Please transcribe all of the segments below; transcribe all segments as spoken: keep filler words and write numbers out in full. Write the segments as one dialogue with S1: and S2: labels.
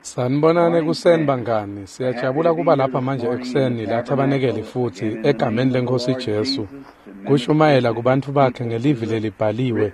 S1: Sanibonani ekuseni bangani, siyajabula kuba lapha manje ekuseni la thabanekeli futhi egameni leNkosi Jesu kushumayela kubantfu bakhe ngelivi lelibhaliwe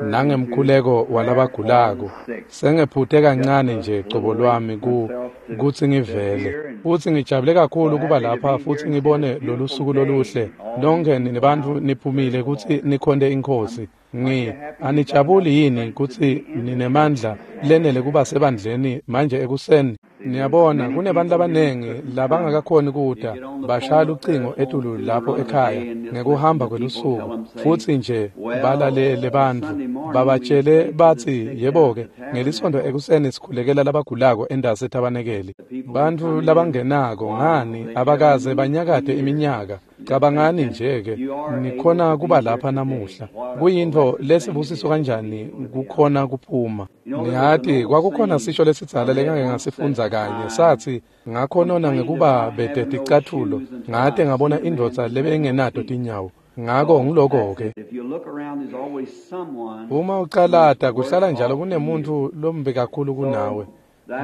S1: nangemkhuleko walabagulako. Sengephute kancane nje cobo lwami ku kutsi ngivele futhi ngijabule kakhulu kuba lapha futhi ngibone lolu suku loluhle. Nonke nibantfu niphumile kutsi nikhonte iNkhosi. Ngi anijabuli yini kutsi ninemandla lenele kuba sebandleni manje ekuseni? Niyabona kunebantu labanengi labangakakhoni kuta bashaya ucingo etulu lapho ekhaya ngekuhamba kwelusuku futhi nje balalele bantfu babatshele batsi yebo-ke ngelisondo ekuseni sikhulekela labagulako endasi ethabanekeli. Bantfu labangenako ngani abakaze banyakade iminyaka. Cabangani nje-ke nikhona kuba lapha namuhla. Kuyintfo lesibusiso kanjani kukhona kuphuma. Niyati kwakukhona sisho lesidzala lengake ngasifundza kanye sathi ngakhonona ngekuba bete ticatfulo ngate ngabona indvodza lebengenato tinyawo. Ngako ngiloko-ke. Uma ucalata kuhlala njalo kunemuntu lombi kakhulu kunawe.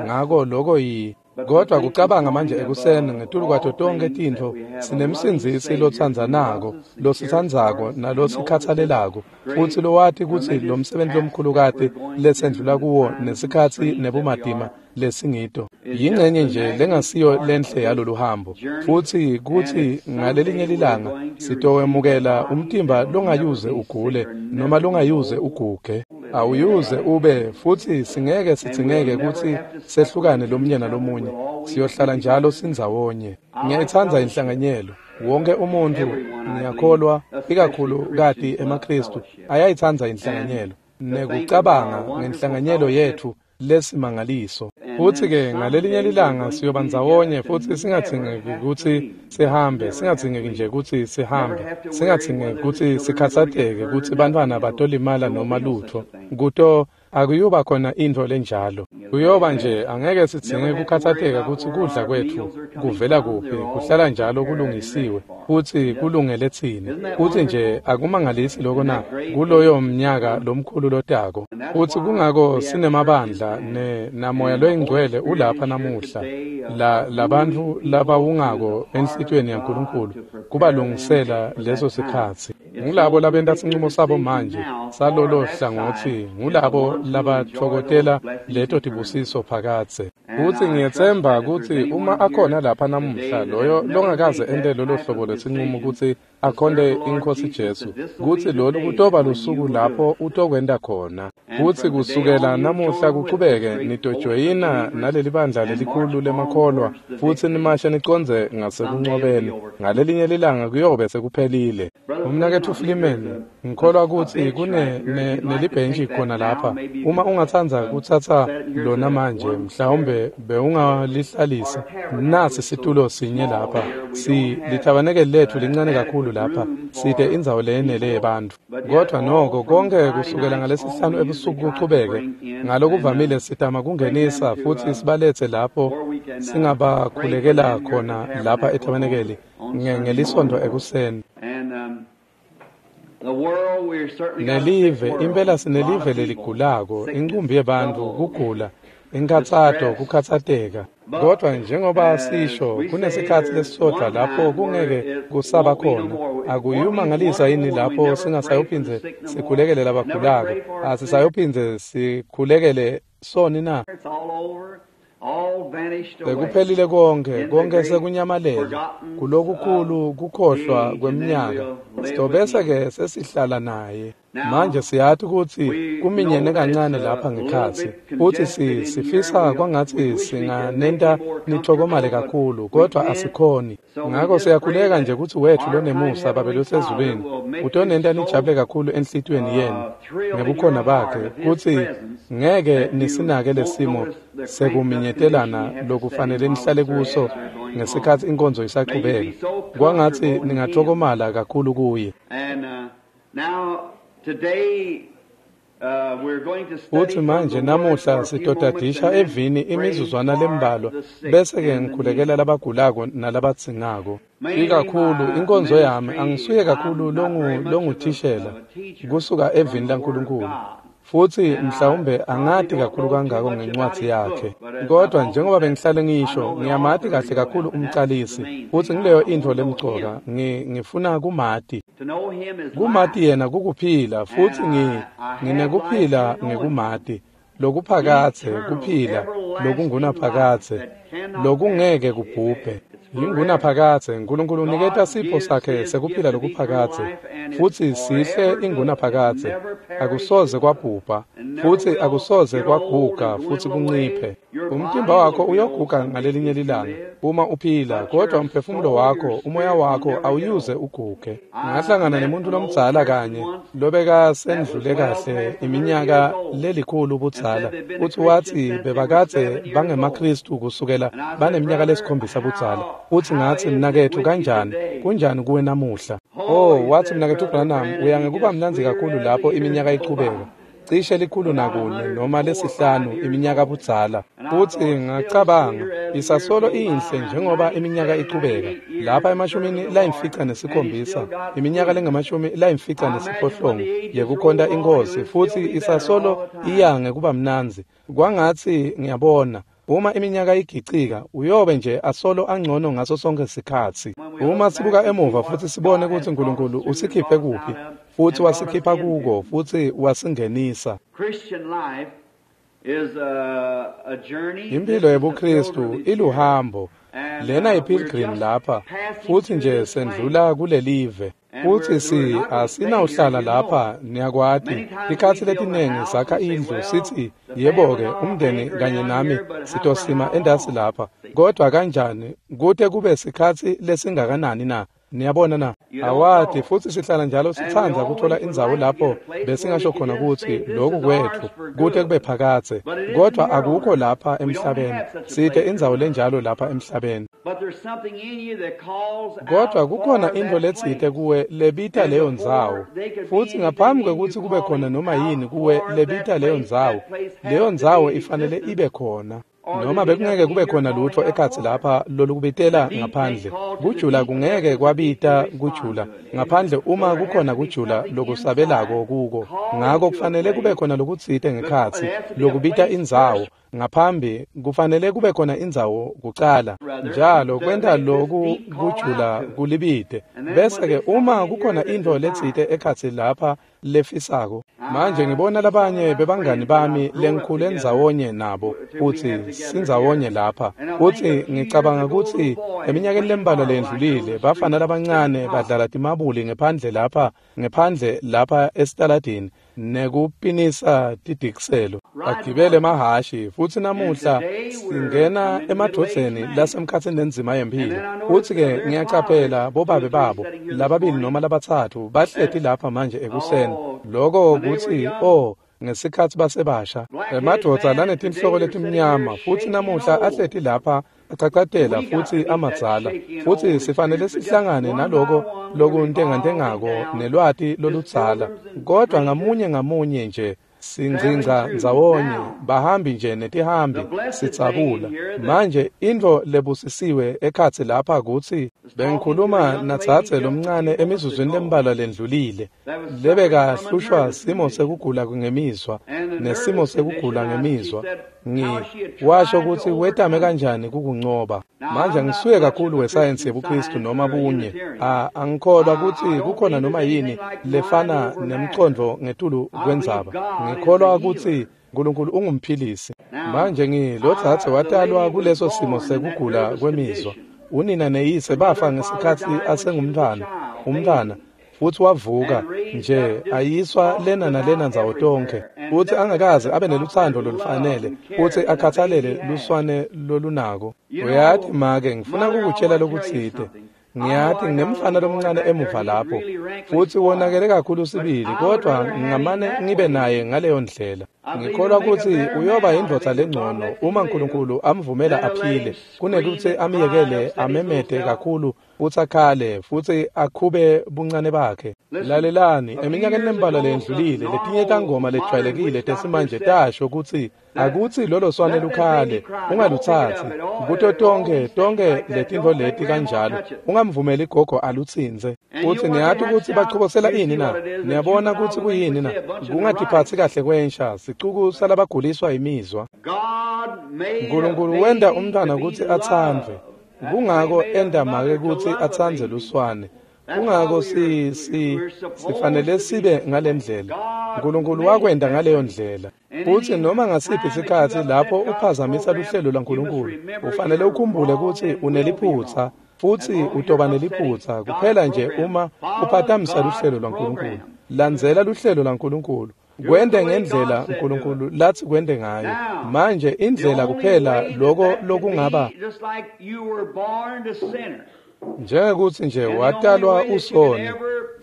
S1: Ngako loko yi kodwa kucabanga manje ekuseni ngetulu kwato tonke tintfo sinemsindzisi lotsandzanako lositsandzako nalosikhatsalelako futsi lowati kutsi lo msebenzi lomkhulukati lesendlula kuwo nesikhatsi nebumatima lesingito yingcenye nje lengasiyo lenhle yalolu hambo futsi kutsi ngalelinye lilanga sitowemukela umtimba longayuze ugule noma longayuze uguge awuyuze ube futhi singeke sidzingeke kutsi sehlukane lomunye nalomunye siyohlala njalo sindzawonye. Ngiyayitsandza inhlanganyelo. Wonke umuntu ngiyakholwa ikakhulu kati emaKristu ayayitsandza inhlanganyelo nekucabanga ngenhlanganyelo yethu lesimangaliso. Futhi-ke ngalelinye lilanga siyoba ndzawonye futhi singadzingeki kutsi sihambe, singadzingeki nje kutsi sihambe, singadzingeki kutsi sikhatsateke kutsi bantfwana batolimala noma lutfo. Kuto akuyuba khona intfo lenjalo. Kuyoba nje angeke sidzinge kukhatsateka kutsi kudla kwetfu kuvela kuphi, kuhlala njalo kulungisiwe futsi kulungele tsine. Futsi nje akumangalisi loko na kuloyo mnyaka lomkhulu lotako. Futsi kungako sinemabandla ne namoya loyingcwele ulapha namuhla la labantfu labawungako enhlitiyweni yaNkulunkulu kubalungisela leso sikhatsi. Ngulabo labenta sincumo sabo manje salolo hlangotsi, ngulabo labatfokotela leto tibusiso phakadze. Futsi ngiyetsemba kutsi uma akhona lapha namuhla loyo longakaze ente lolo hlobo lwesincumo kutsi akhonte iNkhosi Jesu, kutsi lolu kutoba lusuku lapho utokwenta khona. Futsi kusukela namuhla kuchubeke nitojoyina naleli bandla lelikhulu lemakholwa futsi nimashe nicondze ngasekunqobeni. Ngalelinye lilanga kuyobe sekuphelile. Umnaketfu Flimen, ngikholwa kutsi kune nelibhentshi khona lapha. Uma ungatsandza kutsatsa lona manje mhlawumbe bewungalihlalisa. Nasi situlo sinye lapha. Si lithabanekeli lethu lincane kakhulu lapha. Side indzawo leyenele yebantfu. Kodwa noko konke kusukela ngalesihlanu ebusuku kuchubeke ngalokuvamile sitama kungenisa futsi sibaletse lapho singabakhulekela khona lapha ethabanekeli ngelisonto ekuseni. Nelive impela sinelive leligulako, incumbi yebantfu kugula, inkhatsato kukhatsateka. Kodwa njengoba sisho kunesikhatsi lesisodvwa lapho kungeke kusaba khona. Akuyumangalisa yini lapho singasayophindze sikhulekele labagulako? Asisayophindze sikhulekele soni na? Sekuphelile konke, konke sekunyamalele kulokukhulu kukhohlwa kweminyaka. Sitobese-ke sesihlala naye. Manje siyati kutsi kuminyene kancane lapha ngekhatsi futsi si sifisa kwangatsi singanenta nithokomale kakhulu kodwa asikhoni. Ngako siyakhuleka nje kutsi wetfu lonemusa Babe losezulwini utonenta nijabule kakhulu enhlitiyweni yenu ngebukhona bakhe kutsi ngeke nisinake lesimo sekuminyetelana lokufanele nihlale kuso ngesikhatsi inkonzo isachubeka. Kwangatsi ningathokomala kakhulu kuye. Futsi manje namuhla sitotadisha evini imizuzwana lembalwa bese-ke ngikhulekela labagulako nalabadzingako. Ikakhulu inkonzo yami angisuye kakhulu longuthishela kusuka evini laNkulunkulu. Futsi mhlawumbe angati kakhulu kangako ngencwadzi yakhe. Kodwa njengoba bengihlale ngisho, ngiyamati kahle kakhulu umcalisi. Futsi ngileyo intfo lemcoka, ngifuna kumati. Kumati yena kukuphila, futsi nginekuphila ngekumati. Lokuphakadze kuphila, lokungunaphakadze, lokungeke kubhubhe. Ingunaphakadze, Nkulunkulu uniketa sipho sakhe sekuphila lokuphakadze, futsi sihle ingunaphakadze, akusoze kwabhubha, futsi akusoze kwaguga futsi kunciphe. Umtimba wakho uyoguga ngalelinye lilanga uma uphila, kodwa umphefumulo wakho, umoya wakho awuyuze uguge. Ngahlangana nemuntu lomdzala kanye lobekasendlule kahle iminyaka lelikhulu budzala, futsi watsi bebakadze bangemaKhristu kusukela baneminyaka lesikhombisa budzala. Futsi ngatsi, mnaketfu, kanjani? Kunjani kuwe namuhla? Oh, watsi, mnaketfu Branham, uya ngekuba mnandzi kakhulu lapho iminyaka ichubeka. Cishe likhulu nakune noma lesihlanu iminyaka budzala. Futsi ngacabanga, isasolo inhle njengoba iminyaka ichubeka. Lapha emashumini layimfica nesikhombisa, iminyaka lengamashumi layimfica nesiphohlongo yekukhonta iNkhosi, futsi isasolo iya ngekuba mnandzi. Kwangatsi ngiyabona, uma iminyaka igicika, uyobe nje asolo angcono ngaso sonke sikhatsi. Uma sibuka emuva futsi sibone kutsi Nkulunkulu usikhiphe kuphi, futsi wasikhipha kuko, futsi wasingenisa. Impilo yebuKhristu iluhambo. Lena yi-pilgrim lapha, futsi nje sendlula kulelive. Futsi si asinawuhlala lapha, niyakwati. Tikhatsi letinengi sakha indlu sitsi, yebo-ke, umndeni kanye nami sitosima endasi lapha. Kodwa kanjani, kute kube sikhatsi lesingakanani na? Niyabona na? Awati, futsi sihlala njalo sitsandza kutfola indzawo lapho besingasho khona kutsi loku kwetfu kute kube phakadze. Kodwa akukho lapha emhlabeni. Site indzawo lenjalo lapha emhlabeni. Kodwa kukhona intfo letsite kuwe lebita leyo ndzawo. Futsi ngaphambi kwekutsi kube khona noma yini kuwe lebita leyo ndzawo, leyo ndzawo ifanele ibe khona. Noma bekungeke kube khona lutfo ekhatsi lapha lolukubitela ngaphandle. Kujula kungeke kwabita kujula ngaphandle uma kukhona kujula lokusabelako kuko. Ngako kufanele kube khona lokutsite ngekhatsi lokubita indzawo. Ngaphambi kufanele kube khona indzawo kucala. Njalo kwenta loku kujula kulibite. Bese-ke uma kukhona intfo letsite ekhatsi lapha lefisako. Manje ngibona labanye bebangani bami lengikhule ndzawonye nabo kutsi sindzawonye lapha. Futsi ngicabanga kutsi eminyakeni lembalwa lendlulile bafana labancane badlala timabuli ngephandle lapha ngephandle lapha esitaladini nekupinisa tidikiselo bagibele emahhashi. Futsi namuhla singena emadvodzeni lasemkhatsini lenzima yemphilo. Futsi-ke ngiyacaphela bobabe babo lababili noma labatsatfu bahleti lapha manje ekuseni. Loko kutsi oh ngesikhatsi basebasha emadvodza lanetinhloko letimnyama, futsi namuhla ahleti lapha acacatela futsi amadzala. Futsi sifanele sihlangane naloko lokuntengantengako nelwati loludzala. Kodwa ngamunye ngamunye nje singcingca ndzawonye, bahambi nje netihambi sidzabula. Manje intfo lebusisiwe ekhatsi lapha kutsi bengikhuluma nadzadze lomncane emizuzwini lembalwa lendlulile lebekahlushwa simo sekugula ngemizwa nesimo sekugula ngemizwa. Ngi washo kutsi wetame kanjani kukuncoba. Manje ngisuye kakhulu wesayensi yebuKhristu noma bunye. Angikholwa kutsi kukhona noma yini lefana nemcondvo ngetulu kwendzaba. Ngikholwa kutsi Nkulunkulu ungumphilisi. Manje ngi lo dzadze watalwa kuleso simo sekugula kwemizwa. Unina neyise bafa ngesikhatsi asengumntfwana, umntfwana. Futsi wavuka nje ayiswa lena nalena ndzawo tonkhe, futsi angakaze abe nelutsandvo lolufanele futsi akhathalele luswane lolunako. Uyati make, ngifuna kukutshela lokutsite. Ngiyati nginemfana lomncane emuva lapho, futsi wonakele kakhulu sibili, kodwa ngingamane ngibe naye ngaleyo ndlela. Ngikholwa kutsi uyoba yindvodza lengcono uma Nkulunkulu amvumela aphile, kunekutsi amyekele amemete kakhulu futsi akhale futsi akhube buncane bakhe. Lalelani, eminyakeni lembalwa leyendlulile letinye tangoma lejwayelekile tesimanje tasho kutsi akutsi lolo swane lukhale, ungalutsatsi kuto tonkhe tonkhe letintfo leti kanjalo, ungamvumeli gogo alutsintse. Futsi niyati kutsi bachobosela ini na? Niyabona kutsi kuyini na? Kungatiphatsi kahle kwensha, sicuku salabaguliswa imizwa. Nkulunkulu wenta umntwana kutsi atsandvwe. Kungako enta make kutsi atsandze luswane. Kungako si si sifanele sibe ngalendlela. Nkulunkulu wakwenta ngaleyo ndlela. Futsi noma ngasiphi isikhatsi lapho uphazamisa luhlelo lwaNkulunkulu, ufanele ukhumbule kutsi uneliphutsa futsi utoba neliphutsa kuphela nje uma uphatamisa luhlelo lwaNkulunkulu. Landzela luhlelo lwaNkulunkulu. Kwente ngendlela uNkulunkulu lathi kwente ngayo. Manje indlela kuphela lokho lokungaba njengekuthi nje watalwa usoni,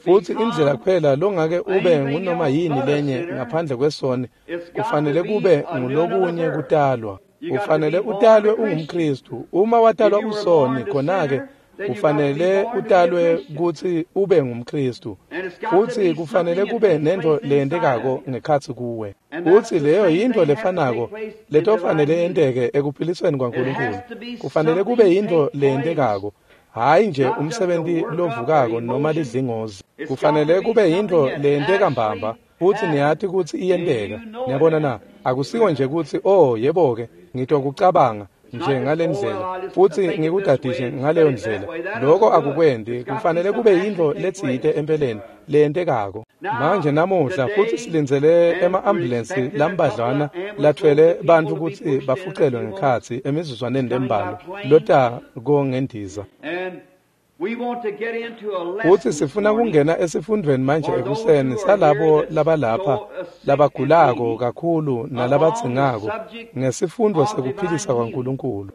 S1: futsi indlela kuphela longake ube ngunoma yini lenye ngaphandle kwesoni kufanele kube ngulokunye kutalwa. Ufanele utalwe ungumKristu. Uma watalwa usoni, khona-ke ufanele utalwe kutsi ube ngumKristu, futsi kufanele kube nento leyentekako ngekhatsi kuwe. Futsi leyo yintfo lefanako letofanele yenteke ekuphilisweni kwaNkulunkulu. Kufanele kube yintfo leyentekako, hhayi nje umsebenti lovukako noma lidlingozi. Kufanele kube yintfo leyenteka mbamba, futsi niyati kutsi iyenteka. Niyabona na? Akusiko nje kutsi oh yebo-ke ngitokucabanga nje ngalendlela futsi ngikudadishe ngaleyo ndlela. Lokho akukwendi. Kufanele kube yintfo letsite empeleni leyentekako. Manje namuhla futsi silindzele ema-ambulensi lambadlwana lathwele bantfu kutsi bafucelwe ngekhatsi emizuzwaneni lembalwa lota kongendiza. Futsi sifuna kungena esifundweni manje ekuseni salabo labalapha labagulako kakhulu nalabadzingako ngesifundvo sekuphilisa kwaNkulunkulu,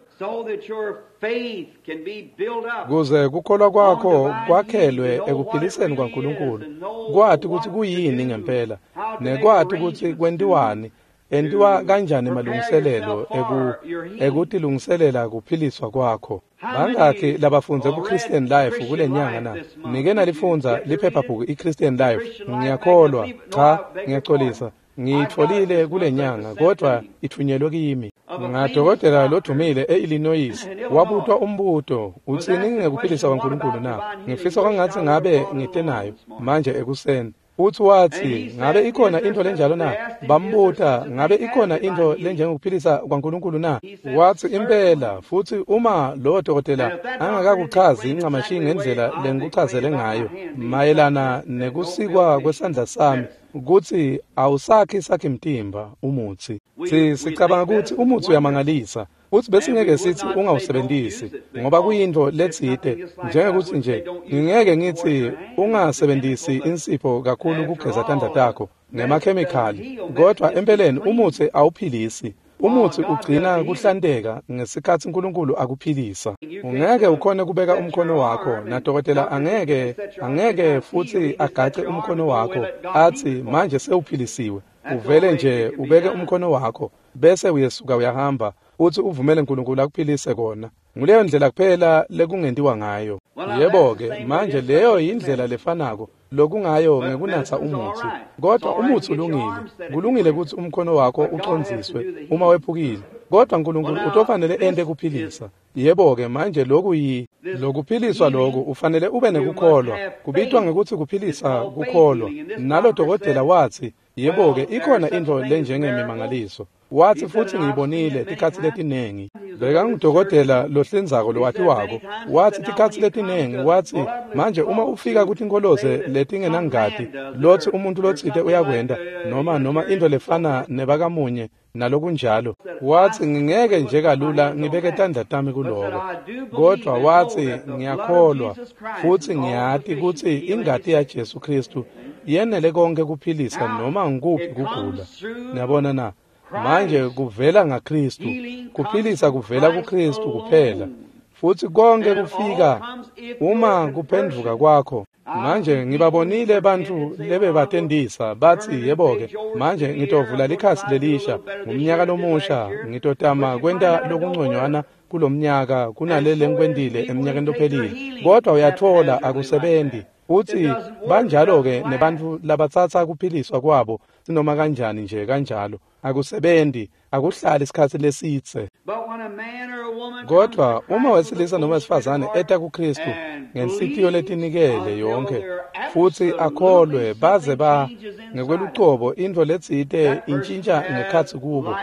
S1: kuze kukholwa kwakho kwakhelwe ekuphiliseni kwaNkulunkulu, kwati kutsi kuyini ngempela nekwati kutsi kwentiwani, entiwa kanjani malungiselelo eku ekutilungiselela kuphiliswa kwakho. Bangakhi labafundze ku-Christian Life kule nyanga na? Nike nalifundza liphephabhuku i-Christian Life? Ngiyakholwa, cha, ngiyaxolisa, ngiyitfolile kule nyanga kodwa ithunyelwe kimi ngadokotela lodumile e-Illinois. Wabutwa umbuto, utsini ngekuphilisa kwaNkulunkulu na? Ngifisa kwangatsi ngabe ngite nayo manje ekuseni. Uthi wathi, ngabe ikhona into lenjalo na? Bambuta, ngabe ikhona into lenjengokuphilisa kwaNkulunkulu na? Wathi impela, futhi uma lo dokotela angakakuchazi incamashi ngendlela lengikuchazele ngayo mayelana nekusikwa kwesandla sami kutsi awusakhi sakhi mtimba umutsi. Si sicabanga kutsi umutsi uyamangalisa, futsi besingeke sithi ungawusebenzisi ngoba kuyintfo letsite, njengekuthi nje ngingeke ngithi ungasebenzisi insipho kakhulu kugeza tandla takho ngemakhemikhali, kodwa empeleni umutsi awuphilisi. Umutsi ugcina kuhlanteka ngesikhatsi uNkulunkulu akuphilisa. Ungeke ukhone kubeka umkhono wakho, nadokotela angeke angeke futsi agace umkhono wakho athi manje sewuphilisiwe. Uvele nje ubeke umkhono wakho bese uyesuka uyahamba uthi uvumele uNkulunkulu akuphilise kona. Nguleyo ndlela kuphela lekungentiwa ngayo. Yebo-ke, manje leyo yindlela lefanako lokungayo ngekunatsa umutsi. Kodwa umutsi ulungile. Kulungile kutsi umkhono wakho ucondziswe uma wephukile, kodwa uNkulunkulu utofanele ente kuphilisa. Yebo-ke, manje loku yi lokuphiliswa loku ufanele ube nekukholwa. Kubitwa ngekutsi kuphilisa kukholwa. Nalo dokotela wathi, yebo-ke, ikhona intfo lenjengemimangaliso. Wathi futhi ngiyibonile tikhatsi letinengi. Bekangudokotela lohlinzako lowatiwako. Wathi tikhatsi letinengi, wathi manje uma ufika kutinkholoze letingenangati lothi umuntu lotsite uyakwenta noma noma intfo lefana nebakamunye nalokunjalo. Wathi ngingeke nje kalula ngibeke tandla tami kuloko, kodwa wathi ngiyakholwa futhi ngiyati kutsi ingati yaJesu Kristu yenele konke kuphilisa noma ngikuphi kugula. Niyabona na? Manje kuvela ngaKristu, kuphilisa kuvela kuKristu kuphela, futhi konke kufika uma kuphendvuka kwakho. Manje ngibabonile bantfu lebebatentisa batsi yebo-ke manje ngitovula likhasi lelisha ngumnyaka lomusha ngitotama kwenta lokunconywana kulomnyaka kunalele ngikwentile eminyakeni lophelile kodwa uyatfola akusebenti. Utsi banjalo-ke nebantfu labatsatsa kuphiliswa kwabo sinoma kanjani nje kanjalo akusebenti akuhlali isikhatsi lesidze. Kodwa uma wesilisa noma wesifazane eta kuKristu ngenhlitiyo letinikele yonkhe futsi akholwe baze ba ngekwelucobo intfo letsite intjintja ngekhatsi kubo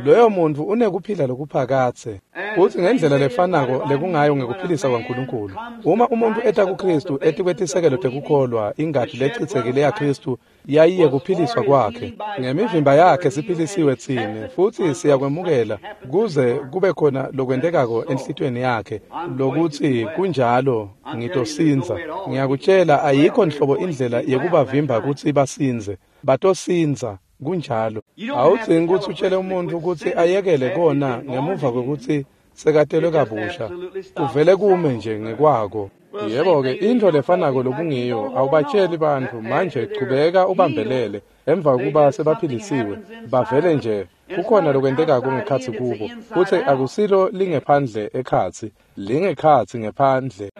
S1: loyo muntfu unekuphila lokuphakadze. Futsi ngendlela lefanako lekungayo ngekuphilisa kwaNkulunkulu uma umuntfu eta kuKristu etikwetisekelo tekukholwa ingati lecitsekile yaKristu yayiye kuphiliswa kwakhe ngemivimba yakhe siphilisiwe tsine futsi siyakwemukela kuze kube khona lokwentekako enhlitiyweni yakhe lokutsi kunjalo ngitosindza. Ngiyakutshela ayikho nhlobo indlela yekubavimba kutsi basindze batosindza kunjalo. Awudzingi kutsi utshele umuntfu kutsi ayekele kona ngemuva kwekutsi sekatelwe kabusha kuvele kume nje ngekwako. Yebo-ke intfo lefanako lokungiyo awubatsheli bantfu manje chubeka ubambelele emva kokuba sebaphilisiwe bavele nje kukhona lokwentekako ngekhatsi kubo futsi akusilo lingephandle ekhatsi lingekhatsi ngephandle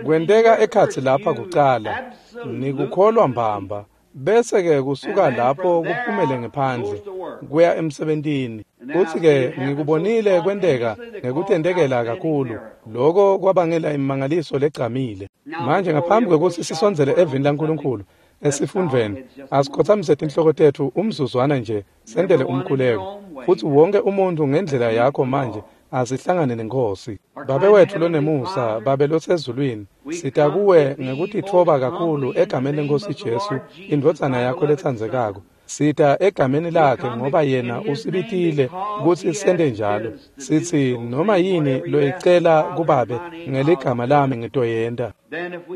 S1: kwenteka ekhatsi lapha kucala nikukholwa mbamba bese-ke kusuka lapho kuphumele ngephandle kuya emsebentini. Futsi-ke ngikubonile kwenteka ngekutentekela kakhulu loko kwabangela imimangaliso legcamile. Manje ngaphambi kwekutsi sisondzele evini laNkulunkulu esifundvweni asikhotsamise tinhloko tetfu umzuzwana nje sentele umkhuleko futsi wonke umuntfu ngendlela yakho manje asihlangane neNkhosi. Babe wetfu lonemusa, Babe losezulwini, sita kuwe ngekutitfoba kakhulu egameni leNkhosi Jesu indvodzana yakho letsandzekako. Sita egameni lakhe ngoba yena usibitile kutsi sente njalo. Sitsi noma yini loyicela kuBabe ngeligama lami ngitoyenta.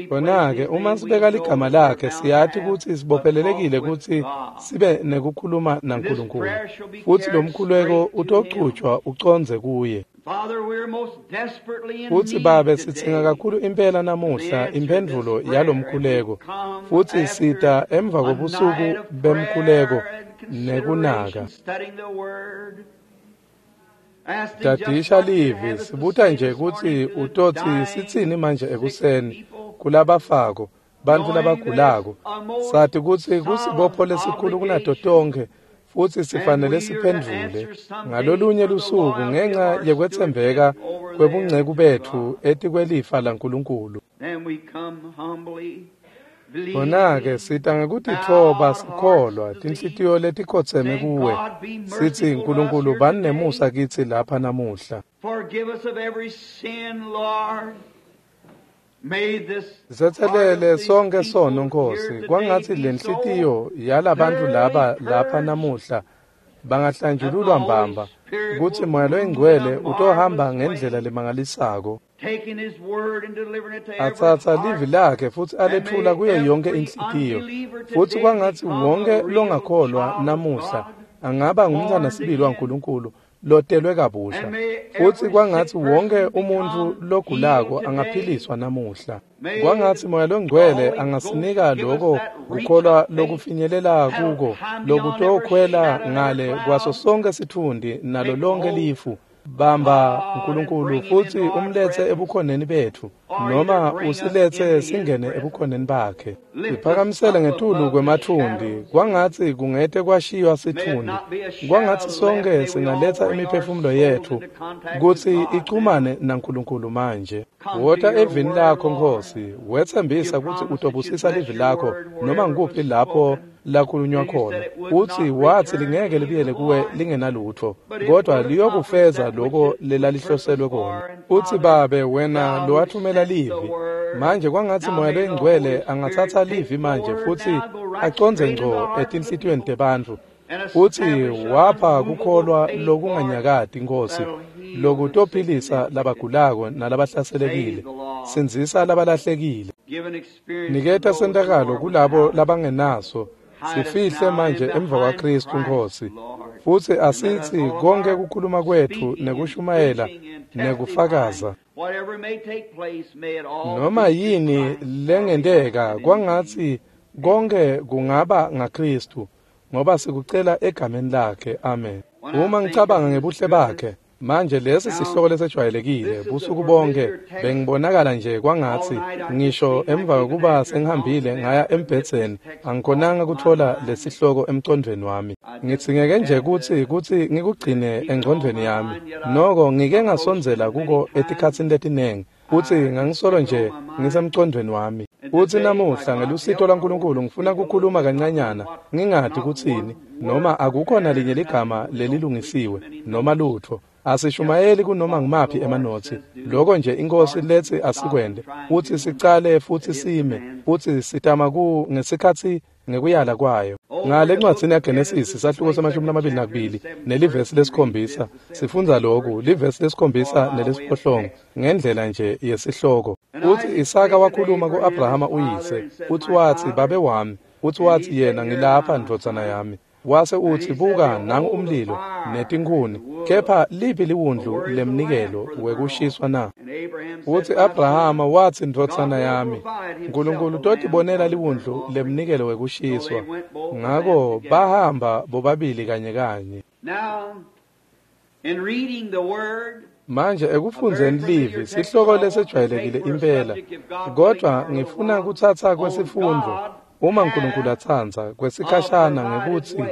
S1: Khona-ke uma sibeka ligama lakhe siyati kutsi sibophelelekile kutsi sibe nekukhuluma naNkulunkulu futsi lo mkhuleko utochutjwa ucondze kuye. Futsi Babe sidzinga kakhulu impela namuhla imphendvulo yalomkhuleko futsi sita emva kobusuku bemkhuleko nekunaka. Tadisha livi sibuta nje kutsi utotsi sitsini manje ekuseni kulabafako bantfu labagulako sati kutsi kusibopho lesikhulu kunato tonkhe futsi sifanele siphendvule ngalolunye lusuku ngenxa yekwetsembeka kwebungceku betfu etikwelifa laNkulunkulu. Khona-ke sita ngekutitfoba sikholwa tinhlitiyo letikhotseme kuwe sitsi Nkulunkulu bani nemusa kitsi lapha namuhla. Sitsetselele sonke sono Nkosi kwangatsi lenhlitiyo yalabantfu laba lapha namuhla bangahlanjululwa mbamba kutsi Moya Loyingcwele utohamba ngendlela lemangalisako atsatsa livi lakhe futsi alethula kuyo yonke inhlitiyo futsi kwangatsi wonke longakholwa namuhla angaba ngumntfwana sibili waNkulunkulu lotelwe kabusha futsi kwangatsi wonke umuntfu logulako angaphiliswa namuhla. Kwangatsi Moya Longcwele angasinika loko kukholwa lokufinyelela kuko lokutokhwela ngale kwaso sonke sitfundi nalo lonke lifu. Bamba Nkulunkulu futsi umletse ebukhoneni betfu noma usiletse singene ebukhoneni bakhe. Siphakamisele ngetulu kwematfundi kwangatsi kungete kwashiywa sitfundi kwangatsi sonke singaletsa imiphefumulo yetfu kutsi ichumane naNkulunkulu manje. Wota evini lakho Nkosi wetsembisa kutsi utobusisa livi lakho noma ngukuphi lapho lakhulunywa khona utsi watsi lingeke libuyele kuwe lingenalutfo kodwa liyokufeza loko lelalihloselwe kona. Utsi Babe wena lowathumela livi manje kwangatsi Moya Loyingcwele angatsatsa livi manje futsi acondze ngco etinhlitiyweni tebantfu futsi wapha kukholwa lokunganyakati Nkosi lokutophilisa labagulako nalabahlaselekile sindzisa labalahlekile. Niketa sentakalo kulabo labangenaso sifihle manje emva kwaKristu Nkosi futsi asitsi konke kukhuluma kwetfu nekushumayela nekufakaza Noma yini lengenteka kwangatsi konke kungaba ngaKristu, ngoba sikucela egameni lakhe. Amen. Uma ngicabanga ngebuhle bakhe, manje lesi sihloko lesejwayelekile busuku bonke bengibonakala nje kwangatsi ngisho emva kokuba sengihambile ngaya embhedzeni angikhonanga kutfola lesihloko emcondvweni wami. Ngitsingeke nje kutsi kutsi ngikugcine engcondvweni yami. Noko ngike ngasondzela kuko etikhatsini letinengi kutsi ngangisolo nje ngisemcondvweni wami. Utsi namuhla ngelusito lwaNkulunkulu ngifuna kukhuluma kancanyana ngingati kutsini noma akukho nalinye ligama lelilungisiwe noma lutfo. Asishumayeli kunoma ngimaphi emanotsi. Lokho nje inkosi letsi asikwende utsi sicale futsi sime futsi sitama ku ngesikhatsi ngekuyala kwayo. Ngale ncwadzini yaGenesis sahluko semashumi lamabili nakubili nelivesi lesikhombisa sifundza lokhu, livesi lesikhombisa nelesiphohlongo ngendlela nje yesihloko. Utsi Isaka wakhuluma ku-Abrahama uyise, utsi watsi babe wami, utsi watsi yena ngilapha ndvodzana yami. Wase utsi buka nangu umlilo netinkhuni, kepha liphi liwundlu lemnikelo wekushiswa na? Utsi Abrahama watsi ndvodzana yami, Nkulunkulu totibonela liwundlu lemnikelo wekushiswa. Ngako bahamba bobabili kanye kanye. Manje ekufundzeni livi sihloko lesejwayelekile impela, kodvwa ngifuna kutsatsa kwesifundvo uma Nkulunkulu atsandza kwesikhashana ngekutsi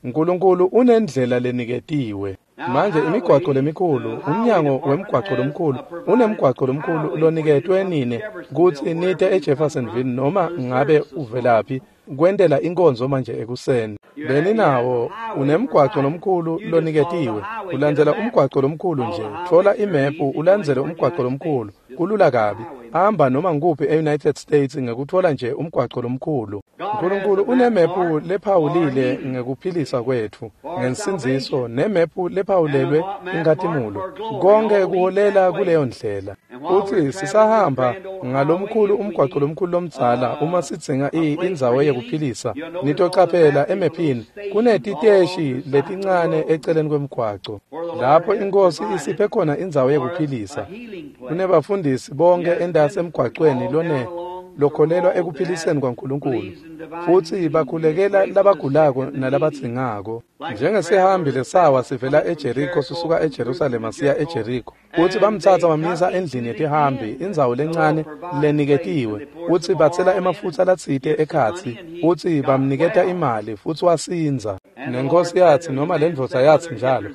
S1: Nkulunkulu unendlela leniketiwe. Manje imigwaco lemikhulu, umnyango wemgwaco lomkhulu unemgwaco lomkhulu loniketwe nine kutsi nite eJeffersonville noma ngabe uvelaphi kwentela inkonzo manje ekuseni. Beninawo unemgwaco lomkhulu loniketiwe, ulandzela umgwaco lomkhulu nje, thola imephu ulandzele umgwaco lomkhulu, kulula kabi. Hamba noma ngikuphi e-United States ngekutfola nje umgwaco lomkhulu. Nkulunkulu unemephu lephawulile ngekuphilisa kwetfu, ngensindziso, nemephu lephawulelwe inkhatimulo. Konke kuholela kuleyo ndlela. Utsi sisahamba ngalomkhulu umgwaco lomkhulu lomdzala uma sidzinga indzawo yekuphilisa, nitocaphela emephini kunetiteshi letincane eceleni kwemgwaco lapho inkosi isiphe khona indzawo yekuphilisa. Kunebafundisi bonke endasi emgwacweni lone lokholelwa ekuphiliseni kwaNkulunkulu futsi bakhulekela labagulako nalabadzingako. Njengesihambi lesawa sivela eJeriko sisuka eJerusalema siya eJeriko, utsi bamtsatsa bamyisa endlini yetihambi, indzawo lencane leniketiwe, utsi batsela emafutsa latsite ekhatsi, utsi bamniketa imali futsi wasindza. Nenkosi yatsi noma lendvodza yatsi njalo,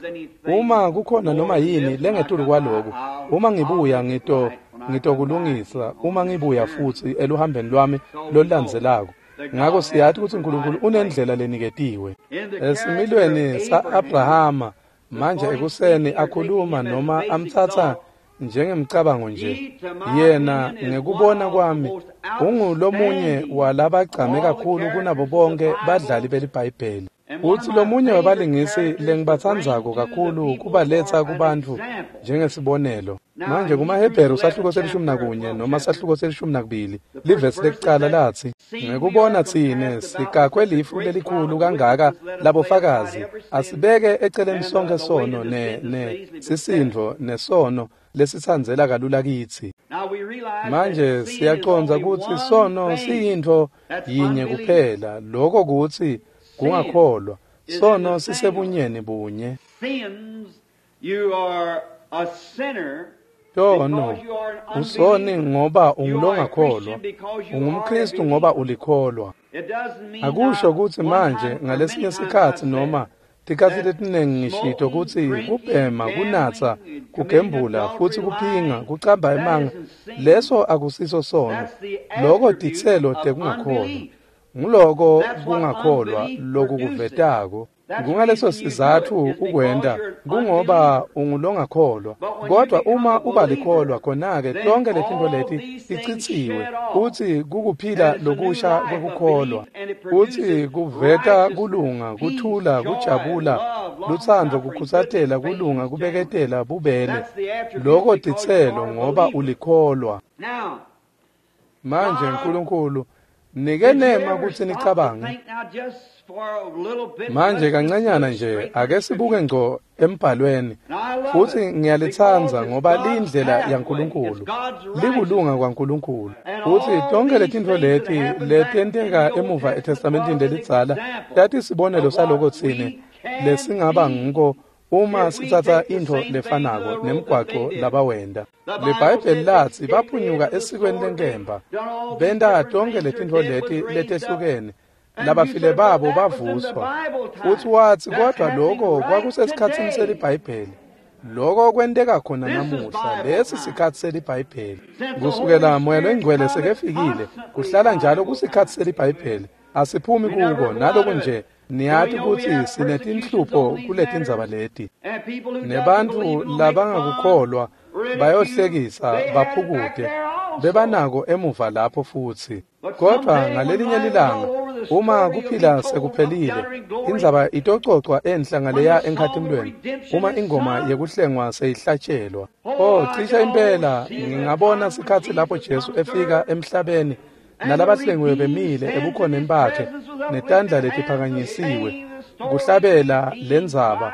S1: uma kukhona noma yini lengetulu kwaloku, uma ngibuya ngito ngitokulungisa uma ngibuya futsi eluhambeni lwami lolulandzelako. Ngako siyati kutsi Nkulunkulu unendlela leniketiwe. Esimilweni sa-Abrahama manje ekuseni akhuluma noma amtsatsa njengemcabango nje, yena ngekubona kwami ungulomunye walabagcame kakhulu kunabo bonke badlali beliBhayibheli. Utsi lomunye wabalingisi lengibatsandzako kakhulu kubaletsa kubantfu njengesibonelo. Manje kumaHebheru sahluko selishumi nakunye noma sahluko selishumi nakubili livesi lekucala latsi, ngekubona tsine sikakwe lifu lelikhulu kangaka labofakazi, asibeke eceleni sonke sono ne ne sisindvo nesono lesitsandzela kalula kitsi. Manje siyacondza kutsi sono siyintfo yinye kuphela, lokho kutsi kungakholwa. Sono sisebunyeni bunye. Tono usoni ngoba ungulongakholwa, ungumKristu ngoba ulikholwa. Akusho kutsi manje ngalesinye sikhatsi noma tikhatsi letinengi ngishito kutsi kubhema, kunatsa, kugembula futsi kuphinga, kucamba emanga, leso akusiso sono. Loko titselo tekungakholwa. Nguloko kungakholwa lokukuvetako. Kungaleso sizatfu ukwenta kungoba ungulongakholwa. Kodwa uma uba likholwa khona-ke tonke letintfo leti ticitsiwe, utsi kukuphila lokusha kwekukholwa, utsi kuveta kulunga, kuthula, kujabula, lutsandvo, kukhutsatela, kulunga, kubeketela, bubele. Loko titselo ngoba ulikholwa. Manje Nkulunkulu nike nema kutsi nicabange. Manje kancanyana nje ake sibuke ngco embhalweni Futsi ngiyalitsandza ngoba liyindlela yaNkulunkulu, likulunga kwaNkulunkulu. Futsi tonkhe letintfo leti letenteka emuva eTestamentini lelidzala tatisibonelo saloko tsine lesingaba ngiko uma sitsatsa intfo lefanako nemgwaco labawenta. LiBhayibheli latsi baphunyuka esikweni lenkemba, benta tonkhe letintfo leti letehlukene, labafile babo bavuswa. Futsi watsi kodvwa loko kwakusesikhatsini seliBhayibheli. Loko kwenteka khona namuhla, lesi sikhatsi seliBhayibheli. Kusukela Moya loNgcwele sekefikile, kuhlala njalo kusikhatsi seliBhayibheli. Asiphumi kuko naloku nje niyati kutsi sinetinhlupho kuletindzaba leti. Nebantfu labangakukholwa bayohlekisa baphukute, bebanako emuva lapho futsi. Kodvwa ngalelinye lilanga uma kuphila sekuphelile, indzaba itococwa enhla ngaleya enkhatimlweni uma ingoma yekuhlengwa seyihlatshelwa. Oh, cishe impela ngingabona sikhatsi lapho Jesu efika emhlabeni nalabahlengiwe bemile ebukhoneni bakhe netandla letiphakanyisiwe kuhlabela lendzaba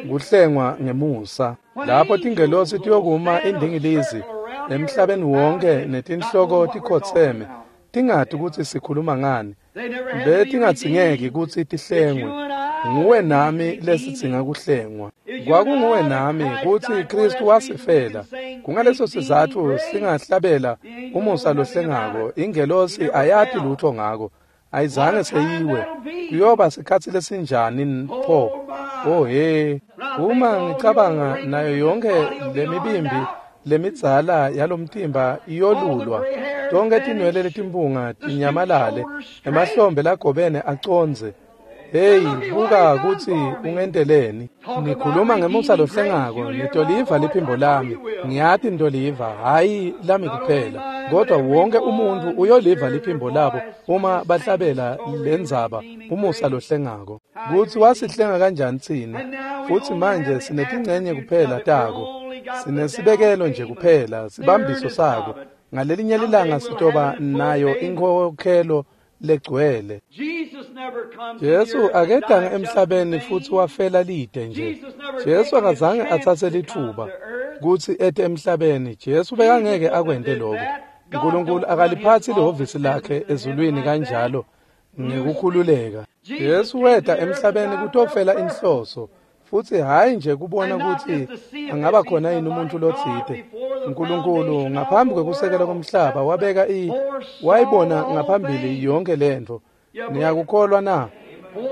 S1: kuhlengwa ngemusa. Lapho tingelosi tiyokuma indingilizi emhlabeni wonke netinhloko tikhotseme tingati kutsi sikhuluma ngani, betingadzingeki kutsi tihlengwe. Nguwe nami lesidzinga kuhlengwa. Kwakunguwe nami kutsi Kristu wasifela. Kungaleso sizatfu singahlabela umusa lohlengako. Ingelosi ayati lutho ngako, ayizange seyiwe. Kuyoba sikhatsi lesinjani pho? Oh he, uma ngicabanga nayo yonke lemibimbi lemidzala yalomtimba iyolulwa, tonke tinwele letimpunga tinyamalale, emahlombe lagobene acondze. Hey, buka kutsi ungenteleni. Nikhuluma ngemusa lohlengako, nitoliva liphimbo lami. Ngiyati nitoliva, hhayi lami kuphela, kodwa wonke umuntfu uyoliva liphimbo labo uma bahlabela lendzaba umusa lohlengako. Kutsi wasihlenga kanjani tsine, futsi manje sinetincenye kuphela tako, sinesibekelo nje kuphela, sibambiso sako. Ngalelinye lilanga sitoba nayo inkhokhelo legcwele. Jesu akedanga emhlabeni futsi wafela lide nje. Jesu akazange atsatse litfuba kutsi ete emhlabeni. Jesu bekangeke akwente lokho. Nkulunkulu akaliphatsi lihhovisi lakhe ezulwini kanjalo ngekukhululeka. Jesu weta emhlabeni kutofela inhloso, futsi hhayi nje kubona kutsi angaba khona yini umuntu lotsite. Nkulunkulu ngaphambi kwekusekela komhlaba wabeka i wayibona ngaphambili yonke lentfo. Niyakukholwa na?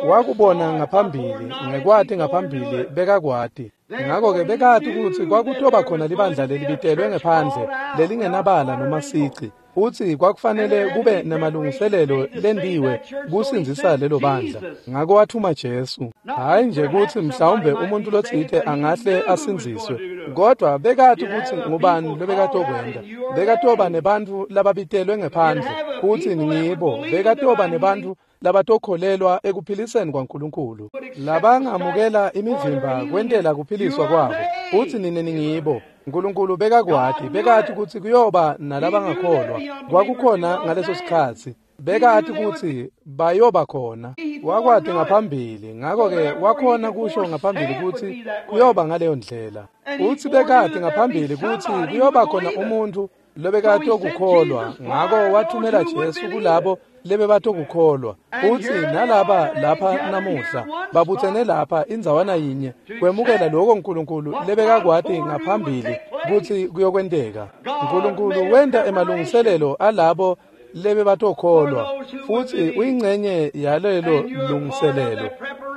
S1: Wakubona ngaphambili, ngekwati ngaphambili bekakwati. Ngakho-ke bekati kutsi kwakutoba khona libandla lelibitelwe ngephandle lelingenabala noma sici, futsi kwakufanele kube nemalungiselelo lendiwe kusindzisa lelo bandla. Ngako wathuma Jesu, hhayi nje kutsi mhlawumbe umuntu lotsite angahle asindziswe, kodwa bekati kutsi ngubani lobekatokwenta. Bekatoba nebantfu lababitelwe ngephandle, futsi ngibo. Bekatoba nebantfu labatokholelwa ekuphiliseni kwaNkulunkulu, labangamukela imivimba kwentela kuphiliswa kwabo, futsi nine ningibo. Nkulunkulu bekakwati, bekati kutsi kuyoba nalabangakholwa. Kwakukhona ngaleso sikhatsi, bekati kutsi bayoba khona. Wakwati ngaphambili, ngako-ke wakhona kusho ngaphambili kutsi kuyoba ngaleyo ndlela. Futsi bekati ngaphambili kutsi kuyoba khona umuntfu lobekatokukholwa, ngako wathumela Jesu kulabo lebebatokukholwa. Futsi nalaba lapha namuhla babutsene lapha indzawana yinye kwemukela lokho Nkulunkulu lebekakwati ngaphambili kutsi kuyokwenteka. Nkulunkulu wenta emalungiselelo alabo lebebatokholwa, futsi uyingcenye yalelo lungiselelo.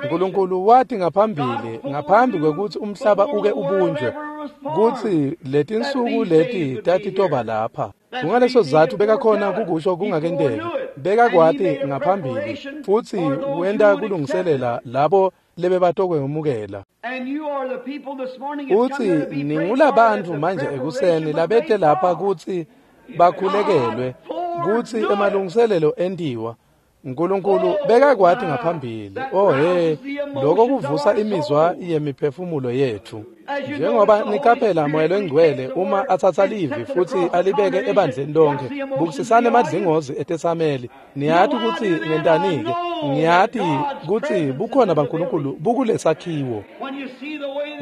S1: Nkulunkulu wati ngaphambili, ngaphambi kwekutsi umhlaba uke ubunjwe, kutsi letinsuku leti tatitoba lapha. Kungaleso sizatfu bekakhona kukusho kungakenteki. Bekakwati ngaphambili, futsi wenta kulungiselela labo lebebatokwemukela. Futsi ningulabantfu manje ekuseni labete lapha kutsi bakhulekelwe, kutsi emalungiselelo entiwa. Nkulunkulu bekakwati ngaphambili. Oh he, lokho kuvusa imizwa yemiphefumulo yethu. Njengoba niqaphela Moya loNgcwele uma atsatsa livi futsi alibeke ebandleni lonke, bukisisani emadlingozi etesameli. Niyati kutsi ngentani-ke? Ngiyati kutsi bukhona baNkulunkulu bukulesakhiwo.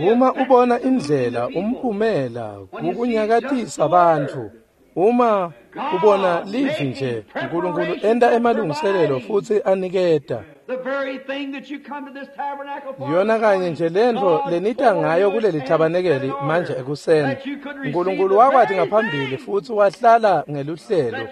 S1: Uma ubona indlela umphumela kukunyakatisa bantfu, uma ubona livi nje uNkulunkulu enta emalungiselelo futsi aniketa yona kanye nje lentfo lenita ngayo kuleli thabanekeli manje ekuseni. uNkulunkulu wakwati ngaphambili futsi wahlala ngeluhlelo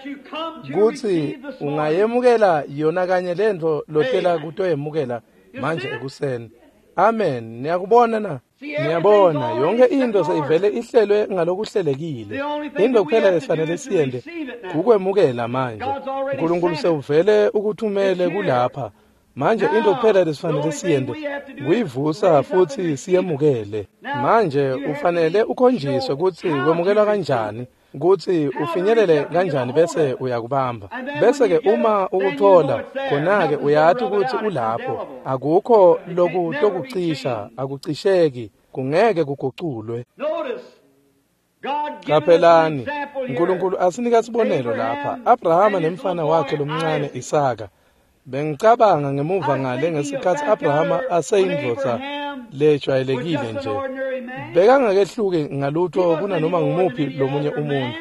S1: kutsi ungayemukela yona kanye lentfo lotela kutoyemukela manje ekuseni. Amen. Niyakubona na? Niyabona yonke into seyivele ihlelwe ngalokuhlelekile. Into kuphela lesifanele siyente kukwemukela manje. uNkulunkulu sewuvele ukuthumele kulapha. Manje into kuphela lesifanele siyente kuyivusa futsi siyemukele. Manje ufanele ukhonjiswe kutsi wemukelwa kanjani, kutsi ufinyelele kanjani bese uyakubamba. Bese ke uma ukuthola khona ke uyati kutsi ulapho. Akukho lokutokucisha, akucisheki, kungeke kuguculwe. Qaphelani, uNkulunkulu asinika sibonelo lapha. Abrahama nemfana wakhe lomncane Isaka. Bengicabanga ngemuva ngale ngesikhatsi Abrahama aseyindvodza lejwayelekile nje. Bekangakehluki ngalutho kunanoma ngumuphi lomunye umuntu.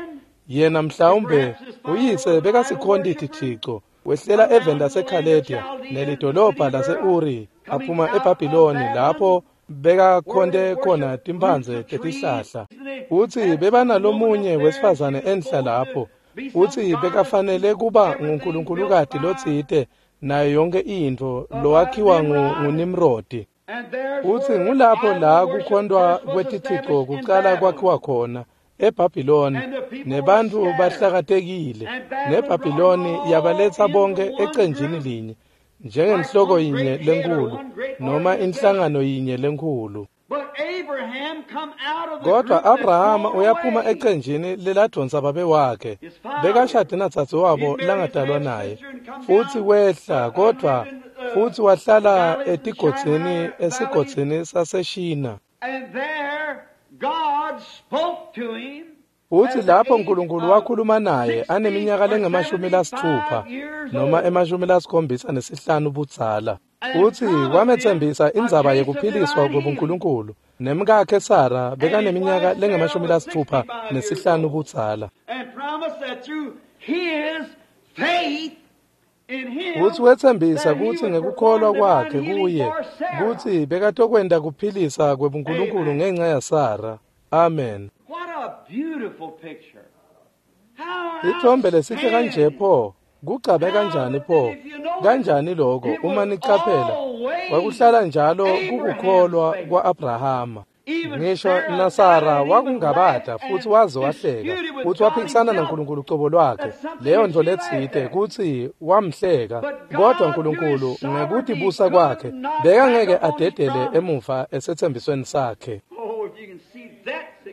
S1: Yena mhlawumbe uyise bekasikhonti tithixo, wehlela eveni laseKhalediya nelidolobha lase-Uri, aphuma eBhabhiloni lapho bekakhonte khona timphandze tetihlahla. Utsi bebanalomunye wesifazane enhla lapho, utsi bekafanele kuba nguNkulunkulukati lotsite nayo yonke intfo lowakhiwa nguNimrodi. Utsi ngulapho la kukhontwa kwetithixo kucala kwakhiwa khona eBhabhiloni, nebantfu bahlakatekile, neBhabhiloni yabaletsa bonke ecenjini linye njengenhloko yinye lenkhulu noma inhlangano yinye lenkhulu. Kodwa Abrahama uyaphuma ecenjini leladvonsa babe wakhe, bekashade nadzadzewabo langadalwa naye, futsi wehla kodvwa futsi wahlala etigodzini esigodzini saseShina. Utsi lapho uNkulunkulu wakhuluma naye aneminyaka lengemashumi lasitfupha noma emashumi lasikhombisa nesihlanu budzala. Utsi wametsembisa indzaba yekuphiliswa kwebuNkulunkulu, nemkakhe Sara bekaneminyaka lengemashumi lasitfupha nesihlanu budzala. Utsi wetsembisa kutsi ngekukholwa kwakhe kuye kutsi bekatokwenta kuphilisa kwebuNkulunkulu ngenca yaSara. Amen. Ithombe lesihle kanje pho, kucabe kanjani pho, kanjani lokho uma nicaphela, kwakuhlala njalo kukukholwa kwa-Abrahama. Ngisho naSara wakungabata futsi waze wahleka, futsi waphikisana naNkulunkulu cobo lwakhe, leyo ntfo letsite kutsi wamhleka. Kodwa Nkulunkulu ngekutibusa kwakhe bekangeke adedele emuva esetsembisweni sakhe.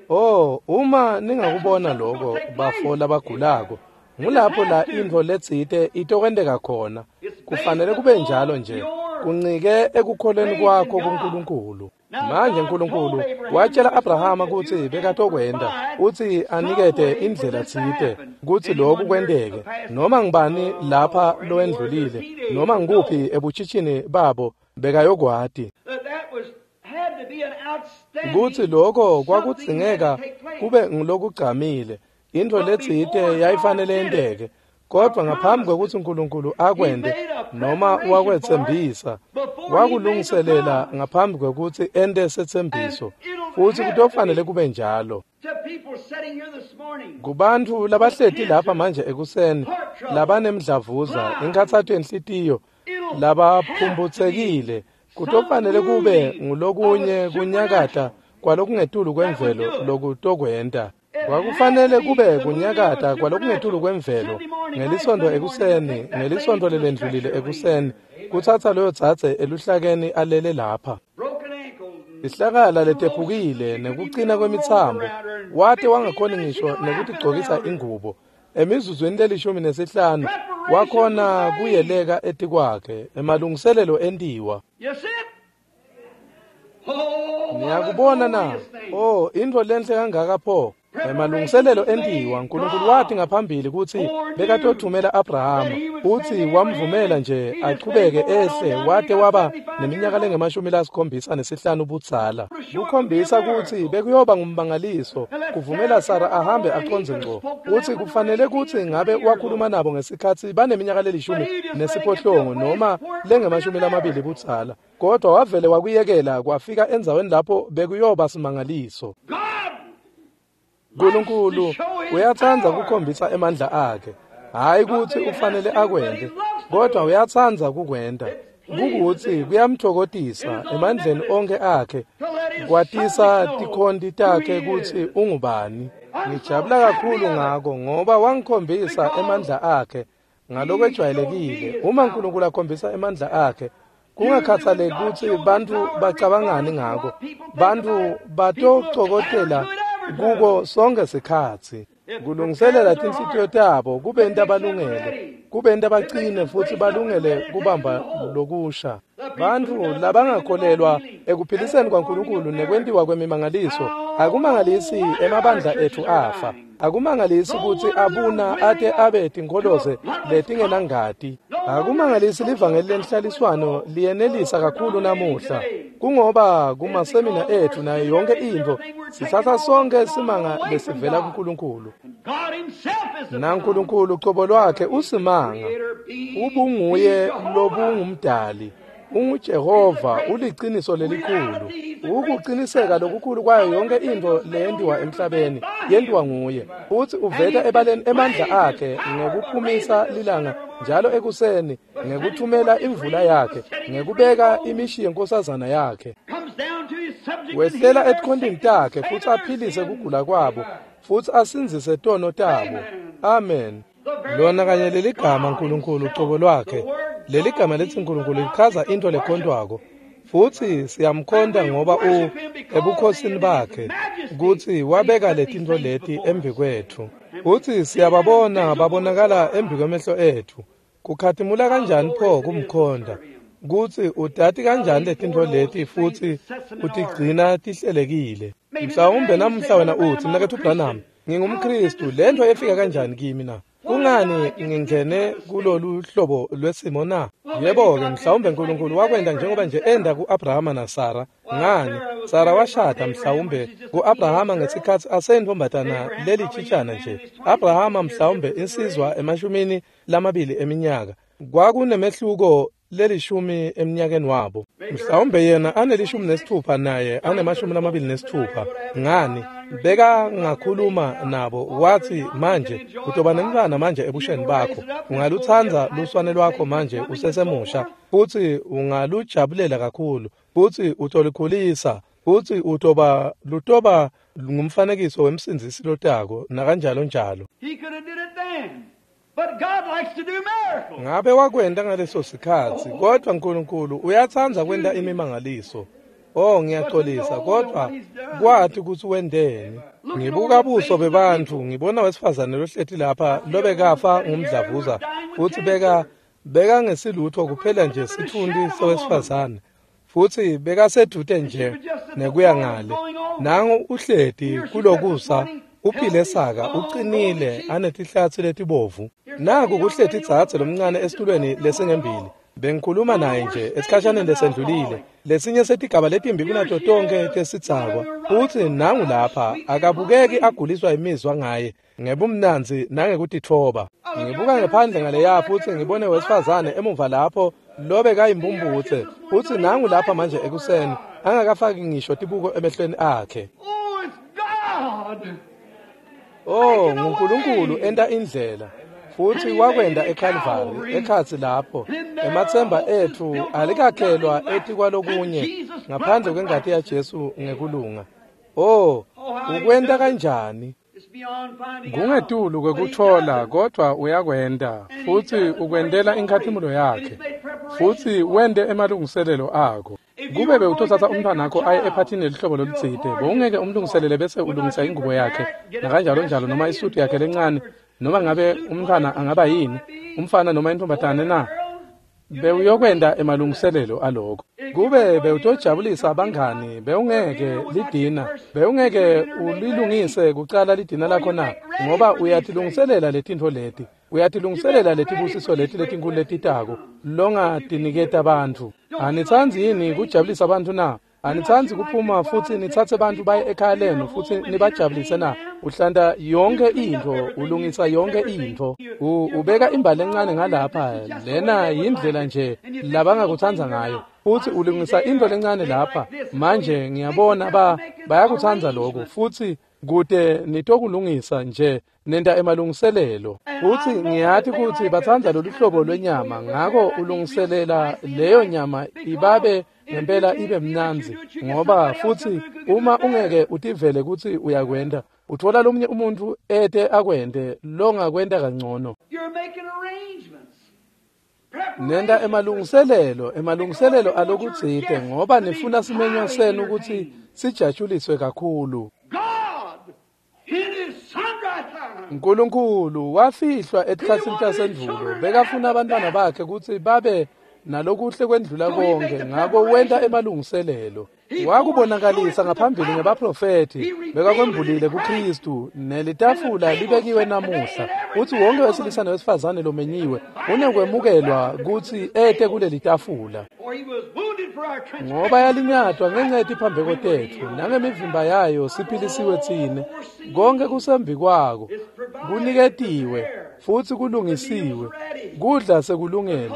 S1: Oh, uma ningakubona lokho bafo labagulako, ngulapho la intfo letsite itokwenteka khona. Kufanele kube njalo nje, kuncike ekukholweni kwakho kuNkulunkulu. Manje uNkulunkulu watshela Abrahama kutsi bekatokwenta, utsi anikete indlela tsite kutsi lokhu kwenteke. Noma ngibani lapha lowendlulile, noma ngikuphi ebutshitshini babo bekayokwati kutsi lokho kwakudzingeka kube ngulokugcamile, intfo letsite yayifanele yenteke. Kodwa ngaphambi kwekutsi uNkulunkulu akwente noma wakwetsembisa, wakulungiselela ngaphambi kwekutsi ente setsembiso, futsi kutofanele kube njalo. Kubantfu labahleti lapha manje ekuseni, labanemdlavuza, inkhatsato yenhlitiyo, labaphumphutsekile, kutofanele kube ngulokunye kunyakata kwalokungetulu kwemvelo lokutokwenta. Kwakufanele kube kunyakata kwalokungetulu kwemvelo ngelisontfo ekuseni, ngelisontfo lelendlulile ekuseni, kutsatsa loyo dzadze eluhlakeni alele lapha. Ihlakala letephukile nekucina kwemitsambo, wate wangakhoni ngisho nekutigcokisa ingubo. Emizuzwini lelishumi nesihlanu wakhona kuyeleka etikwakhe, emalungiselelo entiwa. Niyakubona na? Oh, intfo lenhle kangaka pho. Emalungiselelo entiwa, uNkulunkulu wathi ngaphambili kutsi bekatothumela Abrahama, futsi wamvumela nje achubeke ehle wate waba neminyaka lengemashumi lasikhombisa nesihlanu budzala. Kukhombisa kutsi bekuyoba ngummangaliso kuvumela Sara ahambe acondze ngco. Utsi kufanele kutsi ngabe wakhuluma nabo ngesikhatsi baneminyaka lelishumi nesiphohlongo noma lengemashumi lamabili budzala, kodwa wavele wakuyekela kwafika endzaweni lapho bekuyoba simangaliso. uNkulunkulu uyatsandza kukhombisa emandla akhe, hayi kutsi ufanele akwente, kodwa uyatsandza kukwenta. Kukutsi kuyamthokozisa emandleni onkhe akhe kwatisa tikhonti takhe kutsi ungubani. Ngijabula kakhulu ngako ngoba wangikhombisa emandla akhe ngalokwejwayelekile. Uma uNkulunkulu akhombisa emandla akhe, kungakhathaleki kutsi bantfu bacabangani ngako, bantfu batocokotela kuko sonke sikhatsi. Kulungiselela tinhlitiyo tabo kubenta balungele, kubenta bacine futsi balungele kubamba lokusha. Bantfu labangakholelwa ekuphiliseni kwaNkulunkulu nekwentiwa kwemimangaliso, akumangalisi emabandla etfu afa. Akumangalisi kutsi abuna ate abe tinkholoze letingenangati. Akumangalisi livangeli lenhlaliswano liyenelisa kakhulu namuhla. Kungoba kumasemina etfu nayo yonke intfo sitsatsa sonke simanga lesivela kuNkulunkulu. NaNkulunkulu cobo lwakhe usimanga, ubunguye lobungumdali. UnguJehova, uliciniso lelikhulu. Ukuqiniseka lokukhulu kwayo yonke intfo leyentiwa emhlabeni yentiwa nguye. Futsi uveta ebaleni emandla akhe ngekuphumisa lilanga njalo ekuseni, ngekuthumela imvula yakhe, ngekubeka imishi yenkosazana yakhe. Wehlela etikhontini takhe futsi aphilise kugula kwabo, futsi asindzise tono tabo. Amen. Lona kanye leligama uNkulunkulu cobo lwakhe, leligama letsi uNkulunkulu lichaza into lekhontwako, futsi siyamkhonta ngoba u ebukhosini bakhe kutsi wabeka letintfo leti embikwetfu, futsi siyababona babonakala embikwemehlo etfu. Kukhatimula kanjani pho kumkhonta, kutsi utati kanjani letintfo leti futsi utigcina tihlelekile. Mhlawumbe namuhla wena utsi, Mnaketfu Branham, ngingumKhristu, lentfo efika kanjani kimi na? Kungani ngingene kulolu hlobo lwesimo na? Yebo-ke, mhlawumbe uNkulunkulu wakwenta njengoba nje enda ku-Abrahama naSara. Ngani? Sara washada mhlawumbe ku-Abrahama ngesikhatsi aseyintfombatana lelitshitshana nje. Abrahama mhlawumbe insizwa emashumini lamabili eminyaka. Kwakunemehluko lelishumi eminyakeni wabo. Mhlawumbe yena anelishumi nesithupha naye anemashumi lamabili nesithupha. Ngani? Beka ngakhuluma nabo wathi, manje utoba nemntfwana manje ebusheni bakho, ungalutsandza luswane lwakho manje usesemusha, futsi ungalujabulela kakhulu, futsi utolikhulisa, futsi utoba lutoba ngumfanekiso wemsindzisi lotako nakanjalo njalo. Ngabe wakwenta ngaleso sikhatsi, kodwa uNkulunkulu uyatsandza kwenta imimangaliso. Oh, ngiyaxolisa, kodwa kwathi kutsi wenteni. Ngibuka buso bebantfu, ngibona wesifazane lohleti lapha lobekafa ngumdlavuza, futsi beka beka ngesilutho kuphela nje sitfunti sowesifazane, futsi bekasedvute nje nekuya ngale. Nangu uhleti kulokusa, uphile saka, uqinile, anetihlatsi letibovu. Naku kuhleti dzadze lomncane esitulweni lesingembili. Bengikhuluma naye nje esikhashaneni lesendlulile, lesinye setigaba letimbi kunato tonke tesidzakwa. Futsi nangu lapha akabukeki aguliswa imizwa ngaye ngebumnandzi nangekutitfoba. Ngibuka ngephandle ngaleya futsi ngibone wesifazane emuva lapho lobekayimpumputse, futsi nangu lapha manje ekuseni angakafaki ngisho tibuko emehlweni akhe. Oh, nguNkulunkulu enta indlela. Futsi wakwenda eKalvari ekhatsi lapho. Ematsemba etfu alikakhelwa etikwalokunye ngaphandle kwengati yaJesu ngekulunga. Oh, ukwenta kanjani? Kungetulu kwekutfola, kodwa uyakwenta, futsi ukwentela inkhatimulo yakhe, futsi wente emalungiselelo akho. Kube bewutotsatsa umntfwanakho aye ephathini lelihlobo lolutsite, bowungeke umlungiselele bese ulungisa ingubo yakhe nakanjalo njalo noma isudu yakhe lencane, noma ngabe umntfwana angaba yini, umfana noma intombatane na? Bewuyokwenta emalungiselelo aloko. Kube bewutojabulisa bangani, bewungeke lidina, bewungeke ulilungise kucala lidina lakho na, ngoba uyatilungiselela letintfo leti, uyatilungiselela letibusiso leti letinkulu letitako longatiniketa bantfu. Anitsandzi yini kujabulisa bantfu na? Anitsandzi kuphuma futsi nitsatse bantfu baye ekhaya lenu futsi nibajabulise na? Uhlanta yonke intfo, ulungisa yonke intfo. Ubeka imbali encane ngalapha, lena yindlela nje labangakutsandza ngayo. Futsi ulungisa intfo lencane lapha. Manje ngiyabona ba bayakutsandza lokho, futsi kute nitokulungisa nje nenta emalungiselelo. Futsi ngiyati kutsi batsandza lolu hlobo lwenyama, ngako ulungiselela leyo nyama ibabe ngempela ibe mnandzi, ngoba futsi uma ungeke utivele kutsi uyakwenta, utfola lomunye umuntfu ete akwente longakwenta kangcono. Nenta emalungiselelo, emalungiselelo alokutsite, ngoba nifuna simenywa senu kutsi sijatshuliswe kakhulu. Nkulunkulu wafihlwa etikhatsini tasendvulo, bekafuna abantwana bakhe kutsi babe nalokuhle kwendlula konke, ngako wenta emalungiselelo. Wakubonakalisa ngaphambili ngebaprofethi, bekakwembulile kuKristu, nelitafula libekiwe namuhla. Utsi wonke wesilisa nowesifazane lomenyiwe unekwemukelwa kutsi ete kuleli tafula. Ngoba yalinyatwa ngenxa yetiphambeko tetfu, nangemivimba yayo siphilisiwe tsine. Konke kusembi kwako, kuniketiwe futsi kulungisiwe. Kudla sekulungele,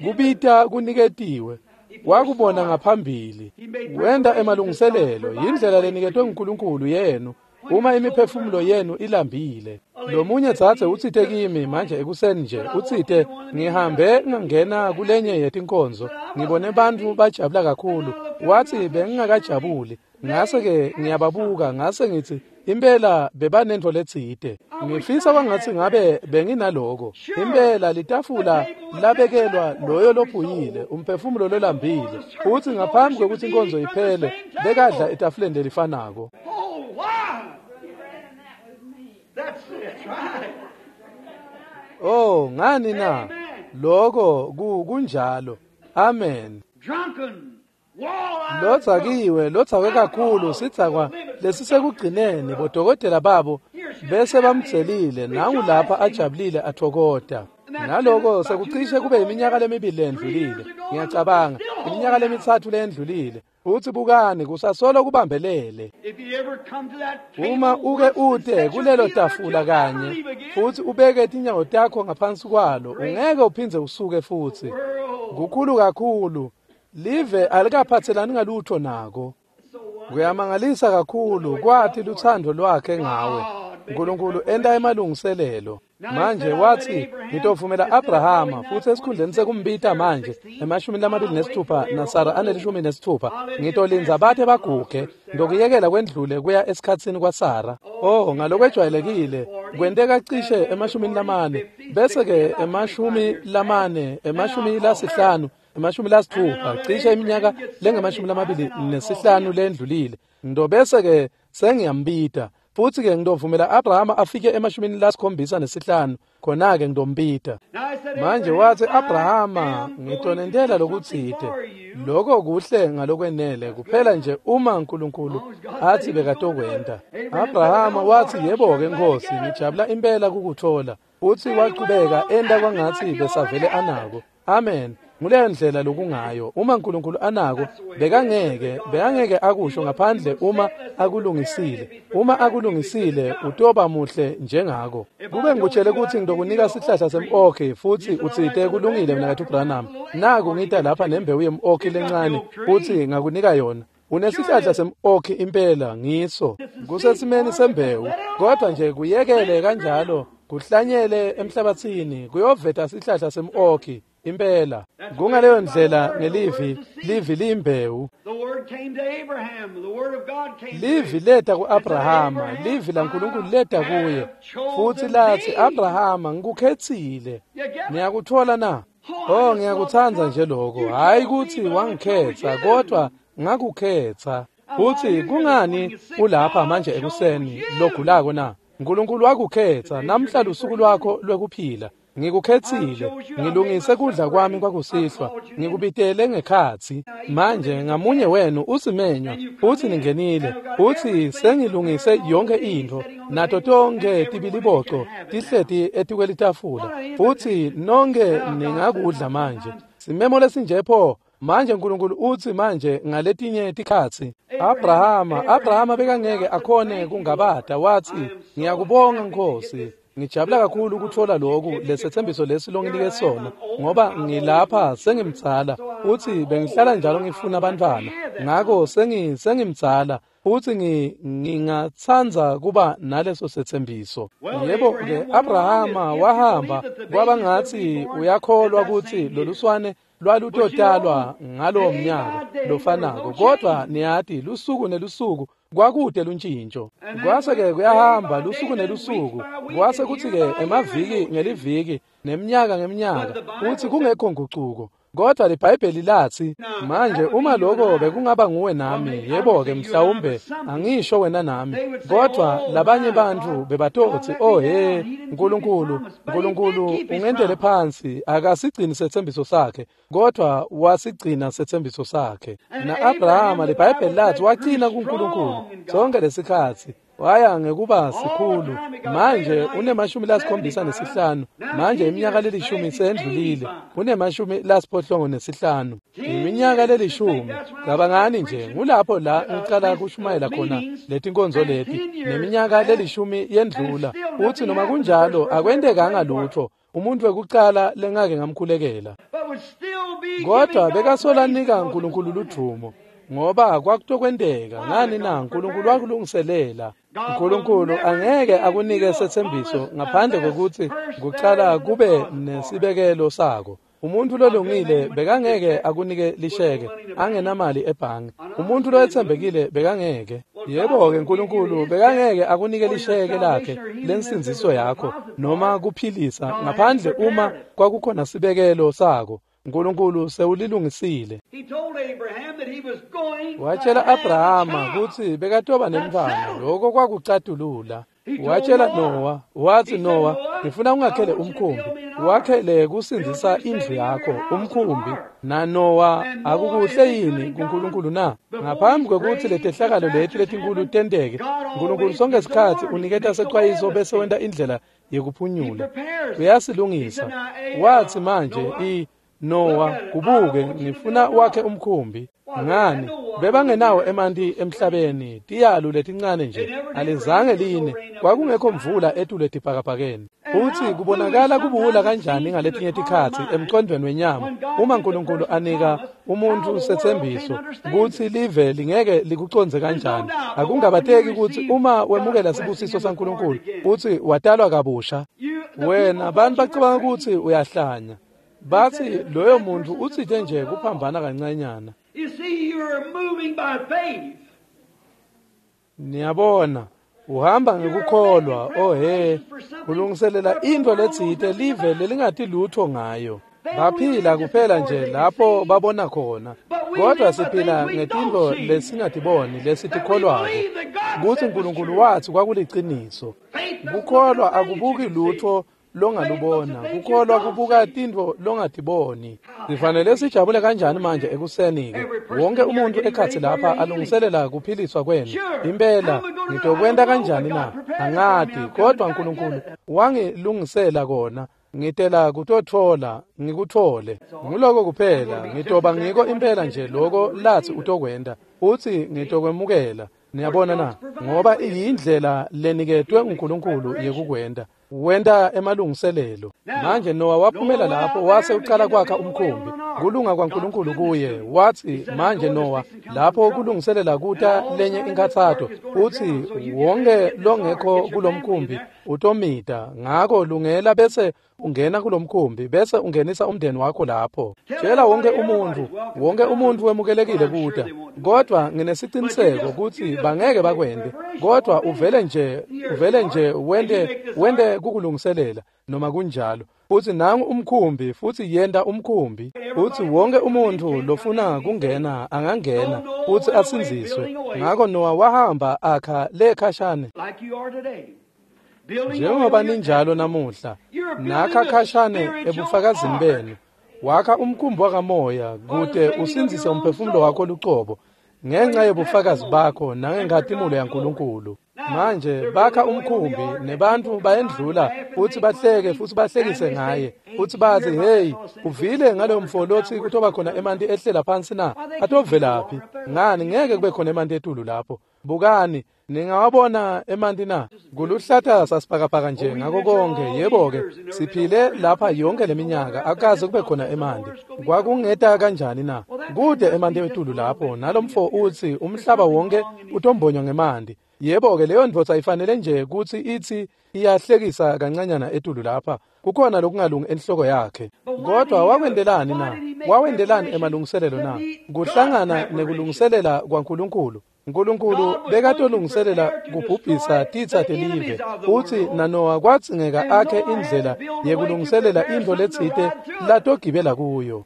S1: kubita kuniketiwe. Wakubona ngaphambili, wenta emalungiselelo. Yindlela leniketwe nguNkulunkulu yenu uma imiphefumulo yenu ilambile. Lomunye dzadze utsite kimi manje ekuseni nje, utsite ngihambe ngangena kulenye yetinkonzo, ngibone bantfu bajabula kakhulu. Watsi bengingakajabuli, ngase-ke ngiyababuka, ngase ngitsi impela bebanentfo letsite. Ngifisa kwangatsi ngabe benginaloko. Impela litafula labekelwa loyo lophuyile, umphefumulo lolambile. Futsi ngaphambi kwekutsi inkonzo iphele, bekadla etafuleni lelifanako. Oh, ngani na? Loko kunjalo. Amen. Lotsakiwe, lotsakwe kakhulu, sidzakwa lesisekugcineni, bodokotela babo bese bamtselile, nangu lapha ajabulile atfokota. Naloko sekucishe kube iminyaka lemibili lendlulile, ngiyacabanga, iminyaka lemitsatfu lendlulile. Futsi bukani, kusasolo kubambelele. Uma uke ute kulelo tafula kanye, futsi ubeke tinyawo takho ngaphansi kwalo, ungeke uphindze usuke futsi. Kukhulu kakhulu. Live alikaphatselani ngalutho nako. Kuyamangalisa kakhulu kwati lutsandvo lwakhe ngawe. Nkulunkulu enta emalungiselelo. Manje watsi ngitovumela Abrahama, futsi esikhundleni sekumbita manje emashumi lamabili nesithupha naSara anelishumi nesithupha, ngitolindza bate baguge, ngitokuyekela kwendlule kuya esikhatsini kwaSara. Oh, ngalokwejwayelekile kwenteka cishe emashumini lamane, bese-ke emashumi lamane, emashumi lasihlanu, emashumi lasithupha, cishe iminyaka lengemashumi lamabili nesihlanu lendlulile. Ngitobese-ke sengiyambita. Futsi-ke ngitovumela Abrahama afike emashumini lasikhombisa nesihlanu, khona-ke ngitombita. Manje watsi Abrahama, ngitonentela lokutsite. Loko kuhle ngalokwenele, kuphela nje uma Nkulunkulu atsi bekatokwenta. Abrahama watsi, yebo-ke Nkhosi, ngijabula impela kukutfola. Futsi wachubeka enta kwangatsi besavele anako. Amen. Nguleyo ndlela lokungayo. Uma Nkulunkulu anako, bekangeke, bekangeke akusho ngaphandle uma akulungisile. Uma akulungisile, utoba muhle njengako. Kube ngikutshele kutsi ngitokunika sihlahla sem-okhi, futsi utsite kulungile mnaketfu Branham. Naku ngita lapha nembewu yem-okhi lencane, futsi ngakunika yona. Unesihlahla sem-okhi impela, ngiso. Kusesimeni sembewu, kodwa nje kuyekele kanjalo, kuhlanyele emhlabatsini, kuyoveta sihlahla sem-okhi. Impela kungaleyo ndlela ngelivi, livi liyimbewu. Livi leta ku-Abrahama, livi laNkulunkulu leta kuye, futsi latsi Abrahama, ngikukhetsile. Niyakutfola na? Oh, ngiyakutsandza nje loko. Hhayi kutsi wangikhetsa, kodwa ngakukhetsa. Futsi kungani ulapha manje ekuseni logulako na? Nkulunkulu wakukhetsa, namhla lusuku lwakho lwekuphila. Ngikukhetsile, ngilungise kudla kwami kwakusihlwa, ngikubitele ngekhatsi. Manje ngamunye wenu usimenywa, uthi ningenile, uthi sengilungise yonke intfo, nato tonkhe tibiliboco tihleti etikwelitafula, futhi nonke ningakudla manje. Simemo lesinje pho. Manje uNkulunkulu uthi manje ngaletinye tikhatsi Abrahama Abrahama bekangeke akhone kungabata, wathi ngiyakubonga Nkosi, ngijabula kakhulu ukuthola lokhu lesethembiso lesi longinike sona, ngoba ngilapha sengimdzala, uthi bengihlala njalo ngifuna abantwana, ngakho sengi sengimdzala uthi ngingatsandza kuba naleso sethembiso. Yebo ke Abrahama wahamba kwaba ngathi uyakholwa ukuthi loluswane lwalutotalwa ngalowo mnyaka lofanako, kodwa niyati lusuku nelusuku kwakude luntshintsho. Kwase-ke kuyahamba lusuku nelusuku, kwase kuthi-ke emaviki ngeliviki neminyaka ngeminyaka, uthi kungekho ngucuko. Kodwa liBhayibheli lathi manje uma lokho bekungaba nguwe nami, yebo-ke mhlawumbe angisho wena nami, kodwa labanye bantu bebatothi oh he Nkulunkulu Nkulunkulu ungendele phansi, akasigcini sethembiso sakhe, kodwa wasigcina sethembiso sakhe. Na-Abrahama liBhayibheli lathi wagcina kuNkulunkulu sonke lesikhatsi, waya ngekuba sikhulu. Manje unemashumi lasikhombisa nesihlanu, manje iminyaka lelishumi sendlulile, unemashumi lasiphohlongo nesihlanu, iminyaka lelishumi. Cabangani nje, ngulapho la ngicala kushumayela khona letinkonzo leti, neminyaka lelishumi yendlula, uthi noma kunjalo akwentekanga lutho, umuntu wekucala lengake ngamkhulekela. Kodwa bekasolanika uNkulunkulu ludvumo, ngoba kwakutokwenteka. Ngani na? uNkulunkulu wakulungiselela. uNkulunkulu angeke akunike sethembiso ngaphandle kokuthi kucala kube nesibekelo sako. Umuntu lolungile bekangeke akunike lisheke angenamali ebhange. Umuntu loyethembekile bekangeke. Yebo-ke uNkulunkulu bekangeke akunike lisheke lakhe lensindziso yakho noma kuphilisa ngaphandle uma kwakukhona sibekelo sako. uNkulunkulu sewulilungisile. Watshela Abrahama kutsi bekatoba nemntfwana, lokho kwakucatulula. Watshela Noah, wathi Noah, ngifuna ungakhele umkhumbi, wakhele kusindzisa indlu yakho umkhumbi. Na Noah akukuhle yini kuNkulunkulu na? Ngaphambi kwekutsi letehlakalo leti letinkulu tenteke, uNkulunkulu sonke isikhatsi uniketa secwayiso bese wenta indlela yekuphunyula. Uyasilungisa. Wathi manje i Noah, kubuke ngifuna wakhe umkhumbi. Ngani? Bebangenawo emanti emhlabeni, tiyalu letincane nje, alizange line, kwakungekho mvula etule etibhakabhakeni. Uthi kubonakala kubuwula kanjani ngaletinye tikhatsi emcondvweni wenyama, uma uNkulunkulu anika umuntu sethembiso kutsi live lingeke likucondze kanjani. Akungabateki kutsi uma wemukela sibusiso saNkulunkulu uthi watalwa kabusha, wena bantu bacabanga kutsi uyahlanya. Bathi loyo muntu utsite nje kuphambana kancanyana.
S2: You see, you're moving by faith.
S1: Niyabona, uhamba ngekukholwa. Oh he, kulungiselela intfo letsite live lelingati lutho ngayo. Baphila kuphela nje lapho babona khona, kodwa siphila ngetintfo lesingatiboni lesitikholwako kutsi uNkulunkulu watsi kwakuliciniso. Kukholwa akubuki lutho longalubona, kukholwa kubuka tintfo longatiboni. Sifanele sijabule kanjani manje ekuseni-ke, wonke umuntu ekhatsi lapha alungiselela kuphiliswa kwenu. Impela ngitokwenta kanjani na? Angati, kodwa uNkulunkulu wangilungisela kona. Ngitela kutotfola, ngikutfole. Nguloko kuphela, ngitoba ngiko impela nje loko latsi utokwenta. Utsi ngitokwemukela. Niyabona na? Ngoba iyindlela leniketwe uNkulunkulu yekukwenta. Wenta emalungiselelo. Manje Noah waphumela lapho wase ucala kwakha umkhumbi. Kulunga kwaNkulunkulu kuye. Wathi manje Noah lapho kulungiselela kuta lenye inkathato, uthi wonke longekho kulomkhumbi utomita, ngako lungela bese ungena kulomkhumbi bese ungenisa umndeni wakho lapho. Tshela wonke umuntu, wonke umuntu wemukelekile kuta, kodwa nginesiciniseko kutsi bangeke bakwente. Kodwa uvele nje, uvele nje wente wente kukulungiselela noma kunjalo. Futhi nangu umkhumbi, futhi yenta umkhumbi. Futhi wonke umuntu lofuna kungena angangena futhi asindziswe. Ngako Noah wahamba akha le khashane.
S2: Like you are today.
S1: Njengoba ninjalo namuhla, nakha khashane ebufakazini benu, wakha umkhumbi wakamoya kute usindzise umphefumulo wakho lucobo ngenxa yobufakazi bakho nangenkhatimulo yaNkulunkulu. Manje bakha umkhumbi nebantfu bayendlula futhi bahleke futhi bahlekise ngaye futhi bathi, hey, uvile ngaloyo mfo lothi kutoba khona emanti ehlela phansi na? Atovelaphi? Ngani ngeke kube khona emanti etulu lapho? Bukani, ningawabona emanti na? Kuluhlata sasibhakabhaka nje ngako konke. Yebo-ke, siphile lapha yonke leminyaka akaze kube khona emanti. Kwakungeta kanjani na? Kude emanti etulu lapho, nalomfo uthi umhlaba wonke utombonywa ngemanti. Yebo-ke, leyo ndvodza ifanele nje kutsi ithi iyahlekisa kancanyana etulu lapha. Kukhona lokungalungi enhloko yakhe. Kodwa wakwendelani na? Wawendelani emalungiselelo na? Kuhlangana nekulungiselela kwaNkulunkulu. Nkulunkulu bekatolungiselela kubhubhisa titsa telive, futsi naNowa kwadzingeka akhe indlela yekulungiselela intfo letsite latogibela kuyo.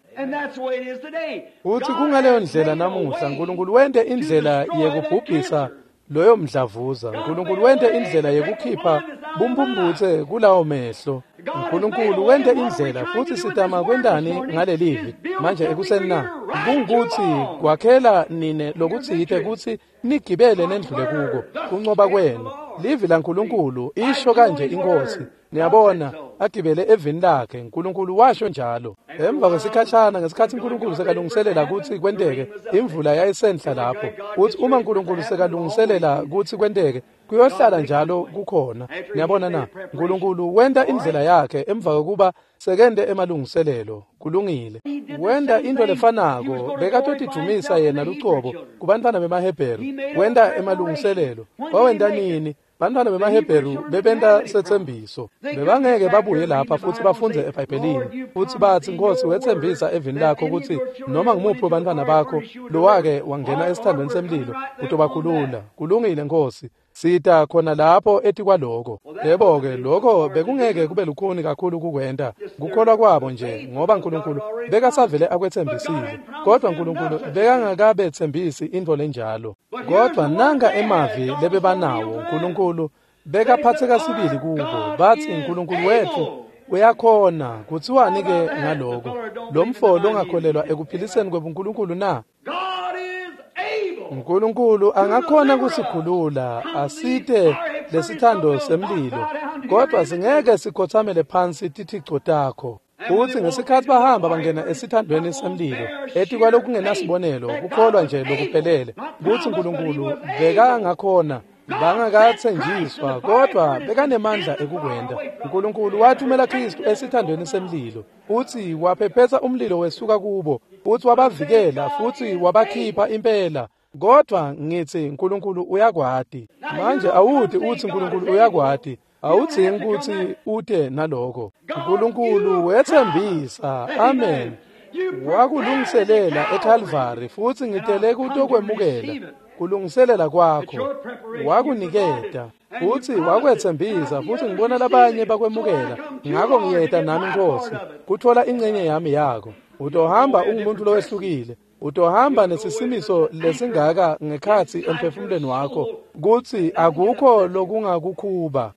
S1: Futsi kungaleyo ndlela namuhla Nkulunkulu wente indlela yekubhubhisa loyo mdlavuza. Nkulunkulu wente indlela yekukhipha bumbumbutse kulawo mehlo. Nkulunkulu wente indlela, futsi sitama kwentani ngalelivi manje ekuseni na? Kungutsi kwakhela nine lokutsite kutsi nigibele nendlule kuko kuncoba kwenu. Livi laNkulunkulu isho kanje iNkhosi. Niyabona, agibele evini lakhe. Nkulunkulu washo njalo. Emva kwesikhashana, ngesikhatsi Nkulunkulu sekalungiselela kutsi kwenteke, imvula yayisenhla lapho. Uthi uma Nkulunkulu sekalungiselela kutsi kwenteke, kuyohlala njalo kukhona. Niyabona na? Nkulunkulu wenta indlela yakhe emva kokuba sekente emalungiselelo. Kulungile. Wenta intfo lefanako, bekatotidvumisa yena lucobo kubantfwana bemaHebheru. Wenta emalungiselelo. Wawenta nini? Bantfwana bemaHebheru bebenta setsembiso. Bebangeke babuye lapha futhi bafundze eBhayibhelini futhi bathi, Nkosi, wetsembisa evini lakho kutsi noma ngumuphi webantfwana bakho lowake wangena esithandweni semlilo utobakhulula. Kulungile Nkosi, sita khona lapho etikwaloko. Yebo-ke, lokho bekungeke kube lukhuni kakhulu kukwenta kukholwa kwabo nje, ngoba Nkulunkulu bekasavele akwetsembisile. Kodwa Nkulunkulu bekangakabetsembisi intfo lenjalo. Kodwa nanga emavi lebebanawo, Nkulunkulu bekaphatseka sibili kubo. Bathi, Nkulunkulu wetfu uyakhona. Kutsiwani-ke ngaloko? Lo mfo longakholelwa ekuphiliseni kwebuNkulunkulu na? Nkulunkulu angakhona kusikhulula asite lesithando semlilo, kodwa singeke sikhothamele phansi tithico takho. Futsi ngesikhatsi bahamba bangena esithandweni semlilo, etikwalokungenasibonelo, kukholwa nje lokuphelele kutsi Nkulunkulu bekangakhona, bangakatsenjiswa, kodwa bekanemandla ekukwenta. Nkulunkulu wathumela Khristu esithandweni semlilo, futsi waphephetsa umlilo wesuka kubo, futsi wabavikela, futsi wabakhipha impela. Kodwa ngithi Nkulunkulu uyakwati. Manje awuthi uthi Nkulunkulu uyakwati, awudzingi kutsi ute naloko. Nkulunkulu wetsembisa, amen, wakulungiselela eKalvari, futsi ngitele kutokwemukela kulungiselela kwakho. Wakuniketa futsi wakwetsembisa, futsi ngibona labanye bakwemukela. Ngako ngiyeta nami Nkosi kutfola incenye yami yako. Utohamba ungumuntu lowehlukile. Utohamba nesisimiso lesingaka ngekhatsi emphefumulweni wakho kutsi akukho lokungakukhuba.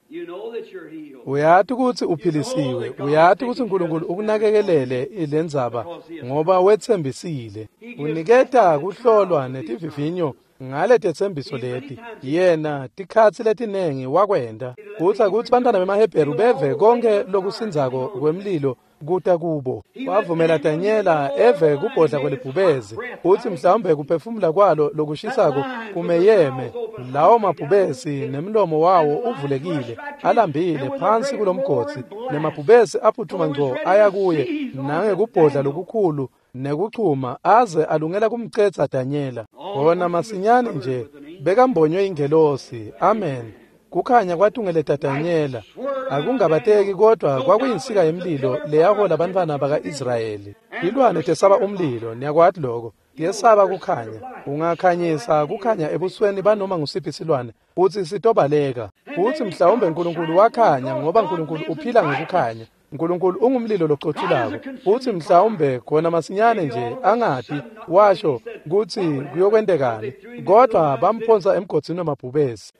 S1: Uyati kutsi uphilisiwe. Uyati kutsi Nkulunkulu ukunakekelele lendzaba ngoba wetsembisile. Uniketa kuhlolwa netivivinyo ngale tetsembiso leti. Yena tikhatsi letinengi wakwenta kutsi kutsi bantfwana bemaHebheru beve konke lokusindzako kwemlilo kuta kubo. Wavumela Danyela eve kubhodla kwelibhubezi, utsi mhlawumbe kuphefumula kwalo lokushisako kumeyeme lawo mabhubesi nemlomo wawo uvulekile, alambile phansi kulomgodzi, nemabhubesi aphuthuma ngco aya kuye nangekubhodla lokukhulu nekuchuma, aze alungela kumcedza Danyela. Khona masinyane nje bekambonywe ingelosi. Amen. Kukhanya kwatungeleta Danyela. Akungabateki, kodwa kwakuyinsika yemlilo leyahola bantfwana baka-Israyeli. Tilwane tesaba umlilo, niyakwati lokho. Tiyesaba kukhanya. Ungakhanyisa kukhanya ebusweni banoma ngusiphi silwane, futsi sitobaleka. Futsi mhlawumbe Nkulunkulu wakhanya, ngoba Nkulunkulu uphila ngekukhanya. Nkulunkulu ungumlilo locothulako futsi mhlawumbe khona masinyane nje angati washo kutsi kuyokwentekani kodwa bamphonsa emgodzini wemabhubesi.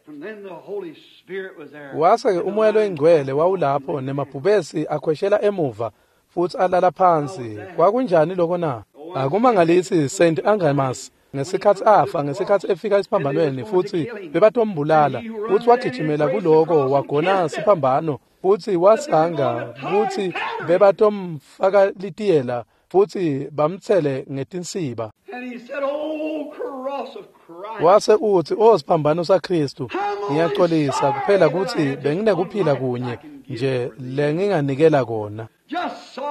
S1: Wase-ke umoya loyingcwele wawulapho nemabhubesi akhweshela emuva futsi alala phansi. Kwakunjani lokho na? Akumangalisi Saint Angamas ngesikhatsi afa ngesikhatsi efika esiphambanweni futsi bebatombulala futsi wagijimela kuloko wagona siphambano futsi wasanga kutsi bebatomfaka litiyela futsi bamtsele ngetinsiba. Wase utsi, "O siphambano saKhristu, ngiyaxolisa kuphela kutsi benginekuphila kunye nje lenginganikela kona.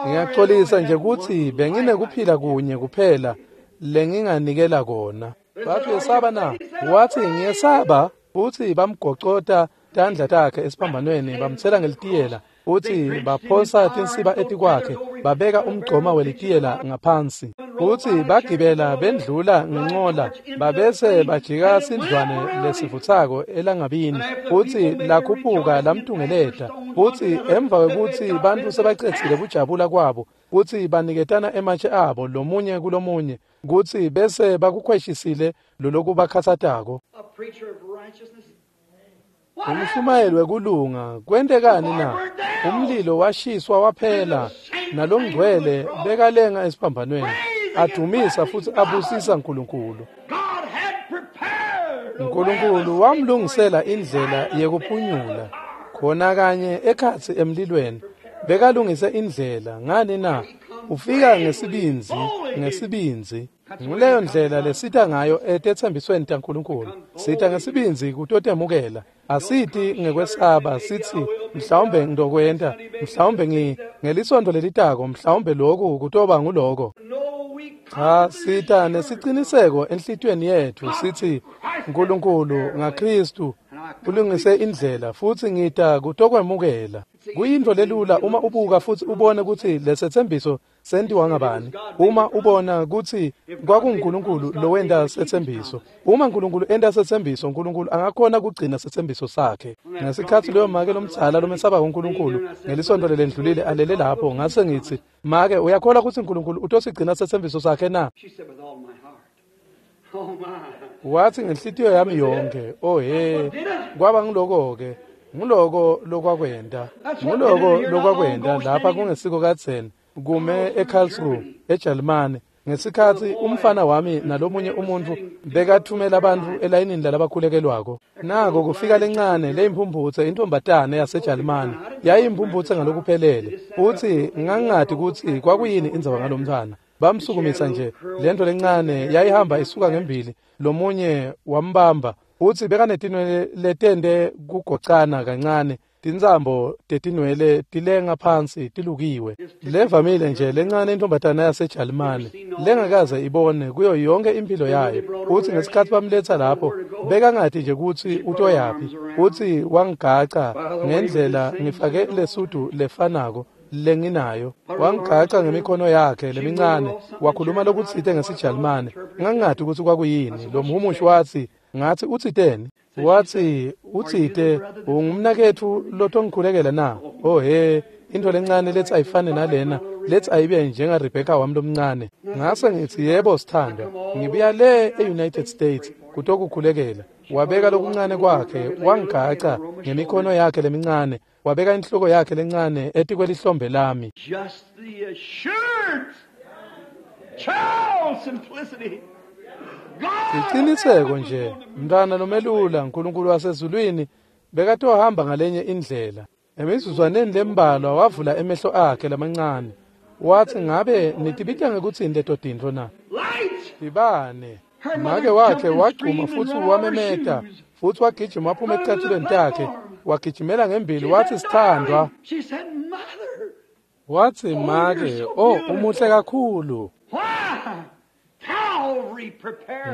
S1: Ngiyaxolisa nje kutsi benginekuphila kunye kuphela lenginganikela kona." Bathi, "Uyesaba na?" Wathi, "Ngiyesaba." Futsi bamgocota tandla takhe esiphambanweni bamtsela ngelitiyela futsi baphosa tinsiba etikwakhe babeka umgcoma welitiyela ngaphansi futsi bagibela bendlula ngencola babese bajika sindlwane lesivutsako elangabini futsi lakhuphuka lamtungeleta futsi emva kwekutsi bantfu sebacedzile kujabula kwabo kutsi baniketana ematshe abo lomunye kulomunye kutsi bese bakukhweshisile lolokubakhatsatako. Umshumayeli wekulunga kwentekani na? Umlilo washiswa waphela nalongcwele bekalenga esiphambanweni adumisa futsi abusisa Nkulunkulu. Nkulunkulu wamlungisela indlela yekuphunyula khona kanye ekhatsi emlilweni bekalungise indlela. Ngani na? Ufika ngesibindzi ngesibindzi. Nguleyo ndlela lesita ngayo etetsembisweni taNkulunkulu. Sita ngesibindzi kutotemukela. Asiti ngekwesaba sithi mhlawumbe ngidokwenta, mhlawumbe ngi ngelisonto lelitako, mhlawumbe lokhu kutoba nguloko. Cha, sita nesiciniseko enhlitiyweni yetfu sithi Nkulunkulu ngaKhristu ulungise indlela futsi ngita kutokwemukela. Kuyintfo lelula uma ubuka futsi ubone kutsi lesetsembiso sentiwa ngabani. Uma ubona kutsi kwakunguNkulunkulu lowenta setsembiso. Uma Nkulunkulu enta setsembiso, Nkulunkulu angakhona kugcina setsembiso sakhe. Ngesikhatsi loyo make lomdzala lomesaba uNkulunkulu ngelisonto lelendlulile alele lapho, ngase ngitsi, "Make, uyakholwa kutsi Nkulunkulu utosigcina setsembiso sakhe na?" Wathi, "Ngenhlitiyo yami yonke." Oh he, kwaba ngiloko-ke. Nguloko lokwakwenta. Nguloko lokwakwenta lapha kungesiko kadzeni kume eKarlsruhe eJalimane ngesikhatsi umfana wami nalomunye umuntfu bekathumela abantfu elayinini lalabakhulekelwako. Nako kufika lencane leyimphumphutse intombatane yaseJalimane yayimphumphutse ngalokuphelele futsi ngangingati kutsi kwakuyini indzaba ngalomntfwana. Bamsukumisa nje lento lencane yayihamba isuka ngembili, lomunye wambamba futsi bekanetinwele letende kugocana kancane, tintsambo tetinwele tilenga phansi tilukiwe. Levamile nje lencane intombatana yaseJalimane lengakaze ibone kuyo yonke impilo yayo. Futsi ngesikhatsi bamletsa lapho bekangati nje kutsi utoyaphi, futsi wangigaca ngendlela ngifake lesudu lefanako lenginayo. Wangigaca ngemikhono yakhe lemincane wakhuluma lokutsite ngesiJalimane. Ngangingati kutsi kwakuyini. Lo mhumushi watsi, ngathi, "Utsiteni?" Wathi, "Utsite ungumnaketfu lotongikhulekela na?" Oh he, into lencane lethi ayifane nalena, lethi ayibe njenga Rebecca wami lomncane. Ngase ngithi, "Yebo sithandwa, ngibuya le e-United States kutokukhulekela." Wabeka lokuncane kwakhe wangigaca ngemikhono yakhe lemincane, wabeka inhloko yakhe lencane etikwelihlombe lami.
S2: Just the assurance, child simplicity.
S1: Siciniseko nje, mntwana lomelula, Nkulunkulu wasezulwini bekatohamba ngalenye indlela. Emizuzwaneni lembalwa wavula emehlo akhe lamancane. Wathi, "Ngabe nitibita ngekutsini leto tintfo na?" Tibane. Make wakhe wagcuma futsi wamemeta futsi wagijima waphuma eticathulweni takhe, wagijimela ngembili wathi, "Sithandwa." Wathi, "Make, oh umuhle kakhulu."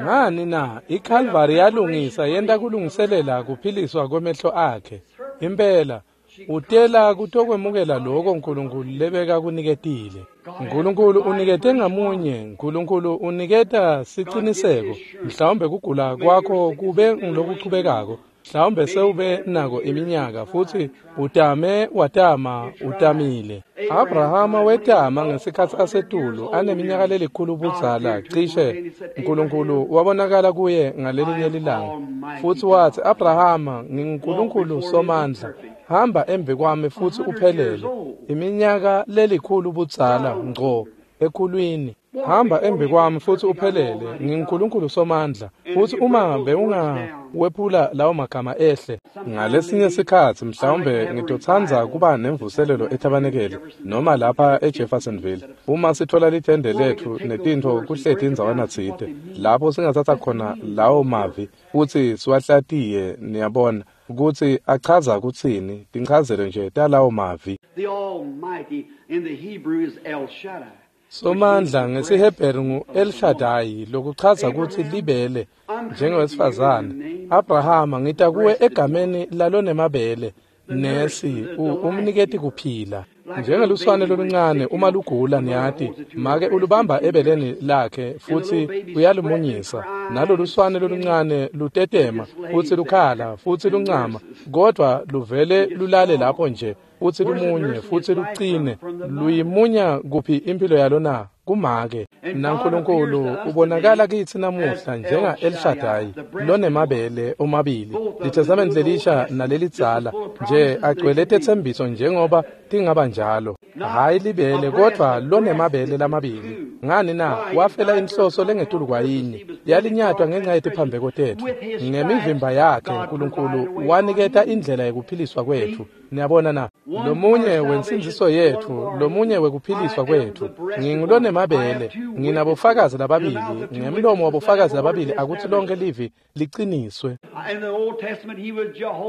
S1: Ngani na? iKalvari yalungisa yenta kulungiselela kuphiliswa kwemehlo akhe. Impela utela kutokwemukela lokho Nkulunkulu lebeka kuniketile. Nkulunkulu unikete ngamunye. Nkulunkulu uniketa siciniseko. Mhlawumbe kugula kwakho kube ngilokuchubekako. Mhlawumbe sewube nako iminyaka futsi utame watama utamile. Abrahama wetama ngesikhatsi asetulu aneminyaka lelikhulu budzala cishe. Nkulunkulu wabonakala kuye ngalelinye lilanga futsi watsi, Abrahama, nginguNkulunkulu Somandla, hamba embi kwami futsi uphelele. Iminyaka lelikhulu budzala ngco ekhulwini. Hamba embi kwami futsi uphelele, nginguNkulunkulu Somandla. Futsi uma bewungawephula lawo magama ehle. Ngalesinye sikhatsi mhlawumbe ngitotsandza kuba nemvuselelo eTabanekele noma lapha eJeffersonville. Uma sithola lithende letfu netintfo kuhleti indzawana tsite, lapho singatsatsa khona lawo mavi futsi siwahlatiye, niyabona kutsi achaza kutsini, tinchazelo nje talawo mavi.
S2: The Almighty in the Hebrew is El Shaddai.
S1: Somandla ngesiHebheru ngu-El Shaddai, lokuchaza kutsi libele njengewesifazane. Abrahama, ngita kuwe egameni lalonemabele, nesi umniketi kuphila. Njengeluswane loluncane uma lugula, niyati, make ulubamba ebeleni lakhe futsi uyalumunyisa. Naloluswane loluncane lutetema futsi lukhala futsi luncama, kodvwa luvele lulale lapho nje futsi lumunye futsi lucine. Luyimunya kuphi impilo yalo na? Kumake. NaNkulunkulu ubonakala kitsi namuhla njenga El Shaddai lonemabele omabili, liTestamente lelisha nalelidzala, nje agcwele tetsembiso njengoba tingaba njalo. Hhayi libele, kodvwa lonemabele lamabili. Ngani na? Wafela inhloso lengetulu kwayinye, yalinyatwa ngenxa yetiphambeko tetfu. Ngemivimba yakhe Nkulunkulu waniketa indlela yekuphiliswa kwetfu. Niyabona na? Lomunye wensindziso yetfu, lomunye wekuphiliswa kwetfu. Ngingulonemabele, nginabofakazi lababili, ngemlomo wabofakazi lababili akutsi lonke livi liqiniswe.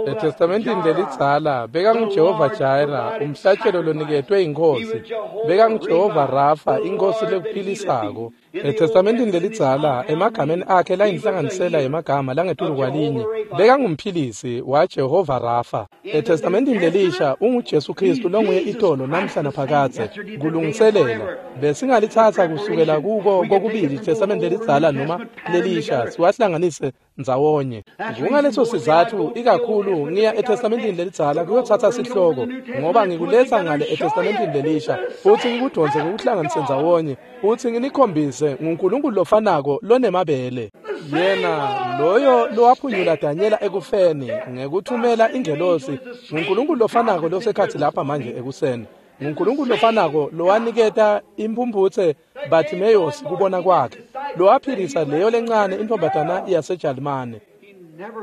S1: ETestamentini lelidzala bekanguJehova Jireh, umhlatshelo loniketwe inkosi. BekanguJehova Rafa, inkosi lekuphilisako. ETestamentini lelidzala emagameni akhe layinhlanganisela yemagama langetulu kwalinye, bekangumphilisi waJehova Rafa. ETestamentini lelisha unguJesu Kristu longuye itolo namhla naphakadze. Kulungiselela besingalitsatsa kusukela kuko kokubili iTestamente lelidzala noma lelisha siwahlanganise ndzawonye. Kungaleso sizatfu ikakhulu ngiya eTestamentini lelidzala kuyotsatsa sihloko, ngoba ngikuletsa ngale eTestamentini lelisha futsi ngikudonse ngikuhlanganise ndzawonye futsi nginikhombise nguNkulunkulu lofanako lonemabele. Yena loyo lowaphunyula Danyela ekufeni ngekuthumela ingelosi, nguNkulunkulu lofanako losekhatsi lapha manje ekuseni. NguNkulunkulu lofanako lowaniketa imphumphutse Bartimaeus kubona kwakhe, lowaphilisa leyo lencane intfombatana yaseJalimane.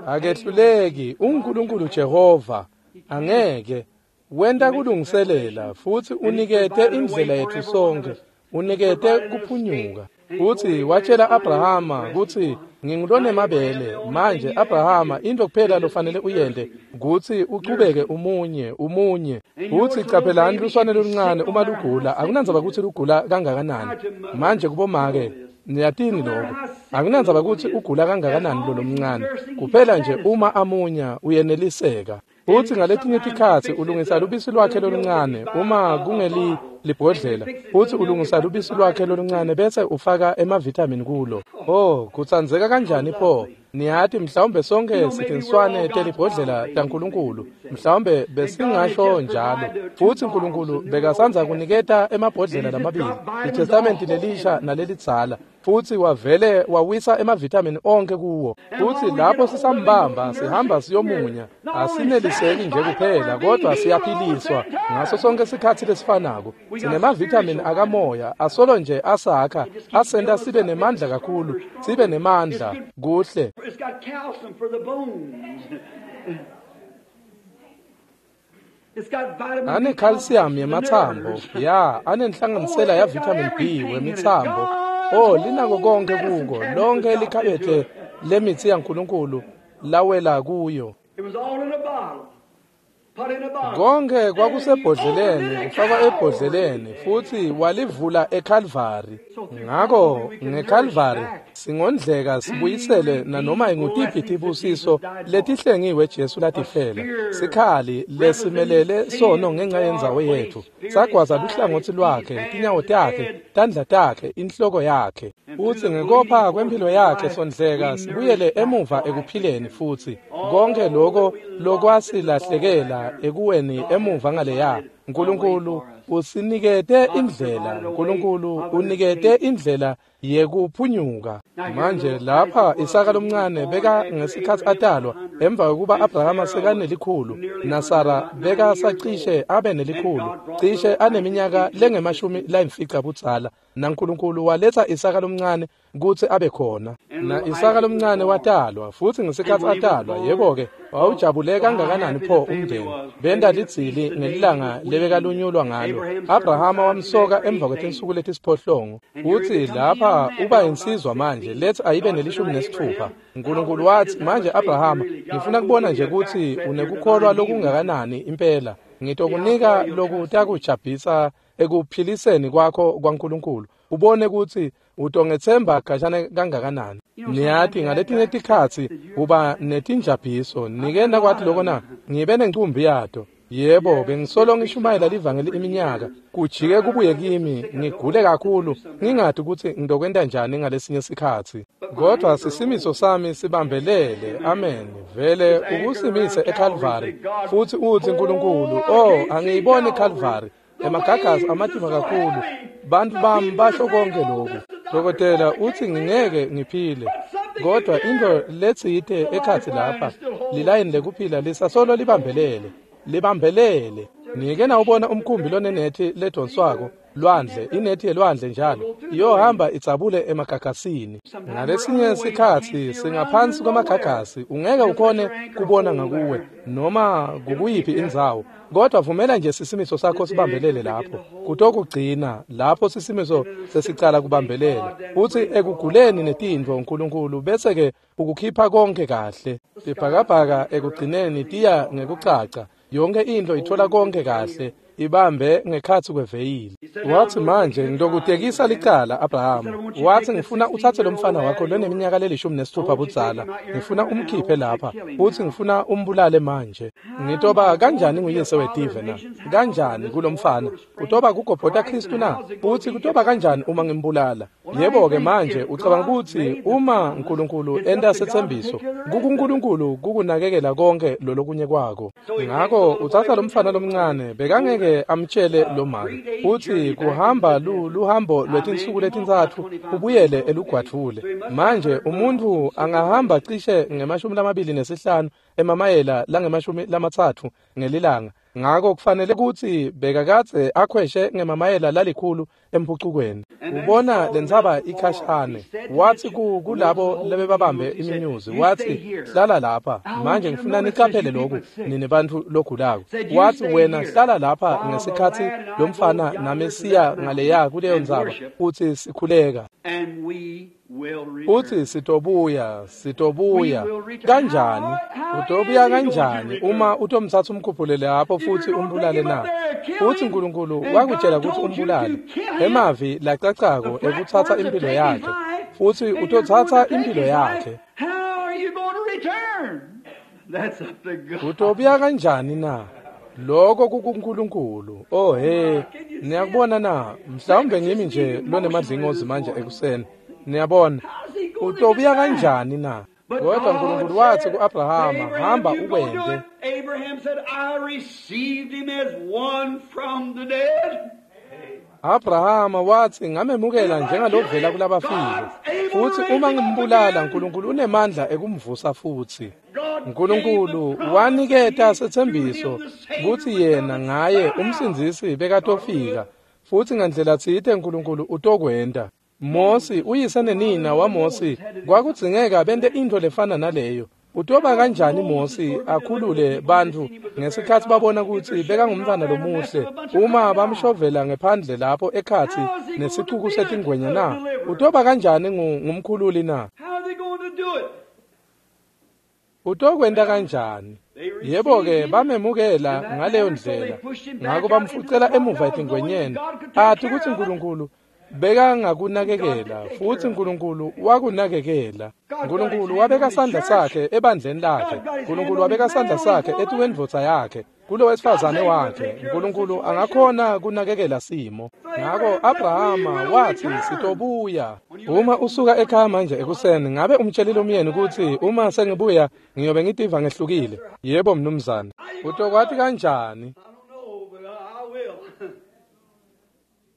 S1: Akehluleki, unguNkulunkulu Jehova, angeke wenta kulungiselela futsi unikete indlela yetfu sonkhe, unikete kuphunyuka. Futsi watshela Abrahama kutsi ngingulonemabele. Manje Abrahama, into kuphela lofanele uyente kutsi uchubeke umunye umunye. Futsi caphelani luswane loluncane uma lugula, akunandzaba kutsi lugula kangakanani. Manje kubomake niyatini lokho, akunandzaba kutsi ugula kangakanani lo lomncane, kuphela nje uma amunya uyeneliseka. Futsi ngaletinye tikhatsi ulungisa lubisi lwakhe loluncane uma kungeli libhodlela, futsi ulungisa lubisi lwakhe loluncane bese ufaka emavitamin kulo. Oh, kutsandzeka kanjani pho! Niyati mhlawumbe sonke sitinswane telibhodlela taNkulunkulu, mhlawumbe besingasho njalo. Futsi Nkulunkulu bekasandza kuniketa emabhodlela lamabili, iTestamenti lelisha nalelidzala, futsi wavele wawisa emavitamin onke kuwo. Futsi lapho sisambamba sihamba siyomunya, asineliseki nje kuphela, kodwa siyaphiliswa ngaso sonke sikhatsi lesifanako. Sinemavitamin akamoya asolo nje asakha, asenta sibe nemandla kakhulu, sibe nemandla kuhle.
S2: It's got calcium for the bones. It's got vitamin B
S1: Ane calcium
S2: complex for the
S1: yematsambo,
S2: nerves.
S1: ya, anenhlanganisela ya vitamin B wemitsambo. Oh, linako konke kuko, lonke likhabethe lemitsi yaNkulunkulu lawela kuyo.
S2: It was all in a bottle.
S1: Konke kwakusebhodleleni, kufakwa ebhodleleni, futhi walivula eKalvari. Ngako ngeKalvari singondleka sibuyisele nanoma ingutiphi tibusiso letihlengiwe Jesu latifela. Sikhali lesimelele sono ngenxa yendzawo yetfu. Sagwaza luhlangotsi lwakhe, tinyawo takhe, tandla takhe, inhloko yakhe. Futsi ngekopha kwemphilo yakhe sondleka sibuyele emuva ekuphileni futhi. Konke lokho lokwasilahlekela ekuweni emuva ngaleya, uNkulunkulu usinikete indlela, uNkulunkulu unikete indlela yekuphunyuka. Manje lapha Isaka lomncane beka ngesikhatsi atalwa emva kokuba Abrahama sekanelikhulu naSara beka sacishe abe nelikhulu, cishe aneminyaka lengemashumi layimfica budzala, naNkulunkulu waletsa Isaka lomncane kutsi abe khona. Na Isaka lomncane watalwa, futsi ngesikhatsi atalwa, yebo-ke, wawujabule kangakanani pho umndeni. Benta lidzili ngelilanga lebekalunyulwa ngalo. Abrahama wamsoka emva kwetinsuku letisiphohlongo. Utsi lapha uba insizwa manje, letsi ayibe nelishumi nesitfupha. uNkulunkulu watsi, manje Abrahama, ngifuna kubona nje kutsi unekukholwa lokungakanani impela. Ngitokunika lokutakujabhisa ekuphiliseni kwakho kwaNkulunkulu. Ubone kutsi utongethemba khashane kangakanani. Niyati ngaletinye tikhatsi uba netinjabhiso. Nike nakwati lokho na? Ngibe nencumbi yato. Yebo, bengisolo ngishumayela livangeli iminyaka. Kujike kubuye kimi, ngigule kakhulu, ngingati ukuthi ngidokwenta njani ngalesinye sikhatsi. Kodwa sisimiso sami sibambelele, amen. Vele ukusimise eKalvari. Futhi uthi uNkulunkulu, oh, angiyiboni eKalvari. Emagagasi amatima kakhulu. Bantu bami basho konke lokhu. Dokotela uthi ngingeke ngiphile. Kodwa into letsite ekhatsi lapha, lilayini lekuphila lisasolo libambelele. Libambelele. Nike nawubona umkhumbi lonenethi ledonswako lwandle, inethi yelwandle njalo iyohamba idzabule emagagasini. Ngalesinye sikhatsi singaphansi kwamagagasi, ungeke ukhone kubona ngakuwe noma kukuyiphi indzawo, kodwa vumela nje sisimiso sakho sibambelele lapho. Kutokugcina lapho sisimiso sesicala kubambelela. Uthi ekuguleni netintfo uNkulunkulu bese ke ukukhipha konke kahle. Ibhakabhaka ekugcineni tiya ngekucaca. Yonke into ithola konke kahle, ibambe ngekhatsi kweveyili. Wathi manje ngitokutekisa licala Abrahama. Wathi ngifuna uthathe lo mfana wakho loneminyaka lelishumi nesithupha budzala, ngifuna umkhiphe lapha, uthi ngifuna umbulale manje. Ngitoba kanjani nguyise wetive na? Kanjani kulomfana? Utoba kugobhota Kristu na? Uthi kutoba kanjani uma ngimbulala? Yebo-ke manje ucabanga ukuthi uma uNkulunkulu enta setsembiso, kukuNkulunkulu kukunakekela konke lolokunye kwako. Ngako uthatha lomfana lomncane, bekangeke amtshele lo mama. Uthi kuhamba lu luhambo lwetinsuku letintsatfu ubuyele elugwadvule. Manje umuntu angahamba cishe ngemashumi lamabili nesihlanu emamayela langemashumi lamatsatfu ngelilanga. Ngako kufanele kutsi bekakadze akhweshe ngemamayela lalikhulu emphucukweni. Ubona lentsaba ikhashane. Wathi kulabo lebebabambe iminyuzi, wathi hlala lapha. Manje ngifuna niqaphele lokhu nini bantfu logulako. Wathi wena hlala lapha ngesikhatsi lomfana nami siya ngaleya kuleyo ntsaba uthi sikhuleka. Uthi sitobuya, sitobuya. Kanjani? Utobuya kanjani uma utomthatha umkhuphule lapho futhi umbulale na? Futhi uNkulunkulu wakutshela ukuthi umbulale. Emavi lacacako ekuthatha impilo yakhe. Futhi utothatha impilo yakhe. Utobuya kanjani na? Lokho kukuNkulunkulu. Oh he, niyakubona na? Mhlawumbe ngimi nje lonemadlingozi manje ekuseni. Niyabona, utobuya kanjani na? Kodwa uNkulunkulu wathi kuAbrahama, hamba ukwente. Abrahama wathi ngamemukela njengalovela kulabafile. Futhi uma ngimbulala uNkulunkulu unemandla ekumvusa futhi. uNkulunkulu waniketa setsembiso kutsi yena ngaye umsindzisi bekatofika. Futhi ngandlela tsite uNkulunkulu utokwenta. Mosi uyise nenina waMosi kwakudzingeka bente intfo lefana naleyo. Utoba kanjani Mosi akhulule bantfu ngesikhatsi babona kutsi bekangumntfwana lomuhle uma bamshovela ngephandle lapho ekhatsi nesicuku setingwenya na? Utoba kanjani ngumkhululi na? Utokwenta kanjani? Yebo-ke bamemukela ngaleyo ndlela. Ngako bamfucela emuva etingwenyeni. Athi kutsi Nkulunkulu bekangakunakekela futsi Nkulunkulu wakunakekela. Nkulunkulu wabeka sandla sakhe ebandleni lakhe. Nkulunkulu wabeka sandla sakhe etukwendvodza yakhe, kulo wesifazane wakhe. Nkulunkulu angakhona kunakekela simo. Ngako Abrahama wathi sitobuya. Uma usuka ekhaya manje ekuseni, ngabe umtshelile umyeni kutsi uma sengibuya ngiyobe ngitiva ngehlukile? Yebo mnumzane. Utokwati kanjani?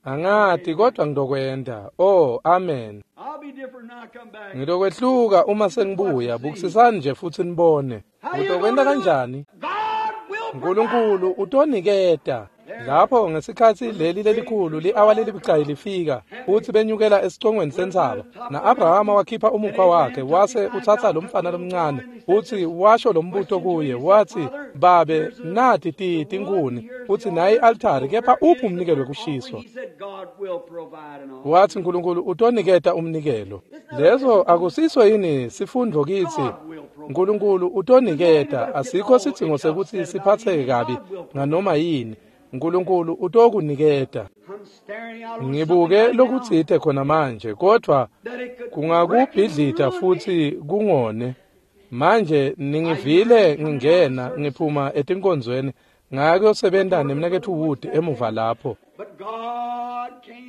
S1: Angati kodwa ngitokwenta. Oh, amen. Ngitokwehluka uma sengibuya. Bukisisani nje futsi nibone. Utokwenta kanjani? Nkulunkulu utoniketa. Lapho ngesikhatsi leli lelikhulu li-awa lelibucayi lifika futsi benyukela esicongweni sentsaba, na-Abrahama wakhipha umukhwa wakhe wase utsatsa lomfana lomncane futsi washo lombuto kuye wathi, "Babe, nati ti tinkhuni futsi nayi i-altari, kepha uphi umnikelo wekushiswa?" Wathi Nkulunkulu utoniketa umnikelo. Leso akusiso yini sifundvo kitsi? Nkulunkulu utoniketa. Asikho sidzingo sekutsi siphatseke kabi nganoma yini. Nkulunkulu utokuniketa. Ngibuke lokutsite khona manje, kodvwa kungakubhidlita futsi kungone. Manje ningivile ngingena ngiphuma etinkonzweni ngakuyosebenta nemnaketfu Wood emuva lapho.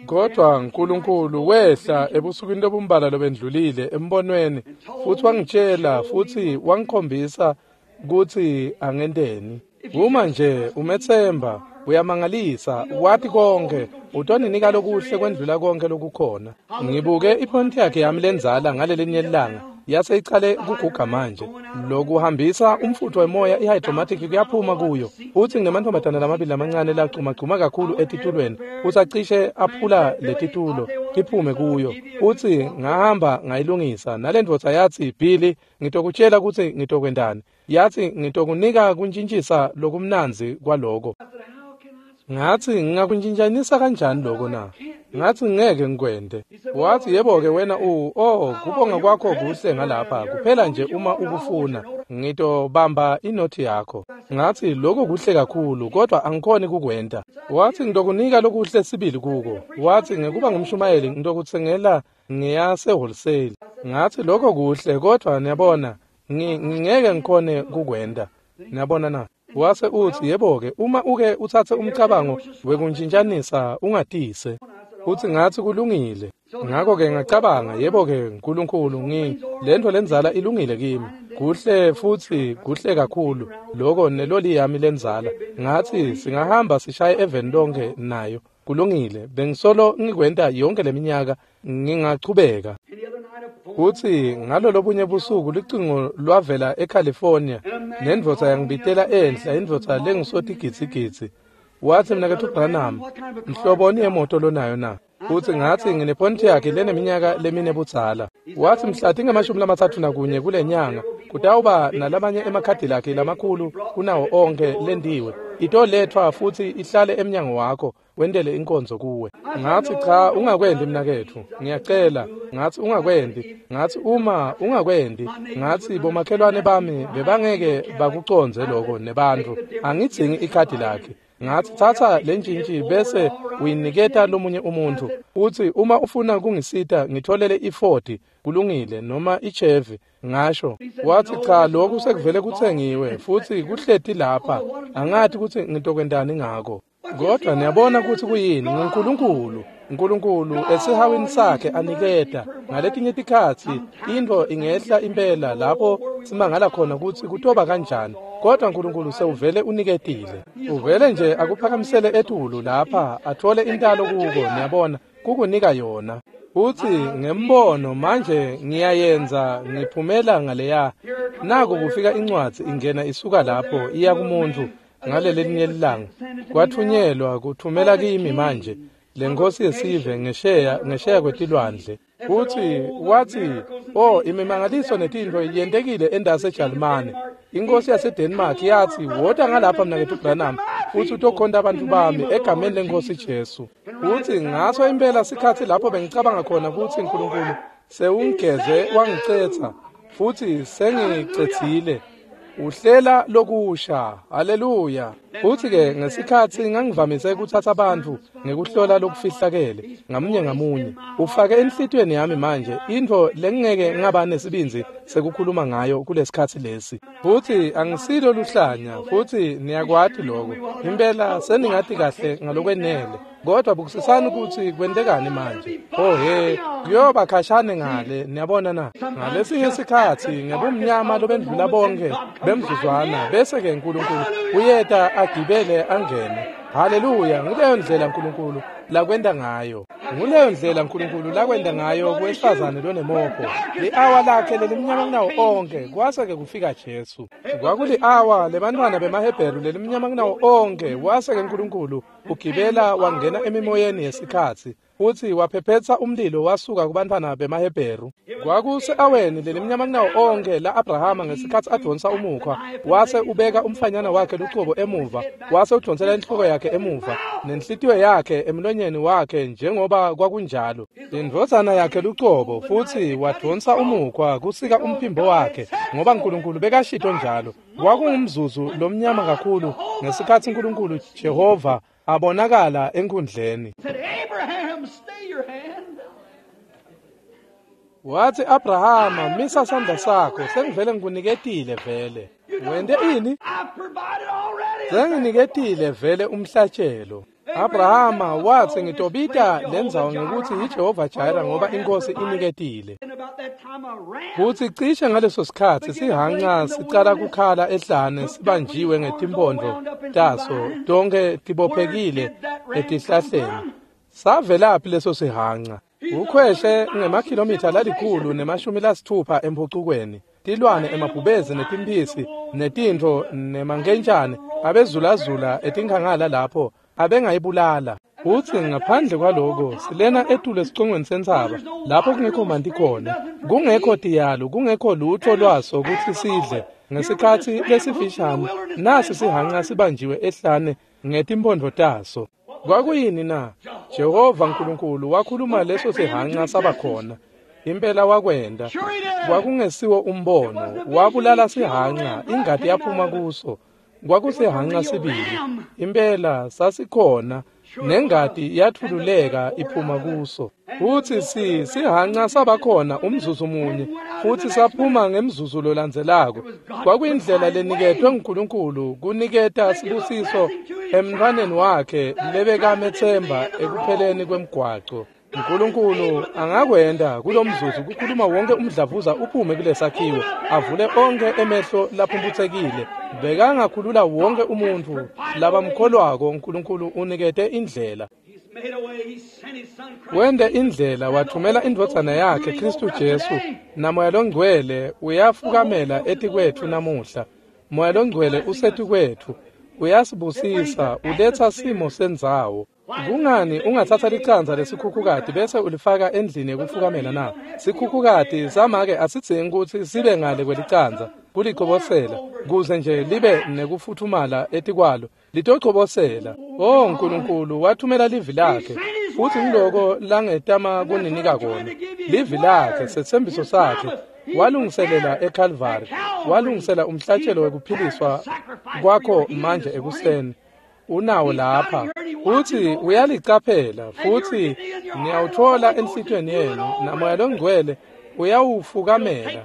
S1: Kodwa Nkulunkulu wehla ebusukwini lobumbala lobendlulile embonweni futsi wangitshela futsi wangikhombisa kutsi angenteni. Uma nje umetsemba, uyamangalisa, wati konke, utoninika lokuhle kwendlula konke lokukhona. Ngibuke iPontiac yami lendzala ngalelinye ilanga, yase icale kuguga manje. Lokuhambisa umfutho wemoya i-hydromatic kuyaphuma kuyo. Futsi nginemantombazane lamabili lamancane lagcumagcuma kakhulu etitulweni, futsi acishe aphula letitulo tiphume kuyo. Futsi ngahamba ngayilungisa, nalendvodza yatsi, "Billy, ngitokutshela kutsi ngitokwentani." Yatsi, "Ngitokunika kuntjintjisa lokumnandzi kwaloko." Ngathi ngingakuntshintshanisa kanjani lokho na? Ngathi ngeke ngikwente. Wathi, "Yebo-ke wena u oh kubonga kwakho kuhle ngalapha kuphela nje uma ukufuna ngitobamba inothi yakho." Ngathi lokho kuhle kakhulu kodwa angikhoni kukwenta. Wathi, "Ngitokunika lokuhle sibili kuko." Wathi, "Ngekuba ngumshumayeli ngitokutsengela ngiyase wholesale." Ngathi lokho kuhle kodwa niyabona ngingeke ngikhone kukwenta. Niyabona na? Wase uthi, "Yebo-ke uma uke utsatse umcabango wekuntshintshanisa ungatise." Uthi ngathi kulungile. Ngakho-ke ngacabanga, yebo-ke Nkulunkulu, ngi lento lendzala ilungile kimi. Kuhle futsi kuhle kakhulu lokho neloli yami lendzala. Ngathi singahamba sishaye eveni lonke nayo. Kulungile, bengisolo ngikwenta yonke leminyaka, ngingachubeka. Kuthi ngalolobunye busuku lucingo lwavela eCalifornia, nendvodza yangibitela enhla, indvodza lengusotigitsigitsi. Wathi, "Mnaketfu Branham, mhloboni yemoto lonayo na?" Uthi ngathi ngine-Pontiac leneminyaka lemine budzala. Wathi mhla tingemashumi lamatsatfu nakunye kule nyanga kutawuba nalamanye emakhadilakhi lamakhulu kunawo onkhe lendiwe. Itoletfwa futsi ihlale emnyango wakho wentele inkonzo kuwe. Ngathi cha, ungakwendi mnaketfu, ngiyacela. Ngathi ungakwendi. Ngathi uma ungakwendi, ngathi bomakhelwane bami bebangeke bakucondze lokho nebantfu. Angidzingi ikhadi lakhe. Ngathi thatha lentshintshi bese uyiniketa lomunye umuntu. Uthi uma ufuna kungisita ngitholele i-Ford, kulungile, noma i-Chevy. Ngasho. Wathi cha, lokhu sekuvele kutsengiwe futhi kuhleti lapha. Angathi kutsi ngitokwentani ngako. Kodwa niyabona kutsi kuyini? NguNkulunkulu. Nkulunkulu esihawini sakhe aniketa. Ngaletinye tikhatsi intfo ingehla impela lapho simangala khona kutsi kutoba kanjani. Kodwa Nkulunkulu sewuvele uniketile. Uvele nje akuphakamisele etulu lapha athole intalo kuko, niyabona, kukunika yona. Uthi ngembono manje ngiyayenza ngiphumela ngaleya. Naku kufika incwadzi ingena isuka lapho iya kumuntu ngalelelinye ilanga. Kwathunyelwa kuthumela kimi manje lenkosi yesive ngesheya ngesheya kwetilwandle. Uthi wathi, "Oh, imimangaliso netintfo yentekile endase eJalimane." Inkosi yaseDenmark yathi, "Wota ngalapha mnaketfu Branham futhi utokhonta abantu bami egameni lenkosi Jesu." Uthi ngaso impela sikhatsi lapho bengicabanga khona kutsi Nkulunkulu sewungigeze wangicetha futhi sengicethile. Uhlela lokusha. Haleluya. Futhi-ke ngesikhatsi ngangivamise kuthatha bantfu ngekuhlola lokufihlakele ngamunye ngamunye, ufake enhlitiyweni yami manje intfo lengingeke ngaba nesibindzi sekukhuluma ngayo kulesikhatsi lesi. Futhi angisilo luhlanya, futhi niyakwati lokho. Impela seningati kahle ngalokwenele. Kodwa bukisisani ukuthi kwentekani manje. Oh he, kuyoba khashane ngale, niyabona na. Ngalesinye isikhatsi ngebumnyama lobendlula bonke bemzuzwana, bese-ke uNkulunkulu uyeta agibele angene. Haleluya, nguleyo ndlela uNkulunkulu lakwenta ngayo. Nguleyo ndlela uNkulunkulu lakwenta ngayo kuwesifazane lonemopho. Li-awa lakhe lelimnyama kunawo onke, kwase-ke kufika Jesu. Kwakuli-awa lebantfwana bemaHebheru lelimnyama kunawo onke, kwase-ke uNkulunkulu ugibela wangena emimoyeni yesikhatsi, futhi waphephetsa umlilo wasuka kubantfwana bemaHebheru. Kwakuse-aweni lelimnyama kunawo onke la-Abrahama ngesikhatsi adonsa umukhwa, wase ubeka umfanyana wakhe lucobo emuva, wase udonsela inhloko yakhe emuva, nenhlitiyo yakhe emlonyeni wakhe njengoba kwakunjalo. Indvodzana yakhe lucobo, futhi wadonsa umukhwa kusika umphimbo wakhe, ngoba uNkulunkulu bekashito njalo. Kwakungumzuzu lomnyama kakhulu ngesikhatsi uNkulunkulu Jehova abonakala enkundleni. Wathi Abrahama, misa sandla sakho, sengivele ngikuniketile vele. Wente ini? Senginiketile vele umhlatshelo. Abrahama wathi ngitobita lendzawo ngekutsi yiJehova Jireh ngoba inkosi iniketile. Kuthi cishe ngaleso sikhatsi sihanca sicala kukhala ehlane sibanjiwe ngetimpondo taso tonke tibophekile etihlahleni. Savelaphi leso sihanca? Ukhweshe ngemakhilomitha lalikhulu nemashumi lasithupha emphucukweni. Tilwane emabhubezi netimphisi netintfo nemankentshane abezulazula etinkhangala lapho abengayibulala. Utsi ngaphandle kwaloko silena etulu esicongweni sentsaba lapho kungekho manti khona, kungekho tiyalo, kungekho lutho lwaso kutsi sidle. Ngesikhatsi lesifishane nasi sihanca sibanjiwe ehlane ngetimpondo taso. Kwakuyini na? Jehova uNkulunkulu wakhuluma leso sihanca saba khona. Impela wakwenta. Kwakungesiwo umbono, wabulala sihanca, ingati yaphuma kuso. Kwakusihanca sibili. Impela sasikhona, nengati yathululeka iphuma kuso. Futhi si sihanca sabakhona umzuzu munye, futhi saphuma ngemzuzu lolandzelako. Kwakuyindlela leniketwe nguNkulunkulu kuniketa sibusiso emntfwaneni wakhe lebekametsemba ekupheleni kwemgwaco. uNkulunkulu angakwenta kulomzuzu kukhuluma wonke umdlavuza uphume kulesakhiwo, avule onke emehlo laphumphutsekile. Bekangakhulula wonke umuntfu labamkholwako. uNkulunkulu unikete indlela. Wente indlela, wathumela indvodzana yakhe Khristu Jesu, naMoya loNgcwele uyafukamela etikwetfu namuhla. Moya loNgcwele usetikwetfu, uyasibusisa, uletsa simo sendzawo. Kungani ungatsatsa licandza lesikhukhukati bese ulifaka endlini yekufukamela na? Sikhukhukati samake asidzingi kutsi sibe ngale kwelicandza kulichobosela, kuze nje libe nekufuthumala etikwalo, litochobosela. Oh Nkulunkulu wathumela livi lakhe, futhi ngiloko langetama kuninika kona. Livi lakhe, setsembiso sakhe, walungiselela eCalvary, walungisela umhlatshelo wekuphiliswa kwakho manje ekuseni. Unawo lapha, futhi uyalicaphela, futhi niyawuthola enhlitiyweni yenu, naMoya loNgcwele uyawufukamela.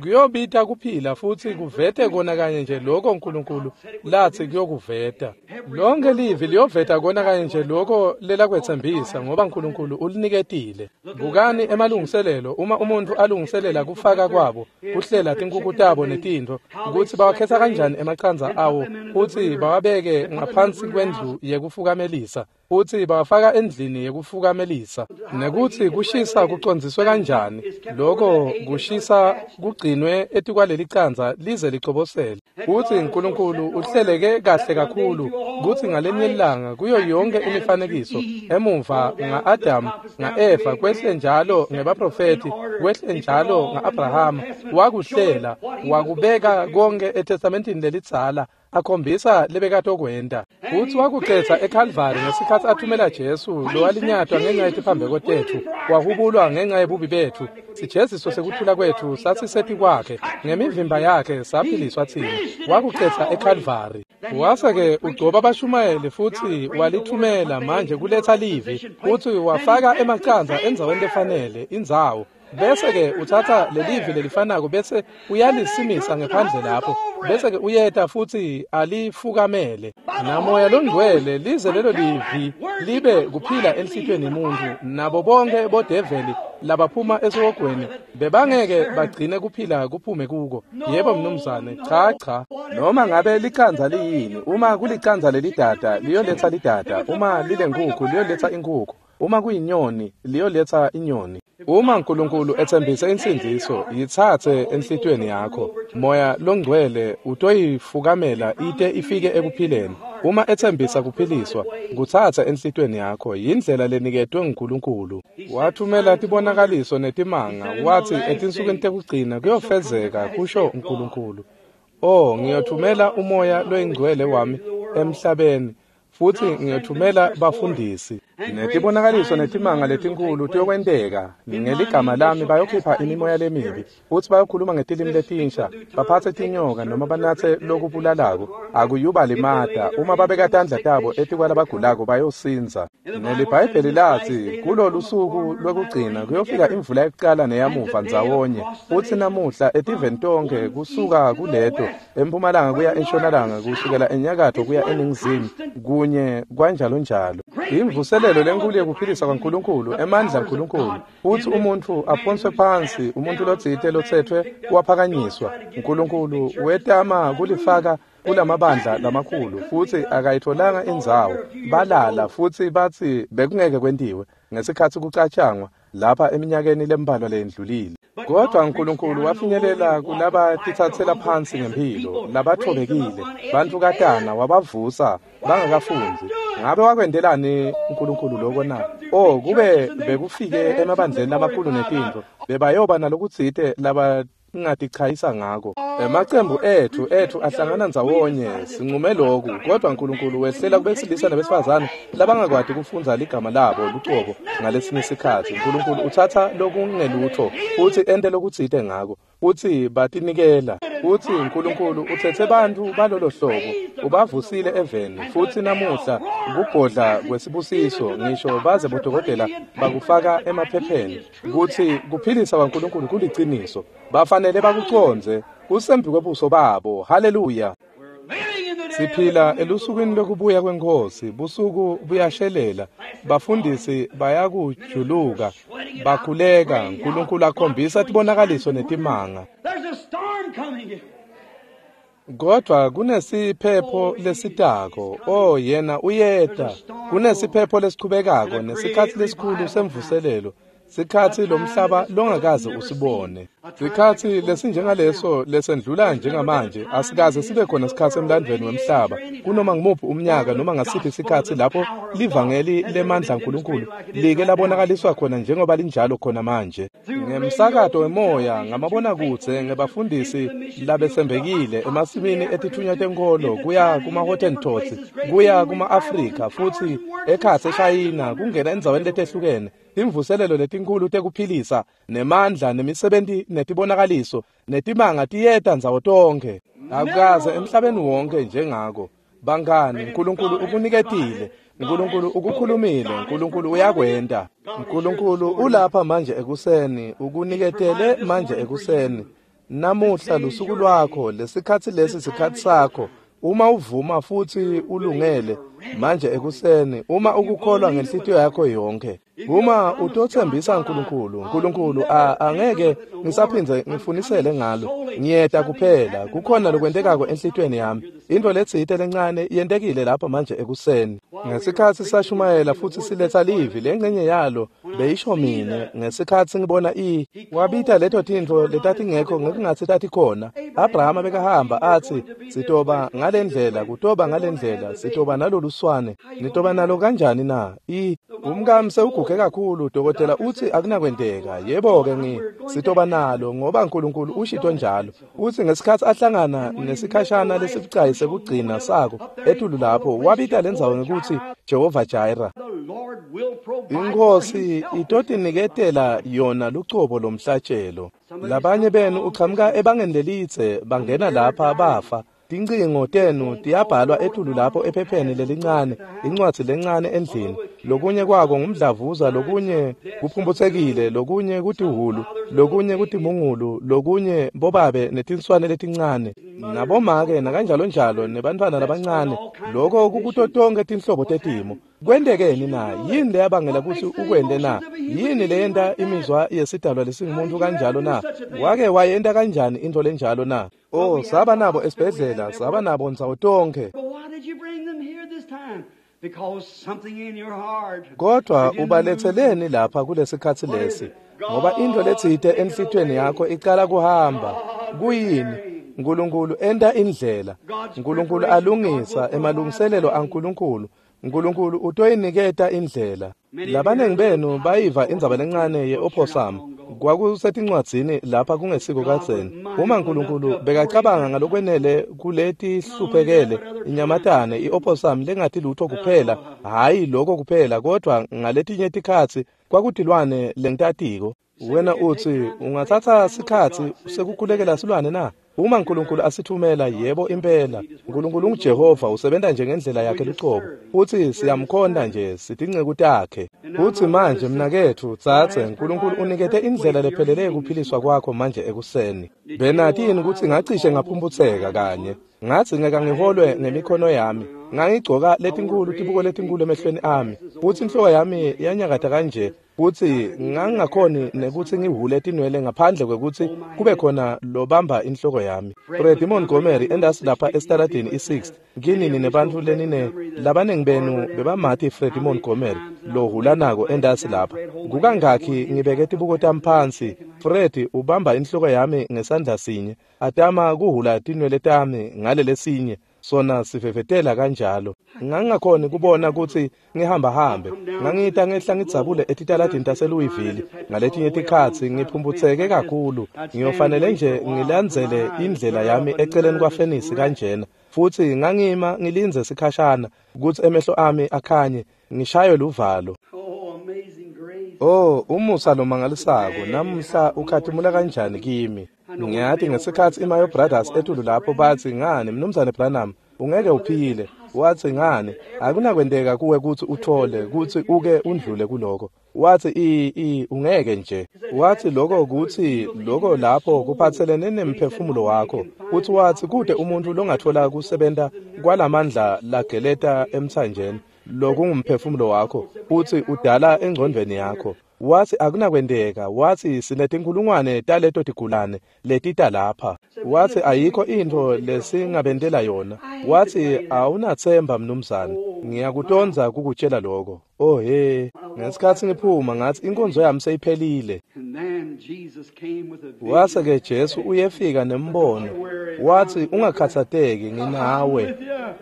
S1: Kuyobita kuphila futhi kuvete kona kanye nje lokho uNkulunkulu lathi kuyokuveta. Lonke livi liyoveta kona kanye nje lokho lelakwetsembisa, ngoba uNkulunkulu uliniketile. Bukani emalungiselelo, uma umuntu alungiselela kufaka kwabo, kuhlela tinkukhu tabo netintfo, ukuthi bawakhetha kanjani emacandza awo, futhi bawabeke ngaphansi kwendlu yekufukamelisa, futhi bawafaka endlini yekufukamelisa, nekuthi kushisa kucondziswe kanjani, lokho kushisa kugcinwe etikwaleli candza lize lichobosele. Futhi uNkulunkulu uhleleke kahle kakhulu kutsi ngalenye ilanga kuyo yonke imifanekiso emuva nga-Adamu nga-Eva, kwehle njalo ngebaprofethi, kwehle njalo nga-Abrahama, wakuhlela wakubeka konke eTestamentini lelidzala akhombisa lebekatokwenta. Futsi wakucetsa eKalvari ngesikhatsi athumela Jesu lowalinyatwa ngenxa yetiphambeko tetfu, wahubulwa ngenxa yebubi betfu. Sijeziso sekuthula kwetfu sasisetikwakhe, ngemivimba yakhe saphiliswa tsine. Wakucetsa eKalvari. Wase-ke ugcoba bashumayeli futsi walithumela manje kuletsa livi, futsi wafaka emacandza endzaweni lefanele, indzawo. Bese-ke utsatsa lelivi lelifanako bese uyalisimisa ngephandle lapho, bese-ke uyeta futsi alifukamele. Namoya longcwele lize lelo livi libe kuphila enhlitiyweni yemuntfu, nabo bonke bodeveli labaphuma esihogweni bebangeke bagcine kuphila kuphume kuko. Yebo mnumzane, cha cha. Noma ngabe licandza liyini, uma kulicandza lelidada liyoletsa lidada, uma lilenkhukhu liyoletsa inkhukhu, uma kuyinyoni liyoletsa inyoni. Uma uNkulunkulu etsembise insindziso, yitsatse enhlitiyweni yakho. Moya longcwele utoyifukamela ite ifike ekuphileni. Uma etsembisa kuphiliswa, kutsatse enhlitiyweni yakho. Yindlela leniketwe nguNkulunkulu. Wathumela tibonakaliso netimanga, wathi etinsukwini tekugcina kuyofezeka, kusho uNkulunkulu. Oh, ngiyothumela umoya loyingcwele wami emhlabeni, futsi ngiyothumela bafundisi. Netibonakaliso netimanga letinkhulu tiyokwenteka. Ngeligama lami bayokhipha imimoya lemibi, futsi bayokhuluma ngetilimi letinsha, baphatse tinyoka noma banatse lokubulalako, akuyubalimata. Uma babeka tandla tabo etikwalabagulako bayosindza. NeliBhayibheli latsi kulolu suku lwekugcina kuyofika imvula yekucala neyamuva ndzawonye, futsi namuhla etiveni tonkhe kusuka kuleto empumalanga kuya entshonalanga, kusukela enyakatfo kuya eningizimu, kunye kanjalonjalo. Imvuselelo lenkulu yekuphilisa kwaNkulunkulu, emandla aNkulunkulu, futsi umuntfu aphonswe phansi, umuntfu lotsite lotsetfwe waphakanyiswa. uNkulunkulu wetama kulifaka kulamabandla lamakhulu, futsi akayitfolanga indzawo. Balala futsi batsi bekungeke kwentiwe ngesikhatsi kucatshangwa lapha eminyakeni lembalwa leyendlulile. Kodwa uNkulunkulu wafinyelela kulabatitsatsela phansi ngempilo, labathobekile, bantukatana wabavusa bangakafundzi. Ngabe wakwentelani uNkulunkulu lokho na? Oh, kube bekufike emabandleni lamakhulu netintfo, bebayoba nalokutsite laba ngatichayisa ngako. Emacembu ethu ethu ahlangana ndzawonye, sincume lokhu, kodwa uNkulunkulu wehlela kubesilisa nabesifazane labangakwati kufundza ligama labo lucobo ngalesinye isikhatsi. uNkulunkulu utsatsa lokungelutho futsi ente lokutsite ngako, futsi batinikela. Futsi uNkulunkulu utsetse bantfu balolo hlobo, ubavusile eveni, futsi namuhla kubhodla kwesibusiso, ngisho baze bodokotela bakufaka emaphepheni kutsi kuphilisa kwaNkulunkulu kuliciniso. Bafanele bakucondze kusembi kwebuso babo. Haleluya. Siphila elusukwini lwekubuya kweNkhosi. Busuku buyashelela, bafundisi bayakujuluka, bakhuleka, uNkulunkulu akhombisa tibonakaliso netimanga. Kodwa kunesiphepho lesitako. Oh, yena uyeta. Kunesiphepho lesichubekako nesikhatsi lesikhulu semvuselelo, sikhatsi lomhlaba longakaze usibone. Sikhatsi lesinjengaleso lesendlula njengamanje asikaze sibe khona sikhatsi emlandvweni wemhlaba, kunoma ngumuphi umnyaka noma ngasiphi sikhatsi lapho livangeli lemandla aNkulunkulu like labonakaliswa khona njengoba linjalo khona manje. Ngemsakato wemoya, ngamabonakudze, ngebafundisi labetsembekile emasimini etitfunywa tenkholo, kuya kuma-Hottentots, kuya kuma-Afrika, futsi ekhatsi eShayina, kungena endzaweni letehlukene. Imvuselelo letinkhulu tekuphilisa nemandla nemisebenti netibonakaliso netimanga tiyeta ndzawo tonkhe. Akukaze emhlabeni wonke njengako. Bangani, uNkulunkulu ukuniketile, uNkulunkulu ukukhulumile, uNkulunkulu uyakwenta. uNkulunkulu ulapha manje ekuseni, ukuniketele manje ekuseni. Namuhla lusuku lwakho, lesikhatsi lesi sikhatsi sakho. Uma uvuma futsi ulungele manje ekuseni, uma ukukholwa ngenhlitiyo yakho yonke, uma utotsembisa uNkulunkulu, uNkulunkulu angeke ngisaphindze ngifunisele ngalo, ngiyeta kuphela, kukhona lokwentekako enhlitiyweni yami. Into letsite lencane yentekile lapha manje ekuseni. Ngesikhatsi sashumayela futsi siletsa livi, lengcenye yalo beyisho mine ngesikhatsi ngibona i wabita leto tintfo letatingekho ngekungatsi tatikhona. Abrahama bekahamba atsi sitoba ngalendlela, kutoba ngalendlela, sitoba naloluswane. Nitoba nalo kanjani na? I umkami sewugugile Sewuguge kakhulu dokotela utsi akunakwenteka. Yebo-ke ngi sitoba nalo ngoba uNkulunkulu ushito njalo. Utsi ngesikhatsi ahlangana nesikhashana lesibucayi sekugcina sako etulu lapho wabita lendzawo ngekutsi Jehova Jireh. Inkosi itotiniketela yona lucobo lomhlatshelo. Labanye benu uchamuka ebangeni lelitse bangena lapha bafa. Tincingo tenu tiyabhalwa etulu lapho ephepheni lelincane, incwadzi lencane endlini. Lokunye kwako ngumdlavuza, lokunye kuphumphutsekile, lokunye kutihulu, lokunye kutimungulu, lokunye bobabe netinswane letincane, nabomake nakanjalo njalo nebantfwana labancane. Loko kukuto tonkhe tinhlobo tetimo. Kwentekeni na? Yini leyabangela kutsi ukwente na? Yini leyenta imizwa yesidalwa lesingumuntu kanjalo na? Wake wayenta kanjani intfo lenjalo na? Oh, saba nabo esibhedlela, saba nabo ndzawo tonkhe. Kodwa ubaletseleni lapha kulesikhatsi lesi? Ngoba intfo letsite enhlitiyweni yakho icala kuhamba. Kuyini? Nkulunkulu enta indlela. Nkulunkulu alungisa emalungiselelo aNkulunkulu. Nkulunkulu utoyiniketa indlela. Labanengi benu bayiva indzaba lencane ye-opossum. Kwakusetincwadzini lapha kungesiko kadzeni. Uma Nkulunkulu bekacabanga ngalokwenele kuleti hluphekele inyamatane i-opossum lengati lutho kuphela, hhayi lokho kuphela kodwa ngaletinye tikhatsi kwakutilwane lengitatiko. Wena utsi ungatsatsa sikhatsi sekukhulekela silwane na? Uma uNkulunkulu asithumela, yebo impela. uNkulunkulu unguJehova, usebenta nje ngendlela yakhe lucobo. Futsi siyamkhonta nje, sitinceku takhe. Futsi manje mnaketfu, tsatse, uNkulunkulu unikete indlela lephelele yekuphiliswa kwakho manje ekuseni. Benati yini kutsi ngacishe ngaphumphutseka kanye? Ngadzingeka ngiholwe ngemikhono yami. Ngangigcoka letinkhulu tibuko letinkulu emehlweni ami. Futsi inhloko yami yanyakata kanje. Futsi ngangingakhoni nekutsi ngihhule tinwele ngaphandle kwekutsi kube khona lobamba inhloko yami. Freddie Montgomery endasi lapha esitaladini i-sixth. Kinini nebantfu lenine labanengi benu bebamati Freddie Montgomery lohulanako endasi lapha. Kukangakhi ngibeke tibuko tami phansi. Freddie ubamba inhloko yami ngesandla sinye, atama kuhhula tinwele tami ngalelesinye. Sona sifefetela kanjalo. Ngangingakhoni kubona kutsi ngihamba hambe. Ngangita ngehla ngidzabule etitaladini taseLouisville. Ngaletinye tikhatsi ngiphumputseke kakhulu. Ngiyofanele nje ngilandzele indlela yami eceleni kwafenisi kanjena. Futsi ngangima ngilindze sikhashana kutsi emehlo ami akhanye, ngishaywe luvalo. Oh, umusa lomangalisako namuhla ukhatimula kanjani kimi. Ngiyati ngesikhatsi iMayo Brothers etulu lapho batsi ngani Mnumzane Branham ungeke uphile. Watsi ngani akunakwenteka kuwe kutsi uthole kutsi uke undlule kuloko. Watsi i i ungeke nje. Watsi lokho kutsi lokho lapho kuphatselene nemphefumulo wakho. Utsi watsi kute umuntu longathola kusebenta kwalamandla lageleta emtsanjeni lokungumphefumulo wakho. Utsi udala engcondvweni yakho. Watsi akunakwenteka. Watsi sinetinkhulungwane taleto tigulane letita lapha. Watsi ayikho intfo lesingabentela yona. Watsi awunatsemba mnumzane. Ngiyakutondza kukutshela lokho. Oh he, ngesikhatsi ngiphuma ngatsi inkonzo yami seyiphelile. Wase ke Jesu uyefika nembono. Watsi ungakhatsateki, nginawe.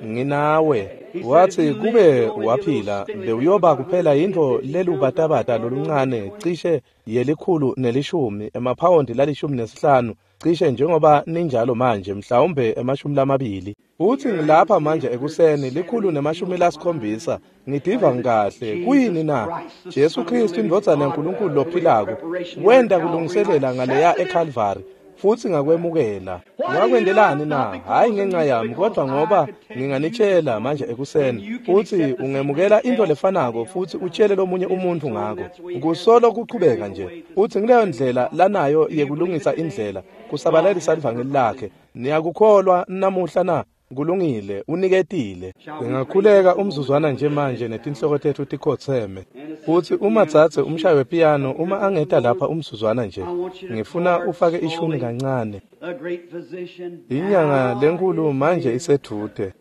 S1: Nginawe. Watsi kube waphila bewuyoba kuphela yintfo lelubatabata loluncane cishe yelikhulu nelishumi emaphawondi lalishumi nesihlanu cishe njengoba ninjalo manje mhlawumbe emashumi lamabili. Utsi ngilapha manje ekuseni likhulu nemashumi lasikhombisa ngidiva ngikahle. Kuyini na? Jesu Kristu indvodzana yaNkulunkulu lophilako wenta kulungiselela ngaleya eCalvary. Futsi ngakwemukela. Ngakwendelani na? Hhayi ngenxa yami kodwa ngoba nginganitshela manje ekuseni. Utsi ungemukela into lefanako futsi utshele lomunye umuntu ngako. Kusolo kuchubeka nje. Utsi ngileyo ndlela lanayo yekulungisa indlela kusabalalisa livangeli lakhe. Niyakukholwa namuhla na? Kulungile, uniketile. Ngingakhuleka umzuzwana nje manje netinhloko tetfu tikhotseme. Futsi uma tsatse umshayi wepiyano uma angeta lapha umzuzwana nje, ngifuna ufake ishumi kancane. Inyanga lenkulu manje isedvute.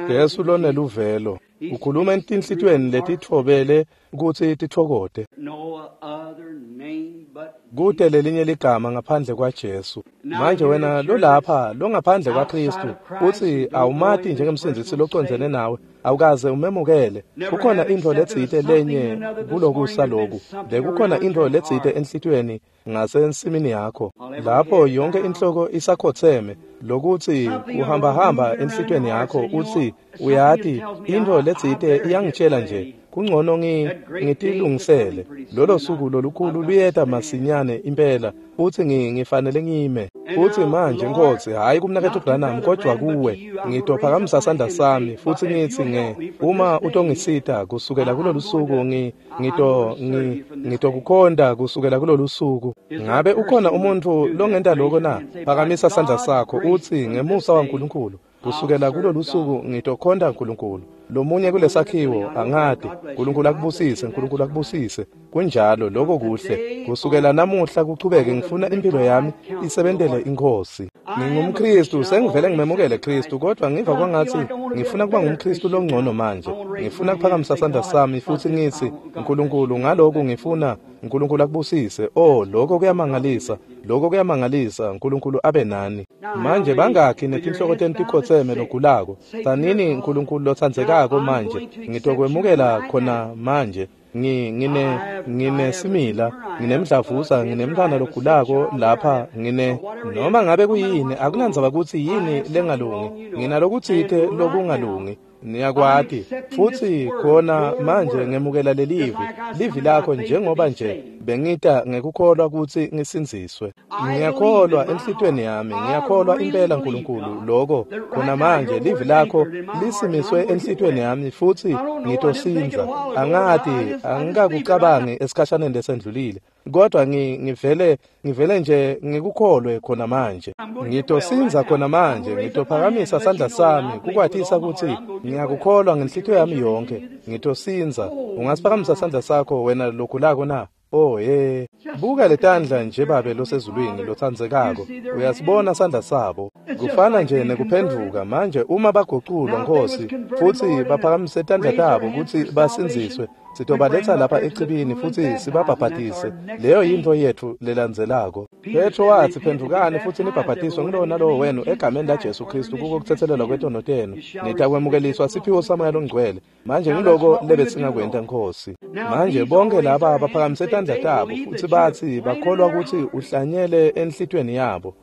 S1: Jesu loneluvelo ukhuluma etinhlitiyweni letitfobele kutsi titfokote.
S2: no other name but
S1: Kute lelinye ligama ngaphandle kwaJesu. Manje wena lolapha longaphandle kwaKristu uthi awumati njengemsindzisi locondzene nawe, awukaze umemukele. Kukhona intfo letsite lenye kulokusa loku. Bekukhona intfo letsite enhlitiyweni ngasensimini yakho. Lapho yonke inhloko isakhotseme lokuthi uhamba hamba enhlitiyweni yakho uthi uyati intfo letsite iyangitshela nje kungcono ngi ngitilungisele. Lolo suku lolukhulu luyeta masinyane impela futhi ngifanele ngime. Futhi manje Nkosi, hayi kumnaketfu Branham kodwa kuwe, ngitophakamisa sandla sami futhi ngithi nge uma utongisita kusukela kulolu suku ngi ngito ngi ngitokukhonta kusukela kulolu suku. Ngabe ukhona umuntu longenta lokho na? Phakamisa sandla sakho uthi ngemusa waNkulunkulu kusukela kulolu suku ngitokhonta uNkulunkulu. Lomunye kulesakhiwo angati. uNkulunkulu akubusise, uNkulunkulu akubusise. Kunjalo, lokho kuhle. Kusukela namuhla kuchubeke ngifuna impilo yami isebentele iNkosi. NgingumKristu, sengivele ngimemukele Kristu, kodwa ngiva kwangathi ngifuna kuba ngumKristu longcono manje. Ngifuna kuphakamisa sandla sami futhi ngithi uNkulunkulu ngalokhu ngifuna uNkulunkulu akubusise. Oh, lokho kuyamangalisa. Lokho kuyamangalisa. uNkulunkulu abe nani. Manje bangakhi netinhloko tenu tikhotseme logulako? Tsanini uNkulunkulu lotsandzekako manje. Ngitokwemukela khona manje. Ngi ngine nginesimila, nginemdlavuza, nginemntwana logulako lapha, ngine noma ngabe kuyini, akunandzaba kutsi yini lengalungi, nginalokutsite lokungalungi. Niyakwati futhi khona manje ngemukela lelivi livi lakho njengoba nje bengita ngekukholwa kutsi ngisindziswe. Ngiyakholwa enhlitiyweni yami, ngiyakholwa impela uNkulunkulu lokho khona manje livi lakho lisimiswe enhlitiyweni yami futhi ngitosindza. Angati, angikakucabangi esikhashaneni lesendlulile, kodwa ngivele ngivele nje ngikukholwe khona manje. Ngitosindza khona manje, ngitophakamisa sandla sami kukwatisa kutsi ngiyakukholwa ngenhlitiyo yami yonke. Ngitosindza. Ungasiphakamisa sandla sakho wena logulako na? Oh ye, buka letandla nje Babe losezulwini lotsandzekako. Uyasibona sandla sabo. Kufana nje nekuphendvuka manje uma baguculwa Nkosi futhi baphakamise tandla tabo kutsi basindziswe, sitobaletsa lapha echibini futhi sibabhabhatise. Leyo yintfo yetfu lelandzelako. Petro watsi phendvukani futhi nibhabhatiswe ngulowo nalowo wenu egameni laJesu Kristu kuko kutsetselelwa kwetono tenu, nitakwemukeliswa siphiwo saMoya Longcwele. Manje ngiloko lebesingakwenta Nkosi. Manje bonke laba baphakamise tandla tabo futhi bathi bakholwa kutsi uhlanyele enhlitiyweni yabo.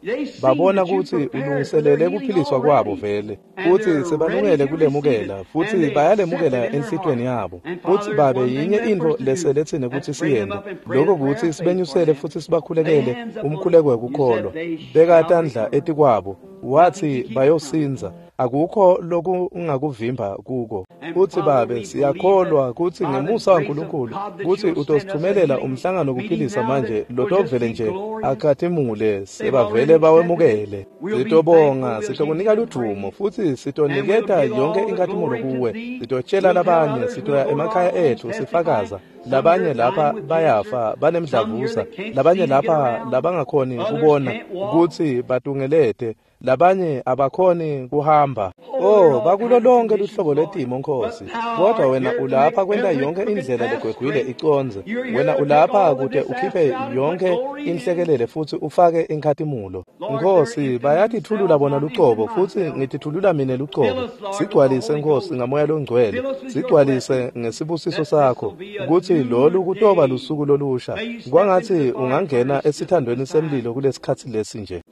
S1: Babona kutsi ulungiselele kuphiliswa kwabo vele, futhi sebalungele kulemukela futhi bayalemukela enhlitiyweni yabo. Futhi Babe, yinye intfo leseletsine kutsi siyente, lokho kutsi sibenyusele futhi sibakhulekele umkhuleko wekukholwa. Beka tandla etikwabo, wathi bayosindza. Akukho lokungakuvimba kuko. Uthi Babe, siyakholwa kutsi ngemusa waNkulunkulu kutsi utosithumelela umhlangano kuphilisa manje lotovele nje akhatimule sebavele bawemukele. Sitobonga, sitokunika ludumo futhi sitoniketa yonke inkhatimulo kuwe. Sitotshela labanye, sitoya emakhaya ethu sifakaza. Labanye lapha bayafa banemdlavuza, labanye lapha labangakhoni kubona kutsi batungelete, labanye abakhoni kuhamba. Oh, bakulo lonke luhlobo lwetimo Nkosi, kodwa wena ulapha kwenta yonke indlela legwegwile icondze. Wena ulapha kute ukhiphe yonke inhlekelele futhi ufake inkhatimulo. Nkosi, bayatithulula bona lucobo futhi ngitithulula mine lucobo. Sigcwalise Nkosi ngaMoya Longcwele, sigcwalise ngesibusiso sakho kutsi lolu kutoba lusuku lolusha. Kwangatsi ungangena esithandweni semlilo kulesikhatsi lesi nje.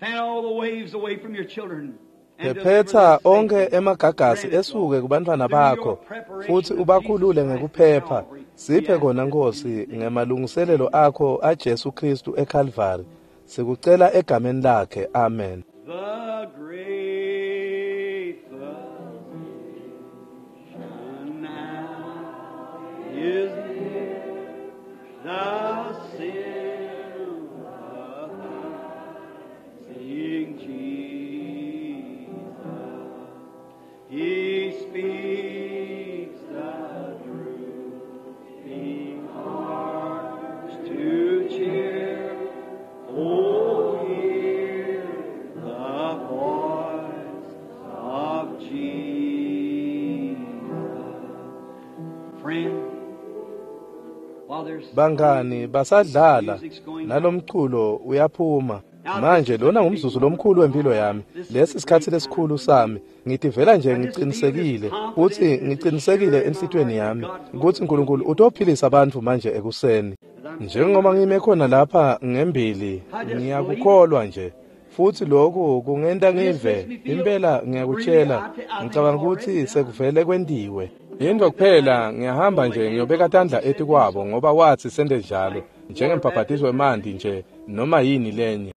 S1: Phephetsa onkhe emagagasi esuke kubantfwana bakho futhi ubakhulule ngekuphepha. Siphe kona Nkosi ngemalungiselelo akho aJesu Kristu eKalvari. Sikucela egameni lakhe, amen.
S2: The great physician now is near, the sympathizing Jesus. He speaks the drooping hearts to cheer. Oh, hear the voice of Jesus. Friend,
S1: Bangani basadlala nalomculo uyaphuma. Manje lona ngumzuzu lomkhulu wempilo yami. Lesi sikhathi lesikhulu sami. Ngitivela nje ngiqinisekile futhi ngiqinisekile enhlitiyweni yami ukuthi uNkulunkulu utophilisa abantu manje ekuseni. Njengoba ngime khona lapha ngembili, ngiyakukholwa nje. Futhi lokhu kungenta ngive impela ngiyakutshela, ngicabanga ukuthi sekuvele kwentiwe. Yinto kuphela ngiyahamba nje ngiyobeka tandla etikwabo ngoba wathi sente njalo njengembhabhatiso wemanti nje noma yini lenye.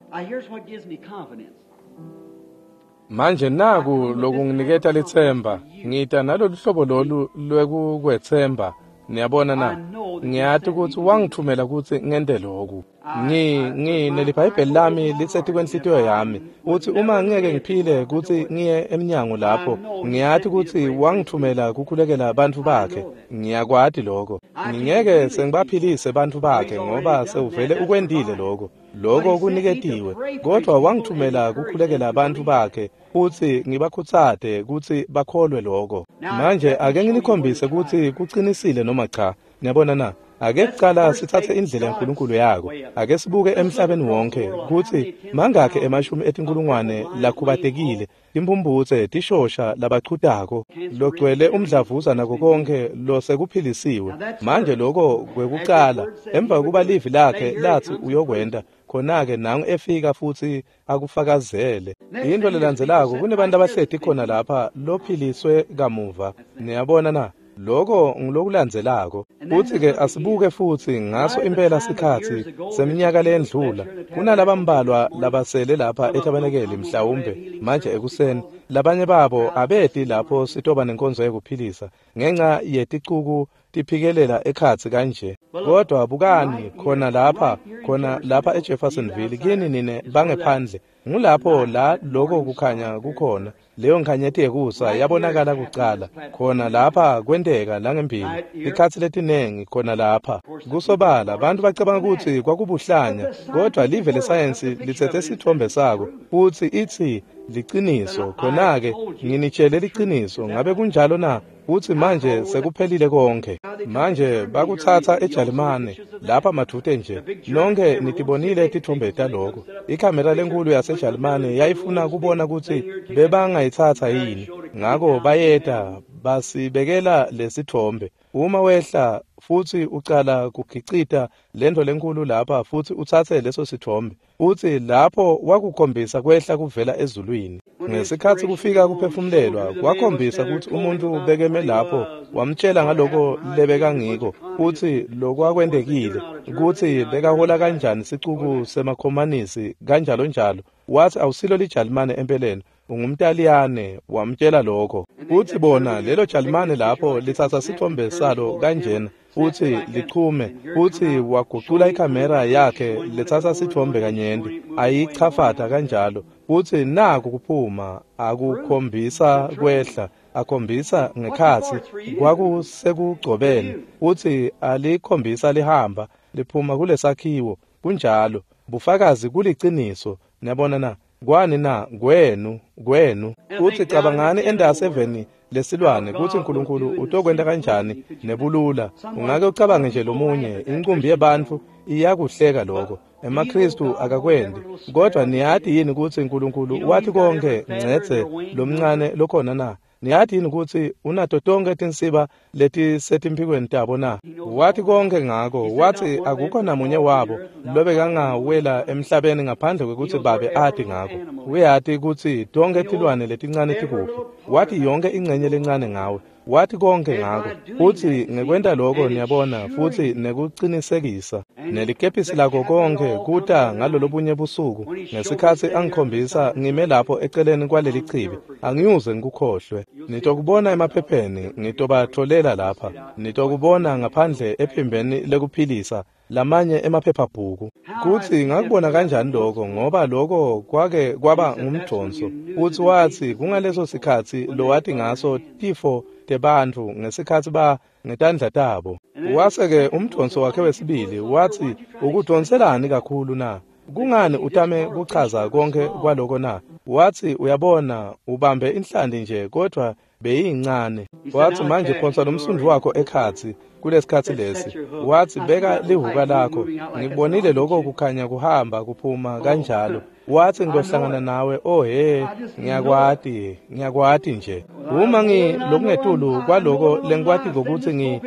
S1: Manje naku lokunginiketa litsemba, ngita nalolu hlobo lolu lwekukwetsemba. Niyabona na? Ngiyati ukuthi wangithumela ukuthi ngente lokhu. Ngi ngi neliBhayibheli lami lisethi kwenhlitiyo yami. Uthi uma ngeke ngiphile ukuthi ngiye eminyango lapho, ngiyati ukuthi wangithumela kukhulekela abantu bakhe. Ngiyakwati lokho. Ngingeke sengibaphilise abantu bakhe ngoba sewuvele ukwendile lokho. Lokho kuniketiwe. Kodwa wangithumela kukhulekela abantu bakhe futhi ngibakhutsate ukuthi bakholwe lokho. Manje ake nginikhombise ukuthi kuqinisile noma cha. Niyabona na? Ake kuqala sithathe indlela yaNkulunkulu yako. Ake sibuke emhlabeni wonke ukuthi mangakhe emashumi etinkulungwane lakhubatekile, timphumphutse, tishosha labachutako, logcwele umdlavuza nako konke losekuphilisiwe. Manje lokho kwekuqala emva kokuba livi lakhe lathi uyokwenta, khona-ke nangu efika futhi akufakazele. Into lelandzelako kunebantu abahleti khona lapha lophiliswe kamuva. Niyabona na? Lokho ngilokulandzelako. Futhi-ke asibuke futhi ngaso impela sikhathi seminyaka leyendlula. Kunalabambalwa labasele lapha etabenekeli mhlawumbe manje ekuseni. Labanye babo abeti lapho sitoba nenkonzo yekuphilisa ngenxa yeticuku tiphikelela ekhatsi kanje. Kodwa bukani khona lapha, khona lapha eJeffersonville kini nine bangephandle. Ngulapho la lokho kukhanya kukhona. Leyo nkhanyeti yekusa yabonakala kucala khona lapha kwenteka langembili ikhathi letinengi khona lapha. Kusobala abantu bacabanga ukuthi kwakubuhlanya, kodwa live lesayensi lithethe sithombe sako futhi ithi liciniso. Khona-ke nginitshele liciniso. Ngabe kunjalo na? Uthi manje sekuphelile konke. Manje bakuthatha eJalimane lapha madute nje. Nonke nitibonile tithombe taloko. Ikhamera lenkulu yaseJalimane yayifuna kubona ukuthi bebangayithatha yini. Ngako bayeta basibekela lesithombe. Uma wehla futhi ucala kukhicita lento lenkulu lapha futhi uthathe leso sithombe, uthi lapho wakukhombisa kwehla kuvela ezulwini. Ngesikhathi kufika kuphefumulelwa kwakhombisa ukuthi umuntu bekeme lapho wamtshela ngaloko lebekangiko futhi lokwakwendekile ukuthi bekahola kanjani sicuku semakhomanisi kanjalo njalo. Wathi awusilo liJalimane empeleni, ungumTaliyane. Wamtshela lokho. Uthi bona lelo Jalimane lapho lithatha sithombe salo kanjena uthi lichume. Uthi wagucula ikhamera yakhe lethatha sithombe kanyenti ayichafata kanjalo. Uthi naku kuphuma akukhombisa kwehla akhombisa ngekhathi kwakusekugcobeni. Uthi alikhombisa lihamba liphuma kulesakhiwo. Kunjalo bufakazi kuliciniso. Niyabona na? Kwani na? Kwenu kwenu. Uthi cabangani endase eveni lesilwane kuthi uNkulunkulu utokwenta kanjani nebulula. Ungake ucabange nje lomunye inqumbi yebantu iyakuhleka lokho. EmaKristu akakwendi. Kodwa niyati yini ukuthi uNkulunkulu wathi konke ngcetse lomncane lokhona na? Niyati yini ukuthi unato tonke tinsiba letisetimphikweni tabo na? Wathi konke ngako. Wathi akukho namunye wabo lobekangawela emhlabeni ngaphandle kwekuthi babe ati ngako. Uyati ukuthi tonke tilwane letincane tikuphi. Wathi yonke ingcenye lencane ngawe. Wathi konke ngako. Futhi ngekwenta lokho niyabona futhi nekuqinisekisa nelikepisi lako konke kuta ngalolobunye busuku ngesikhathi angikhombisa ngime lapho eceleni kwaleli chibi. Angiyuze ngikukhohlwe. Nitokubona emaphepheni, ngitobatholela lapha. Nitokubona ngaphandle ephimbeni lekuphilisa lamanye emaphephabhuku. Kuthi ngakubona kanjani lokho, ngoba lokho kwake kwaba ngumdonso. Uthi wathi kungaleso sikhathi lowati ngaso tifo tebantfu ngesikhathi ba ngetandla tabo. Wase-ke umdonso wakhe wesibili wathi ukudonselani kakhulu na? Kungani utame kuchaza konke kwaloko na? Wathi uyabona ubambe inhlandi nje kodwa Beyincane. Wathi, manje phonsa lomsundvu wakho ekhatsi kulesikhatsi lesi. Wathi, beka lihuka lakho. Ngibonile lokho kukhanya kuhamba kuphuma kanjalo. Wathi, ngiyohlangana nawe. Oh he, ngiyakwati, ngiyakwati nje. Uma ngi lokungetulu kwaloko lengikwati ngokuthi ngi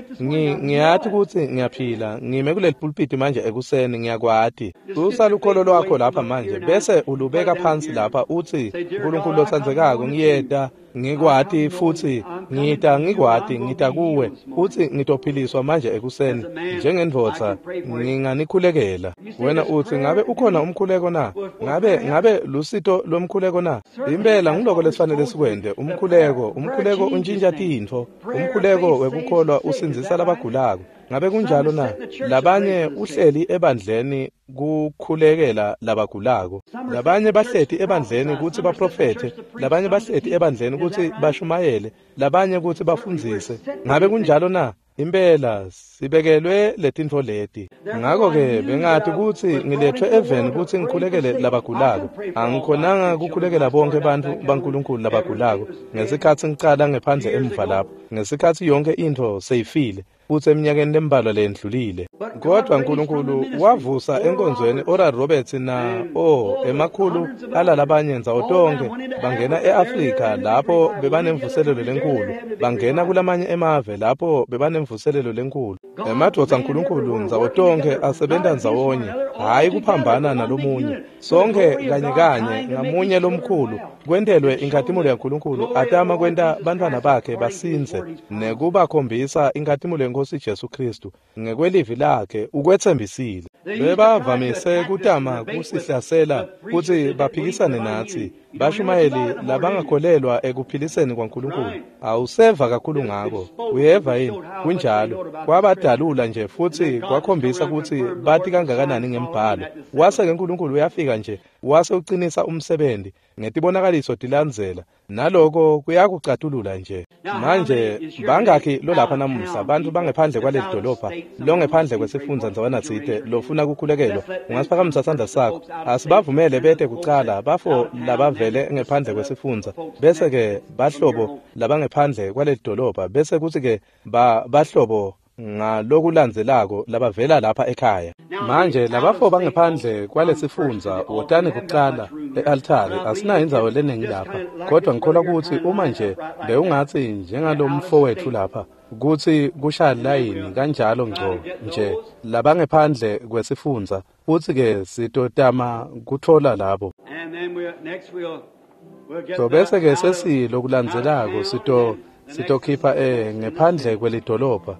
S1: ngiyati ukuthi ngiyaphila, ngime kuleli pulpiti manje ekuseni, ngiyakwati. Susa lukholo lwakho lapha manje bese ulubeka phansi lapha uthi, uNkulunkulu lotsandzekako, ngiyeta ngikwati futhi ngita ngikwati ngita kuwe uthi ngitophiliswa manje ekuseni njengendvodza, nginganikhulekela. Wena uthi, ngabe ukhona umkhuleko na? Ngabe ngabe lusito lomkhuleko na? Impela ngiloko lesifanele sikwente. Umkhuleko, umkhuleko untshintsha tintfo. Umkhuleko wekukholwa usindzisa labagulako. Ngabe kunjalo na? Labanye uhleli ebandleni kukhulekela labagulako. Labanye bahleti ebandleni kutsi baprofethe, labanye bahleti ebandleni kutsi bashumayele, labanye kutsi bafundzise. Ngabe kunjalo na? Impela sibekelwe letintfo leti. Ngakho-ke bengati kutsi ngiletfwe eveni kutsi ngikhulekele labagulako. Angikhonanga kukhulekela bonke bantfu baNkulunkulu labagulako ngesikhatsi ngicala ngephandle emuva lapho, ngesikhatsi yonke intfo seyifile futsi eminyakeni lembalwa leyendlulile. Kodwa uNkulunkulu wavusa enkonzweni Oral Roberts na o emakhulu alalabanye ndzawo tonkhe bangena e-Afrika lapho bebanemvuselelo lenkulu, bangena kulamanye emave lapho bebanemvuselelo lenkulu. Emadvodza aNkulunkulu ndzawo tonkhe asebenta ndzawonye, hhayi kuphambana nalomunye. Sonke kanye kanye ngamunye lomkhulu kwentelwe inkhatimulo yaNkulunkulu, atama kwenta bantfwana bakhe basindze nekubakhombisa inkhatimulo yeNkhosi Jesu Kristu ngekwelivi lakhe ukwetsembisile. Bebavamise kutama kusihlasela kutsi baphikisane natsi, bashumayeli labangakholelwa ekuphiliseni kwaNkulunkulu. Awuseva kakhulu ngako, uyeva yini? Kunjalo. Kwabadalula nje futsi kwakhombisa kutsi bati kangakanani ngembhalo. Wase-ke uNkulunkulu uyafika nje wase ucinisa umsebenzi ngetibonakaliso tilandzela, naloko kuyakucatulula nje. Manje bangakhi lolapha namuhla bantfu bangephandle kwaleli dolobha, longephandle kwesifundza ndzawana tsite lofuna kukhulekelwa, ungasiphakamisa sandla sakho. Asibavumele bete kucala bafo labavele ngephandle kwesifundza, bese-ke bahlobo labangephandle kwaleli dolobha, bese kutsi-ke ba bahlobo ngalokulandzelako labavela lapha ekhaya. Manje labafo bangephandle kwalesifundza wotani kucala e-altari. Asinayo indzawo leningi lapha, kodwa ngikholwa kutsi uma nje bewungatsi njengalomfo wetfu lapha kutsi kushaya layini kanjalo ngco nje labangephandle kwesifundza, futsi-ke sitotama kutfola labo. So bese-ke sesilokulandzelako sito sitokhipha eh ngephandle kwelidolobha,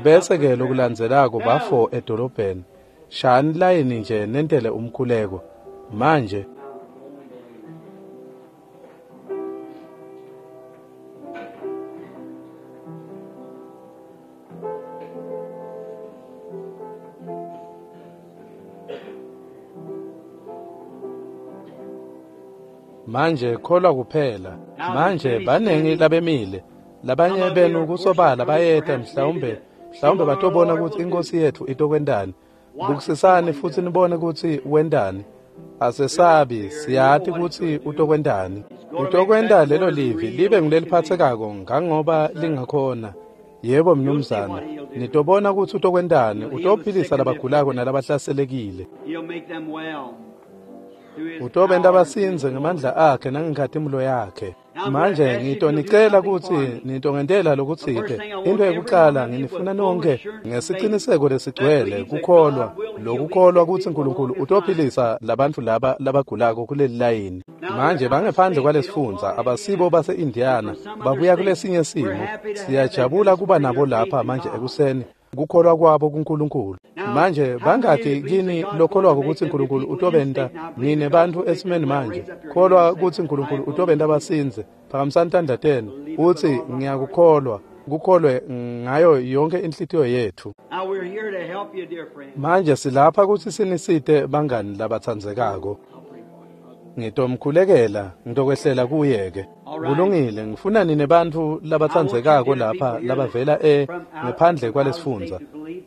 S1: bese-ke lokulandzelako bafo edolobheni. Shani layini nje nentele umkhuleko manje. Manje kholwa kuphela. Manje banengi labemile, labanye benu kusobala bayeta, mhlawumbe mhlawumbe batobona kutsi inkosi yetfu itokwentani. Bukisisani futsi nibone kutsi wentani. Asesabi, siyati kutsi utokwentani. Utokwenta lelo livi libe nguleliphatsekako ngangoba lingakhona. Yebo mnumzana, nitobona kutsi utokwentani. Utophilisa labagulako nalabahlaselekile. Utobenta basindze ngemandla akhe nangenkhatimulo yakhe. Manje ngitonicela kutsi nitongentela lokutsite. Into yekucala nginifuna nonke ngesiciniseko lesigcwele kukholwa, lokukholwa kutsi uNkulunkulu utophilisa labantfu laba labagulako kuleli layini. Manje bangephandle kwalesifundza, abasibo base-Indiana, babuya kulesinye simo. Siyajabula kuba nabo lapha manje ekuseni, kukholwa kwabo kuNkulunkulu. Manje bangakhi kini lokholwako kutsi uNkulunkulu utobenta nine bantfu esimeni manje kholwa kutsi uNkulunkulu utobenta basindze? Phakamisani tandla tenu utsi ngiyakukholwa, kukholwe ngayo yonke inhlitiyo yetfu. Manje silapha kutsi sinisite bangani labatsandzekako. Ngitomkhulekela, ngitokwehlela kuye-ke. Kulungile, ngifuna nine bantfu labatsandzekako lapha labavela e ngephandle kwalesifundza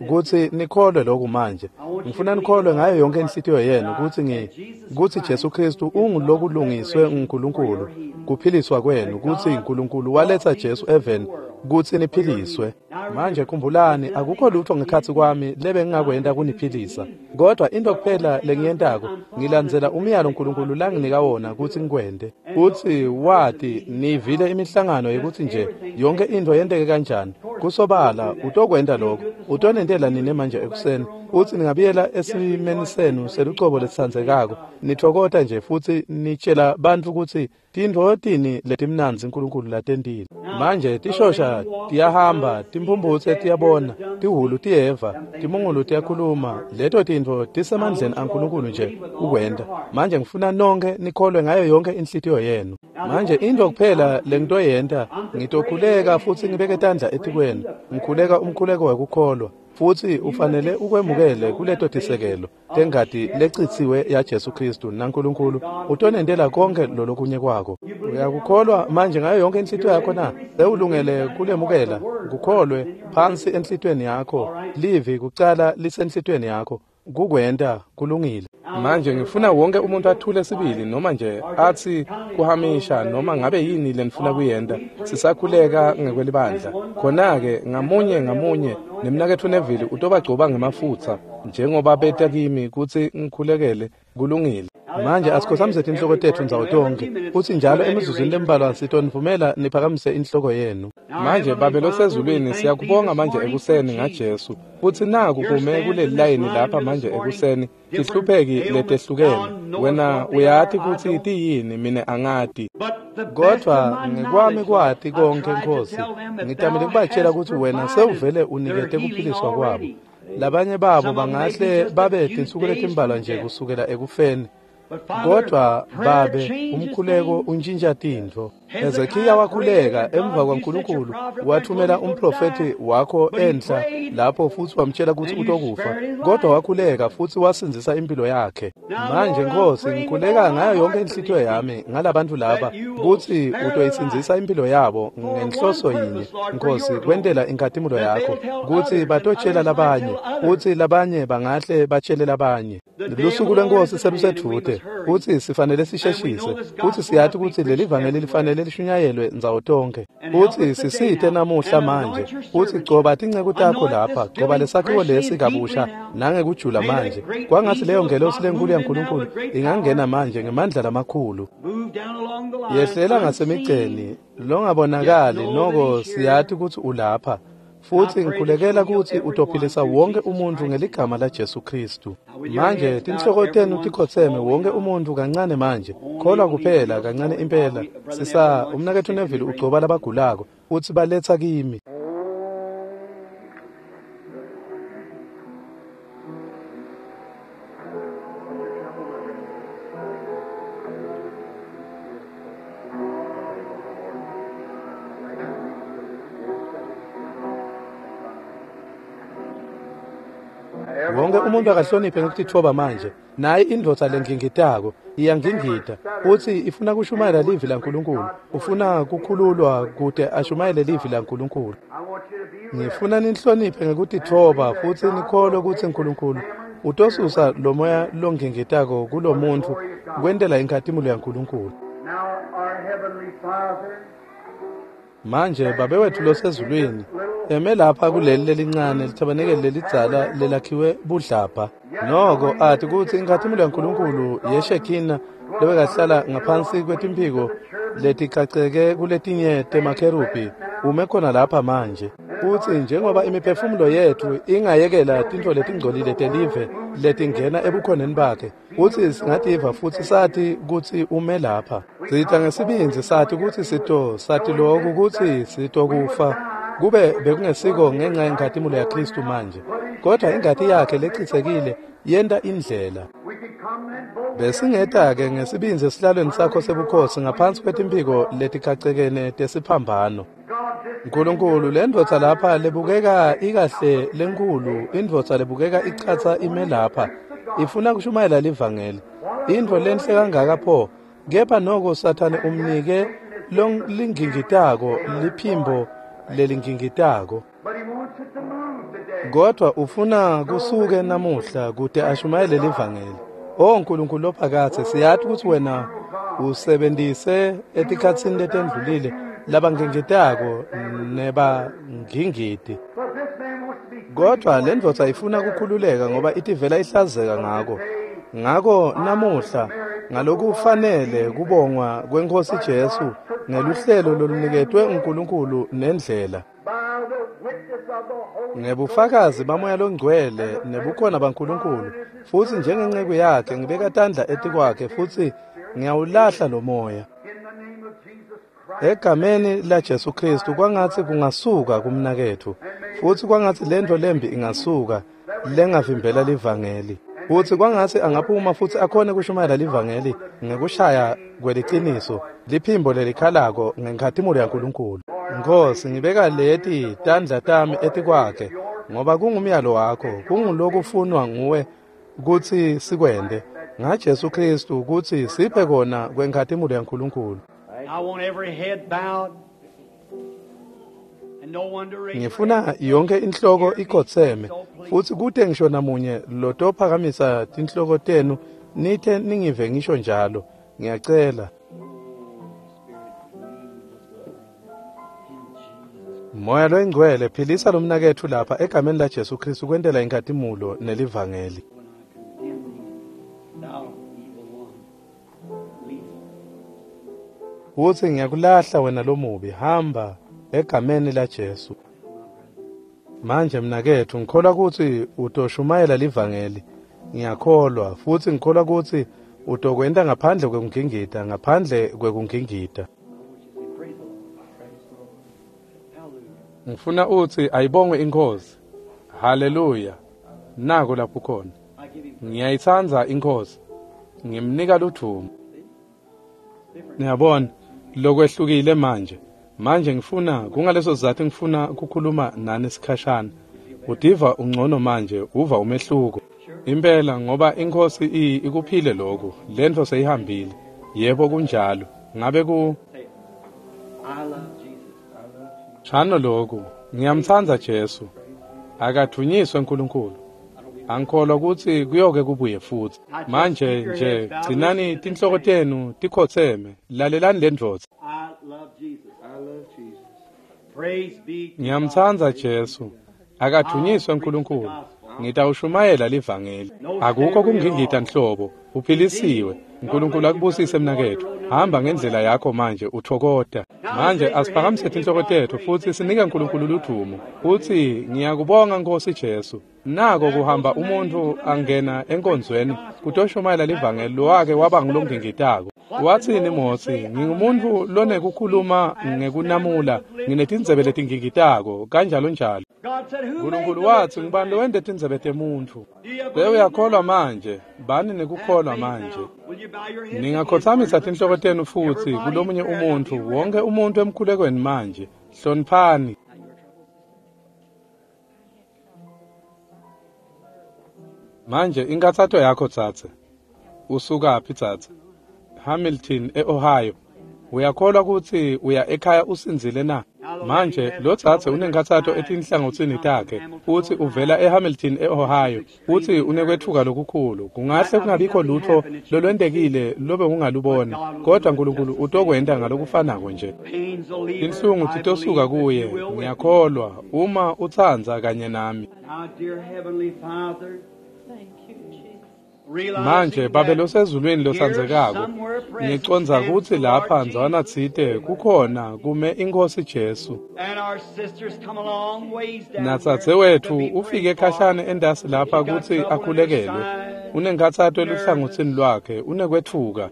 S1: kutsi nikholwe lokhu manje. Ngifuna nikholwe ngayo yonke inhlitiyo yenu kutsi ngi kutsi Jesu Kristu ungulokulungiswe nguNkulunkulu kuphiliswa kwenu, kutsi uNkulunkulu waletsa Jesu eveni kutsi niphiliswe. Manje khumbulani, akukho lutho ngekhatsi kwami lebe ngingakwenta kuniphilisa, kodwa into kuphela lengiyentako ngilandzela umyalo uNkulunkulu langinika wona kutsi ngikwente. Utsi wati nivile imihlangano yekuthi nje yonke into yenteke kanjani. Kusobala utokwenta lokho, utonentela nine manje ekuseni. Utsi ningabuyela esimeni senu selucobo lesitsandzekako, nithokota nje futsi nitshela bantfu kutsi tintfo tini letimnandzi uNkulunkulu latentile. Manje tishosha tiyahamba, timphumphutse tiyabona, tihhulu tiyeva, timungulu tiyakhuluma. Leto tintfo tisemandleni aNkulunkulu nje ukwenta. Manje ngifuna nonkhe nikholwe ngayo yonke inhlitiyo yenu. Manje into kuphela lengitoyenta, ngitokhuleka futsi ngibeke tandla etikwenu. Ngikhuleka umkhuleko wekukholwa, futsi ufanele ukwemukele kuleto tisekelo tengati lecitsiwe ya Jesu Kristu, naNkulunkulu utonentela konke lolokunye kwako. Uyakukholwa manje ngayo yonke inhlitiyo yakho na? Sewulungele kulemukela, kukholwe phansi enhlitiyweni yakho. Livi kucala lisenhlitiyweni yakho, kukwenta kulungile. Manje ngifuna wonke umuntu athule sibili, noma nje atsi kuhamisha noma ngabe yini lenifuna kuyenta. Sisakhuleka ngekwelibandla. Khona-ke ngamunye ngamunye nemnaketfu Neville utobagcoba ngemafutsa njengoba beta kimi kutsi ngikhulekele. Kulungile. Manje asikhotsamise tinhloko tetfu ndzawo tonkhe, futsi njalo emizuzwini lembalwa sitonivumela niphakamise inhloko yenu. Manje Babe losezulwini, siyakubonga manje ekuseni ngaJesu, futsi naku kume kuleli layini lapha manje ekuseni tihlupheki letehlukene. Wena uyati kutsi tiyini, mine angati, kodvwa ngekwami kwati konke Nkhosi, ngitamile kubatshela kutsi wena sewuvele unikete kuphiliswa kwabo. Labanye babo bangahle babe tinsuku letimbalwa nje kusukela ekufeni, kodvwa Babe, umkhuleko untshintsha tintfo. Hezekiya wakhuleka emva kwaNkulunkulu wathumela umprofethi wakho enhla lapho futsi wamtshela kutsi utokufa, kodwa wakhuleka futsi wasindzisa impilo yakhe. Manje Nkhosi, ngikhuleka ngayo yonke inhlitiyo yami ngalabantu laba kutsi utoyisindzisa impilo yabo ngenhloso yinye, Nkhosi, kwentela inkhatimulo yakho, kutsi batotshela labanye, kutsi labanye bangahle batshele labanye. Lusuku lweNkosi selusedvute, kutsi sifanele sisheshise, kutsi siyati kutsi leli vangeli lifanele lishunyayelwe ndzawo tonkhe. Kutsi sisite namuhla manje, kutsi gcoba tinceku takho lapha, gcoba lesakhiwo lesi kabusha nangekujula manje. Kwangatsi leyo ngelosi lenkulu yaNkulunkulu ingangena manje ngemandla lamakhulu, yehlela ngasemigceni longabonakali, noko siyati kutsi ulapha. Futsi ngikhulekela kutsi utophilisa wonke umuntu ngeligama la Jesu Kristu. Manje tinhloko tenu tikhotseme, wonke umuntu kancane manje. Kholwa kuphela kancane impela. Sisa umnaketfu Neville ugcoba labagulako utsi baletsa kimi. Wonke umuntu akahloniphe ngekutitfoba manje. Naye indvodza lengingitako iyangingita, utsi ifuna kushumayela livi laNkulunkulu, ufuna kukhululwa kute ashumayele livi laNkulunkulu. Ngifuna nihloniphe ngekutitfoba futsi nikholwe kutsi uNkulunkulu utosusa lo moya longingitako kulo muntfu kwentela inkhatimulo yaNkulunkulu. Manje Babe wetfu losezulwini, eme lapha kuleli lelincane lithabanekeli lelidzala lelakhiwe budlabha, noko ati kutsi inkhatimulo yaNkulunkulu yeShekina lobekahlala ngaphansi kwetimphiko leticaceke kuletinye temakherubhi ume khona lapha manje. Futsi njengoba imiphefumulo yetfu ingayekela tintfo letingcolile telive letingena ebukhoneni bakhe, kutsi singativa futsi sati kutsi ume lapha. Sita ngesibindzi sati kutsi sito sati loku kutsi sitokufa, kube bekungesiko ngenxa yenkhatimulo yaKristu manje, kodwa ingati yakhe lecitsekile yenta indlela. Besingeta-ke ngesibindzi esihlalweni sakho sebukhosi ngaphansi kwetimphiko leticacekene tesiphambano. Nkulunkulu, le ndvodza lapha lebukeka ikahle lenkulu, indvodza lebukeka ichatsa ime lapha, ifuna kushumayela livangeli. Intfo lenhle kangaka pho, kepha noko Sathane umnike lingingitako, liphimbo lelingingitako. Kodwa ufuna kusuke namuhla kute ashumayele livangeli. O Nkulunkulu lophakathe, siyati ukuthi wena usebenzise etikhatsini letendlulile labangengitako nebangingiti. Kodwa le ndvodza ifuna kukhululeka ngoba itivela ihlazeka ngako. Ngako namuhla ngalokufanele kubongwa kweNkhosi Jesu ngeluhlelo loluniketwe uNkulunkulu nendlela. Ngebufakazi bamoya longcwele nebukhona baNkulunkulu, futhi njengenceku yakhe ngibeka tandla etikwakhe futhi ngiyawulahla lo moya. Egameni la Jesu Kristu kwangathi kungasuka kumnaketfu, futhi kwangathi lento lembi ingasuka lengavimbela livangeli. Futhi kwangathi angaphuma futhi akhone kushumayela livangeli ngekushaya kweliciniso, liphimbo lelikhalako ngenkhatimulo yaNkulunkulu. Nkosi, ngibeka leti tandla tami etikwakhe ngoba kungumyalo wakho, kungulokufunwa nguwe kutsi sikwente ngaJesu Kristu kutsi siphe kona kwenkhatimulo yaNkulunkulu. Ngifuna yonke inhloko ikhotseme futhi kute ngisho namunye lotophakamisa tinhloko tenu nithe ningive ngisho njalo. Ngiyacela. Moya loyingcwele, philisa lomnaketfu lapha egameni la Jesu Kristu kwentela inkhatimulo nelivangeli. Futhi ngiyakulahla wena lomubi, hamba egameni la Jesu. Manje mnaketfu, ngikholwa kutsi utoshumayela livangeli. Ngiyakholwa futhi ngikholwa kutsi utokwenta ngaphandle kwekungingita, ngaphandle kwekungingita. Ngifuna utsi ayibongwe iNkhosi. Haleluya. Nako lapho khona. Ngiyayitsandza iNkhosi. Ngimnika ludvumo. Niyabona, lokwehlukile manje. Manje ngifuna kungaleso sizathu ngifuna ukukhuluma nani sikhashana. Udiva ungcono manje, uva umehluko. Impela ngoba iNkhosi ikuphile lokhu, lento seyihambile. Yebo kunjalo. Ngabe ku Shano lokhu, ngiyamtsandza Jesu. Akadvunyiswe uNkulunkulu. Angikholwa ukuthi kuyoke kubuye futhi. Manje nje gcinani tinhloko tenu tikhotseme, lalelani le ndvodza. Ngiyamtsandza Jesu. Akadvunyiswe uNkulunkulu. Ngitawushumayela livangeli. Akukho kungingita nhlobo. Uphilisiwe. uNkulunkulu akubusise mnaketfu. Hamba ngendlela yakho manje uthokota. Manje asiphakamise tinhloko tetfu futhi sinike uNkulunkulu ludvumo. Futhi ngiyakubonga Nkosi Jesu. Nako kuhamba umuntu angena enkonzweni kutoshumayela livangeli lowake waba ngulongingitako. Wathini Mosi, ngingumuntu lonekukhuluma ngekunamula, nginetindzebe letingingitako kanjalo njalo. uNkulunkulu wathi ngibani lowente tindzebe temuntfu. Bewuyakholwa manje, bani nekukholwa manje. Ningakhothamisa tinhloko tenu futhi kulomunye umuntfu, wonke umuntu emkhulekweni manje. Hloniphani. Manje inkathato yakho tsatse. Usukaphi tsatse? Hamilton eOhio. Uyakholwa ukuthi uya ekhaya usinzile na? Manje lo tsatse unenkathato etinhlangotsini takhe, futhi uvela eHamilton eOhio, futhi unekwethuka lokukhulu. Kungahle kungabikho lutho lolwentekile lobe ungalubona, kodwa uNkulunkulu utokwenta ngalokufanako nje. Inhlungu titosuka kuye, ngiyakholwa, uma utsandza kanye nami. Manje Babe losezulwini lotsandzekako, ngicondza kutsi lapha ndzawana tsite kukhona kume iNkhosi Jesu. Natsadzewetfu ufike khashane entasi lapha kutsi akhulekelwe. Unenkhatsato eluhlangotsini lwakhe, unekwetfuka.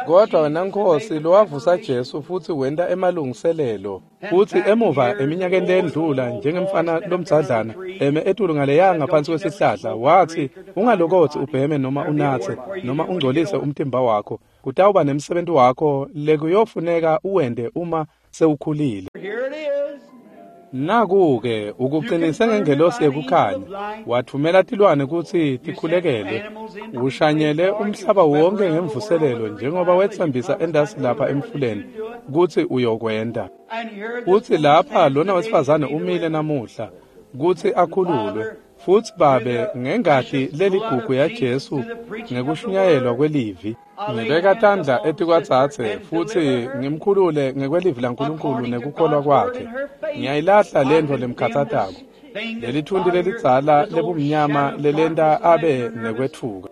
S1: Kodwa wena Nkosi lowavusa Jesu futhi wenta emalungiselelo, futhi emuva eminyakeni lendlula njengemfana lomdzadlana eme etulu ngaleya ngaphansi kwesihlahla wathi ungalokothi ubheme noma unatse noma ungcolise umtimba wakho, kutawuba nemsebenzi wakho lekuyofuneka uwente uma sewukhulile. Naku-ke ukuqinise ngengelosi yekukhanya, wathumela tilwane kutsi tikhulekele, ushanyele umhlaba wonke ngemvuselelo njengoba wetsembisa endasi lapha emfuleni kutsi uyokwenta. Futsi lapha lona wesifazane umile namuhla kutsi akhululwe, futsi Babe ngengati leligugu yaJesu ngekushunyayelwa kwelivi, ngibeka tandla etikwadzadze futsi ngimkhulule ngekwelivi laNkulunkulu nekukholwa kwakhe. Ngiyayilahla lentfo lemkhatsatako, lelithunti lelidzala lebumnyama lelenta abe nekwetfuka.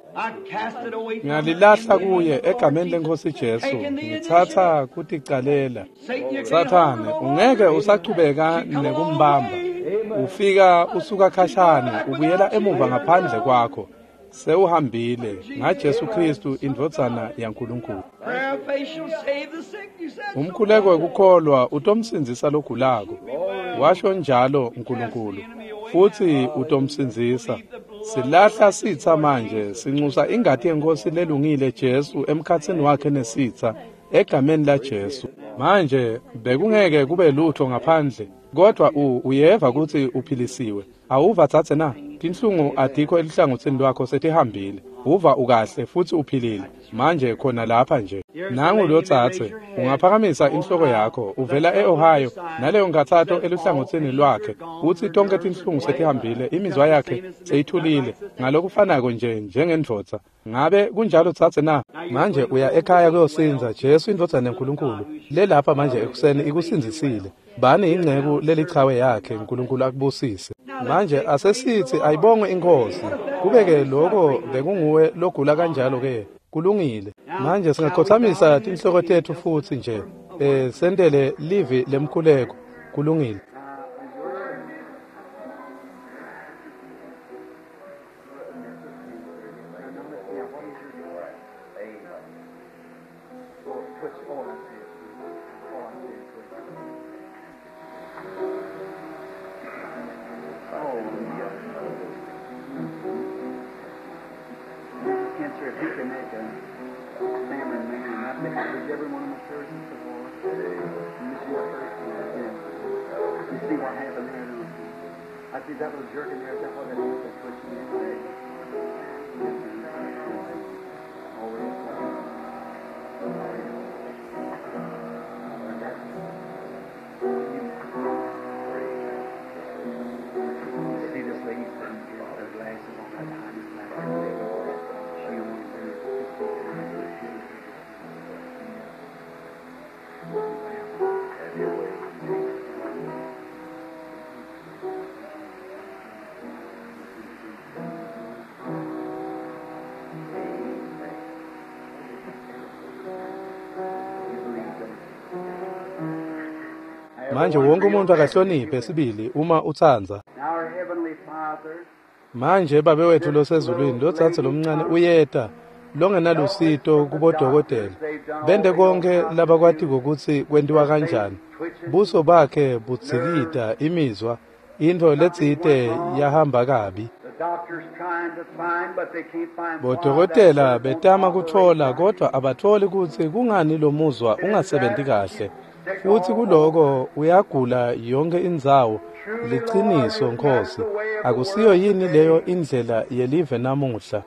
S1: Ngiyalilahla kuye egameni leNkhosi Jesu, ngitsatsa kuticalela. Sathane, ungeke usachubeka nekumbamba. Ufika usuka khashane, ubuyela emuva ngaphandle kwakho. Sewuhambile ngaJesu Kristu indvodzana yaNkulunkulu. Umkhuleko wekukholwa utomsindzisa logulako, washo njalo uNkulunkulu, futsi utomsindzisa. Silahla sitsa manje, sinxusa ingati yeNkhosi lelungile Jesu emkhatsini wakhe nesitsa, egameni laJesu. Manje bekungeke kube lutho ngaphandle, kodwa uyeva kutsi uphilisiwe. Awuva dzadze na? Tinhlungu atikho eluhlangotsini lwakho, setihambile. Uva ukahle futsi uphilile. Manje khona lapha nje. Nangu lo dzadze, ungaphakamisa inhloko yakho, uvela e-Ohio, naleyo nkhatsato eluhlangotsini lwakhe. Utsi tonkhe tinhlungu setihambile, imizwa yakhe seyithulile, ngalokufanako nje njengendvodza. Ngabe kunjalo dzadze na? Manje uya ekhaya kuyosinza. Jesu indvodzana yaNkulunkulu lelapha manje ekuseni ikusindzisile. Bani inceku lelichawe yakhe, uNkulunkulu akubusise. Manje asesitsi ayibongwe iNkhosi. Kube-ke loko bekunguwe logula kanjalo-ke, kulungile. Manje singakhothamisa tinhloko tetfu futsi nje, eh sentele livi lemkhuleko. Kulungile. Manje wonke umuntu akahloniphe sibili uma utsandza. Manje Babe wethu losezulwini, lodzadze lomncane uyeta longenalusito kubodokotela. Bente konke labakwatiko kutsi kwentiwa kanjani. Buso bakhe budzikita imizwa, intfo letsite yahamba kabi. Bodokotela betama kutfola kodvwa abatfoli kutsi kungani lo muzwa ungasebenti kahle. Futsi kuloko uyagula yonke indzawo. Liciniso Nkhosi, akusiyo yini leyo indlela yelive namuhla?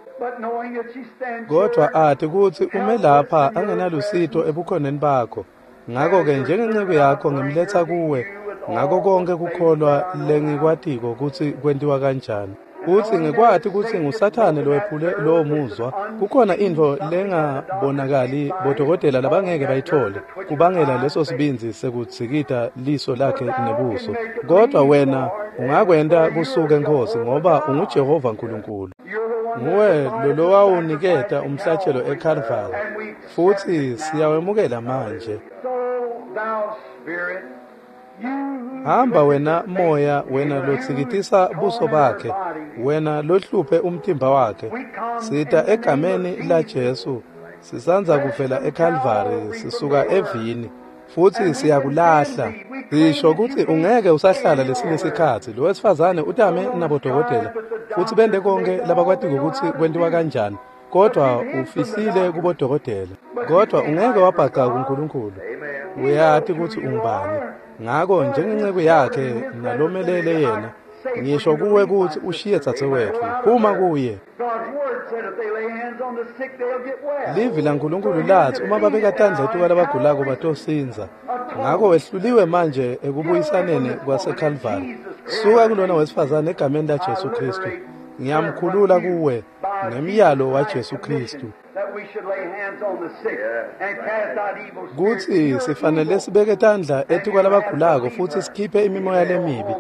S1: Kodvwa ati kutsi ume lapha angenalusito ebukhoneni bakho. Ngako-ke njengenceku yakho ngimletsa kuwe ngako konke kukholwa lengikwatiko kutsi kwentiwa kanjani. Utsi ngikwati kutsi nguSathane lowephule lowo muzwa. Kukhona intfo lengabonakali bodokotela labangeke bayithole kubangela leso sibindzi sekudzikita liso lakhe nebuso. Kodwa wena ungakwenta kusuke Nkhosi, ngoba unguJehova Nkulunkulu. Nguwe lolowawuniketa umhlatshelo eKalvari, futsi siyawemukela manje. Hamba wena moya, wena lotsikitisa buso bakhe, wena lohluphe umtimba wakhe. Sita egameni laJesu, sisandza kuvela eKalvari, sisuka evini, futsi siyakulahla. Sisho kutsi ungeke usahlala lesinye sikhatsi. Lo wesifazane utame nabodokotela, futsi bente konke labakwatiko kutsi kwentiwa kanjani, kodwa ufihlile kubodokotela. Kodwa ungeke wabhaca kuNkulunkulu. Uyati kutsi ungubani. Ngako njengenceku yakhe nalomelele yena, ngisho kuwe kutsi ushiye dzadzewetfu, phuma kuye. Livi laNkulunkulu latsi uma babeka tandla etukwalabagulako batosindza. Ngako wehluliwe manje ekubuyisaneni kwaseKalvari. Suka kulona wesifazane egameni laJesu Khristu. Ngiyamkhulula kuwe ngemyalo waJesu Khristu. Kutsi sifanele sibeke tandla etukwalabagulako futsi sikhiphe imimoya lemibi.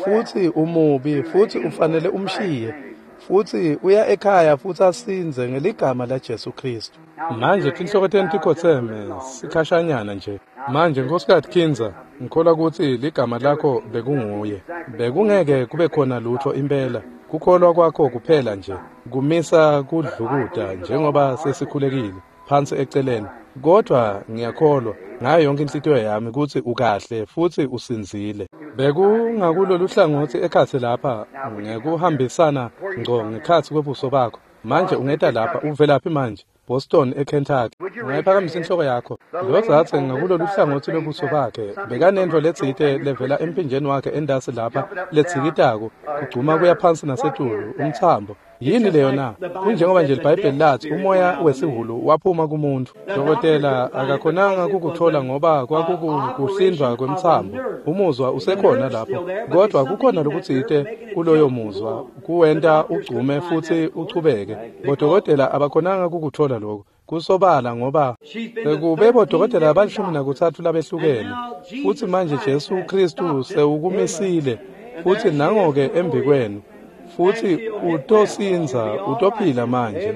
S1: Futsi umubi futsi ufanele umshiye. Futsi uya ekhaya futsi asindze ngeligama laJesu Khristu. Manje tinhloko tenu tikhotseme sikhashanyana nje. Manje Nkosikazi Kinzer, ngikholwa kutsi ligama lakho bekunguye. Bekungeke kube khona lutho impela. Kukholwa kwakho kuphela nje kumisa kudlukuta njengoba sesikhulekile phansi eceleni. Kodwa ngiyakholwa ngayo yonke inhlitiyo yami kutsi ukahle futsi usindzile. Bekungakulolu hlangothi ekhatsi lapha ngekuhambisana ngco ngekhatsi kwebuso bakho. Manje ungeta lapha, uvelaphi manje? Boston eKentucky. Ungayiphakamisa inhloko yakho. Lo dzadze ngakulolu hlangothi lobuso bakhe bekanentfo letsite levela emphinjeni wakhe endasi lapha ledzikitako kugcuma kuya phansi nasetulu umtsambo. Yini leyo na? Kunjengoba nje iBhayibheli lathi umoya wesihulu waphuma kumuntu. Dokotela akakhonanga kukuthola ngoba kwakukuhlindwa kwemtsambo. Umuzwa usekhona lapho, kodwa kukhona lokutsite kuloyo muzwa kuwenta ugcume futsi uchubeke. Bodokotela abakhonanga kukuthola lokho. Kusobala ngoba sekube bodokotela abalishumi nakutsatfu labehlukene. Futsi manje Jesu Khristu sewukumisile futsi nangoke embikwenu. Futsi utosindza, utophila manje.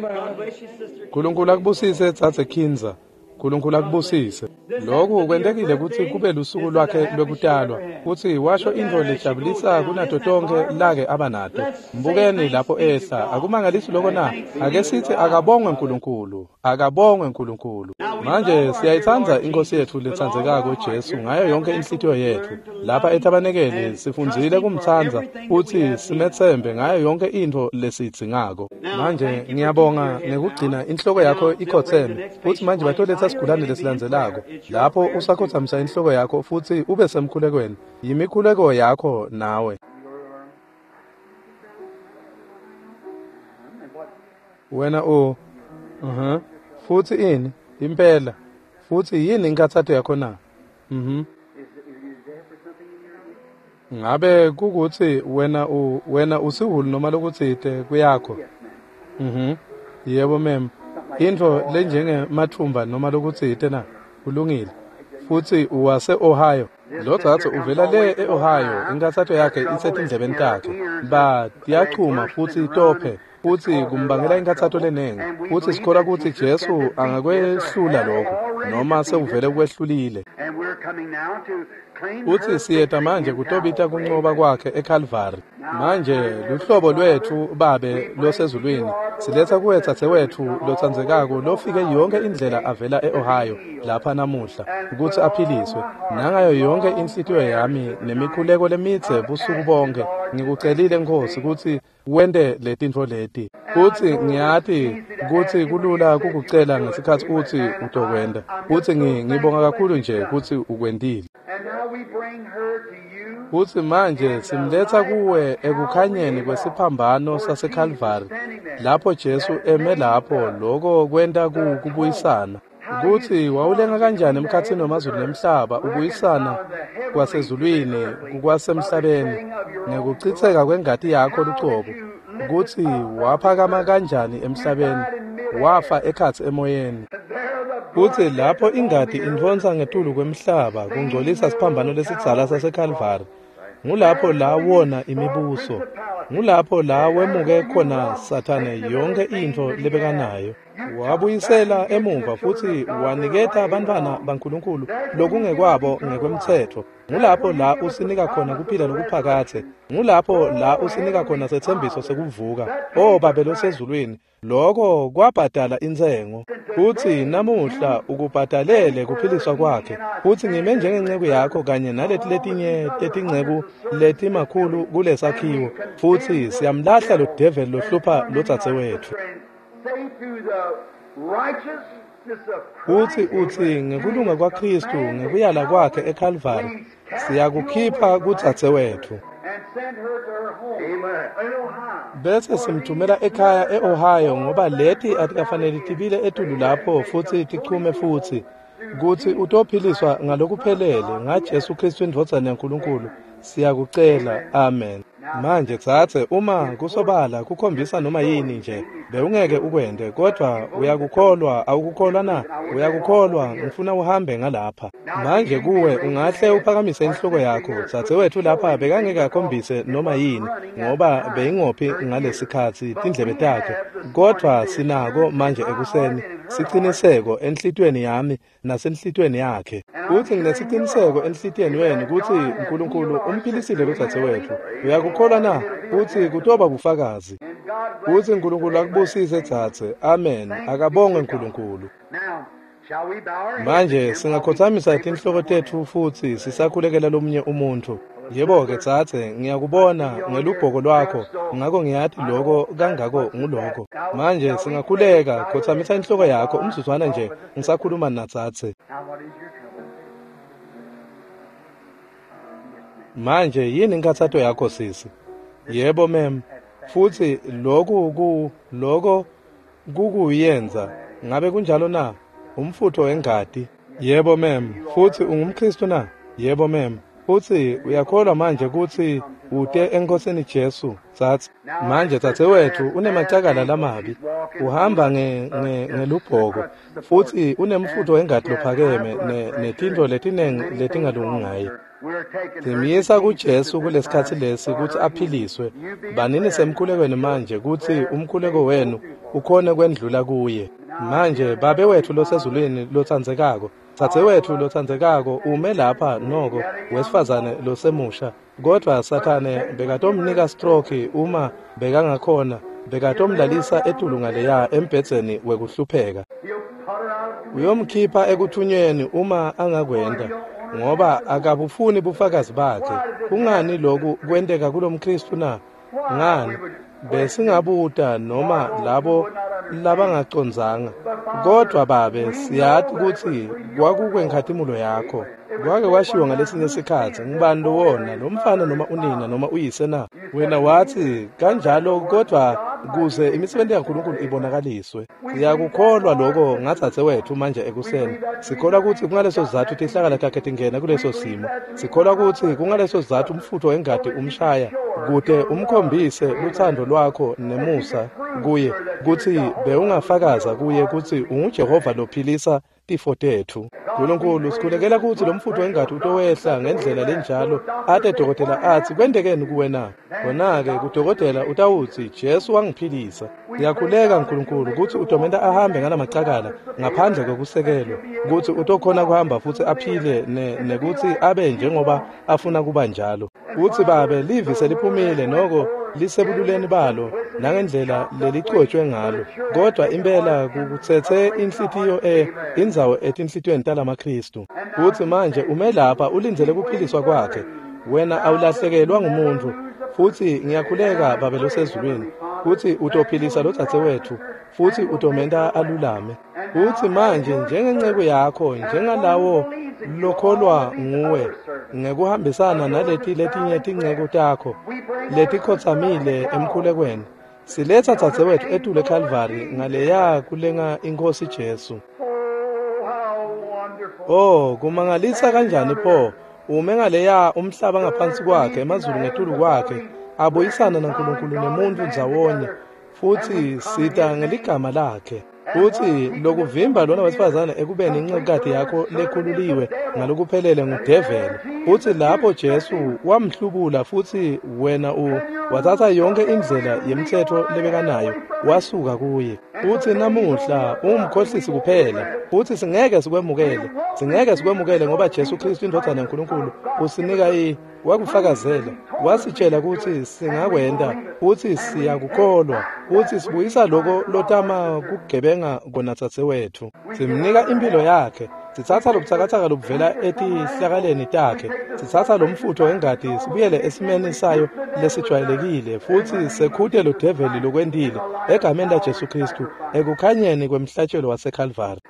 S1: Nkulunkulu akubusise dzadze Kinzer. Nkulunkulu akubusise. Lokhu kwentekile kutsi kube lusuku lwakhe lwekutalwa, futsi washo intfo lejabulisa kunato tonkhe lake abanato. Mbukeni lapho ehla, akumangalisi loko na? Ake sitsi akabongwe Nkulunkulu, akabongwe Nkulunkulu. Manje siyayitsandza iNkosi yetfu letsandzekako Jesu ngayo yonke inhlitiyo yetfu. Lapha etabanekeli sifundzile kumtsandza futsi simetsembe ngayo yonke intfo lesiyidzingako. Manje ngiyabonga ngekugcina inhloko yakho ikhotseme. Futsi manje batoletsa sigulane lesilandzelako. Lapho usakhotsamisa inhloko yakho futsi ube semkhulekweni. Yimikhuleko yakho nawe. Wena u uh-huh. Futsi ini? Impela. Futsi yini inkathato yakho na? Mhm. Ngabe kukutsi wena u wena usihulu noma lokutsite kuyakho? Mhm. Yebo mem. Intfo lenjenge mathumba noma lokutsite na? Kulungile. Futsi uwase Ohio. Lo dzadze uvela le e-Ohio, inkathato yakhe isetindlebeni takhe. Ba tiyachuma futsi tophe. Futsi kumbangela inkathato lenengi. Futsi sikholwa kutsi Jesu angakwehlula lokho noma sewuvele kwehlulile. Futsi siyeta manje kutobita kuncoba kwakhe eKalvari. Manje luhlobo lwetfu Babe losezulwini siletsa kuwe dzadzewetfu lotsandzekako lofike yonke indlela avela e-Ohio lapha namuhla kutsi aphiliswe. Nangayo yonke inhlitiyo yami nemikhuleko lemidze busuku bonke ngikucelile Nkosi kutsi wente letintfo leti. Futsi ngiyati kutsi kulula kukucela ngesikhatsi utsi utokwenta. Futsi ngibonga kakhulu nje kutsi ukwentile. Futsi manje simletsa kuwe ekukhanyeni kwesiphambano saseKalvari lapho Jesu eme lapho loko kwenta kubuyisana. Kutsi wawulenga kanjani emkhatsini wemazulu nemhlaba ubuyisana kwasezulwini kukwasemhlabeni ngekuchitseka kwengati yakho lucobo. Kutsi waphakama kanjani emhlabeni wafa ekhatsi emoyeni. Kutsi lapho ingati intfonsa ngetulu kwemhlaba kungcolisa siphambano lesidzala saseKalvari. Ngulapho la wona imibuso. Ngulapho la wemuke khona Sathane yonke intfo lebekanayo. Wabuyisela emuva futsi waniketa bantfwana baNkulunkulu lokungekwabo ngekwemtsetfo. Ngulapho la usinika khona kuphila lokuphakadze. Ngulapho la usinika khona setsembiso sekuvuka. O Babe losezulwini, lokho kwabhadala intsengo. Futsi namuhla ukubhadalele kuphiliswa kwakhe. Futsi ngime njengenceku yakho kanye naleti letinye tetinceku letimakhulu kulesakhiwo. Futsi siyamlahla lo devil lohlupha lodzadzewetfu.
S2: Say to the righteous
S1: Uthi uthi ngekulunga kwaKristu ngekuyala kwakhe eCalvary siyakukhipha kudzadzewethu. Bese simthumela ekhaya eOhio ngoba leti atikafanele tibile etulu lapho futsi tichume futsi kutsi utophiliswa ngalokuphelele ngaJesu Kristu indvodzana yaNkulunkulu siyakucela amen. Manje tsatse uma kusobala kukhombisa noma yini nje bewungeke ukwente kodwa uyakukholwa awukukholwa na uyakukholwa ngifuna uhambe ngalapha manje kuwe ungahle uphakamise inhloko yakho dzadzewethu lapha bekangeke akhombise noma yini ngoba beyingophi ngalesikhatsi tindlebe takhe kodwa sinako manje ekuseni siciniseko enhlitiyweni yami nasenhlitiyweni yakhe uthi nginesiciniseko enhlitiyweni wenu kutsi uNkulunkulu umphilisile lodzadzewethu uyakukholwa na uthi kutoba bufakazi uthi uNkulunkulu akubusise dzadze amen akabongwe uNkulunkulu. Manje singakhothamisa tinhloko tetfu futsi sisakhulekela lomunye umuntu. Yebo-ke dzadze ngiyakubona ngelubhoko lwakho ngako ngiyati loko kangako nguloko. Manje singakhuleka khothamisa inhloko yakho umzuzwana nje ngisakhuluma nadzadze. Manje yini inkhatsato yakho sisi? Yebo mem. Futsi loku ku loko kukuyenza ngabe kunjalo na? Umfutho wengati. Yebo mem. Futsi ungumKristu na? Yebo mem. Futsi uyakholwa manje kutsi ute eNkosini Jesu tsatsi. Manje dzadzewethu unemacakala lamabi uhamba nge ngelubhoko futsi unemfutho wengati lophakeme netintfo letinengi letingalungi ngaye. Simyisa kuJesu kulesikhatsi lesi kutsi aphiliswe. Banini semkhulekweni manje kutsi umkhuleko wenu ukhone kwendlula kuye. Manje Babe wethu losezulwini lotsandzekako, dzadzewethu lotsandzekako ume lapha noko wesifazane losemusha kodvwa Sathane bekatomnika stroke uma bekangakhona bekatomlalisa etulu ngaleya embhedzeni wekuhlupheka. Uyomkhipha ekuthunyweni uma angakwenta ngoba akabufuni bufakazi bakhe. Kungani loku kwenteka kulomKristu na? Ngani besingabuta noma labo labangacondzanga kodwa Babe siyati kutsi kwakukwenkhatimulo yakho. Kwake kwashiwo ngalesinye sikhatsi ngubani lowona lo mfana noma unina noma uyise na? Wena wathi kanjalo kodwa kuze imisebenzi yaNkulunkulu ibonakaliswe. Siyakukholwa lokho ngadzadzewethu manje ekuseni. Sikholwa kutsi kungaleso sizatfu tihlakala takhe tingena kuleso simo. Sikholwa kutsi kungaleso sizatfu umfutho wengati umshaya kute umkhombise lutsandvo lwakho nemusa kuye kutsi bewungafakaza kuye kutsi unguJehova lophilisa tifo tetfu. Nkulunkulu sikhulekela kutsi lo mfutho wengati utowehla ngendlela lenjalo ate dokotela atsi kwentekeni kuwe na? Kona-ke kudokotela utawutsi Jesu wangiphilisa. Siyakhuleka Nkulunkulu kutsi utomenta ahambe ngalamacakala ngaphandle kwekusekelwa kutsi utokhona kuhamba futsi aphile nekutsi abe njengoba afuna kuba njalo. Utsi Babe livi seliphumile noko lisebululeni balo nangendlela lelicotshwe ngalo kodwa impela kukutsetse inhlitiyo e indzawo etinhlitiyweni talamaKristu. Utsi manje ume lapha ulindzele kuphiliswa kwakhe wena awulahlekelwa ngumuntu futsi ngiyakhuleka Babe losezulwini kutsi utophilisa lodzadzewethu futsi utomenta alulame. Utsi manje njengenceku yakho njengalawo lokholwa nguwe ngekuhambisana naleti letinye tinceku takho letikhotsamile emkhulekweni siletha dzadzewethu etulu eCalvary ngaleya kulenga iNkhosi Jesu. Oh kumangalisa kanjani pho ume ngaleya umhlaba ngaphansi kwakhe emazulu ngetulu kwakhe abuyisana naNkulunkulu nemuntu ndzawonye futsi sita ngeligama lakhe. Futsi lokuvimba lona wesifazane ekubeni incekukati yakho lekhululiwe ngalokuphelele ngudeveli. Futsi lapho Jesu wamhlubula futsi wena u wathatha yonke indlela yemthetho lebekanayo wasuka kuye. Futsi namuhla ungumkhohlisi kuphela futsi singeke sikwemukele singeke sikwemukele ngoba Jesu Kristu indvodzana yaNkulunkulu usinika i wakufakazela wasitshela kutsi singakwenta futsi siyakukholwa futsi sibuyisa loko lotama kugebenga kona dzadzewethu. Simnika impilo yakhe Sitsatsa lobutsakatsaka lobuvela etihlakaleni takhe, sitsatsa lomfutfo wengati sibuyele esimeni sayo lesijwayelekile, futsi sekhute lo develi lokwentile egameni laJesu Khristu ekukhanyeni kwemhlatshelo waseKalvari.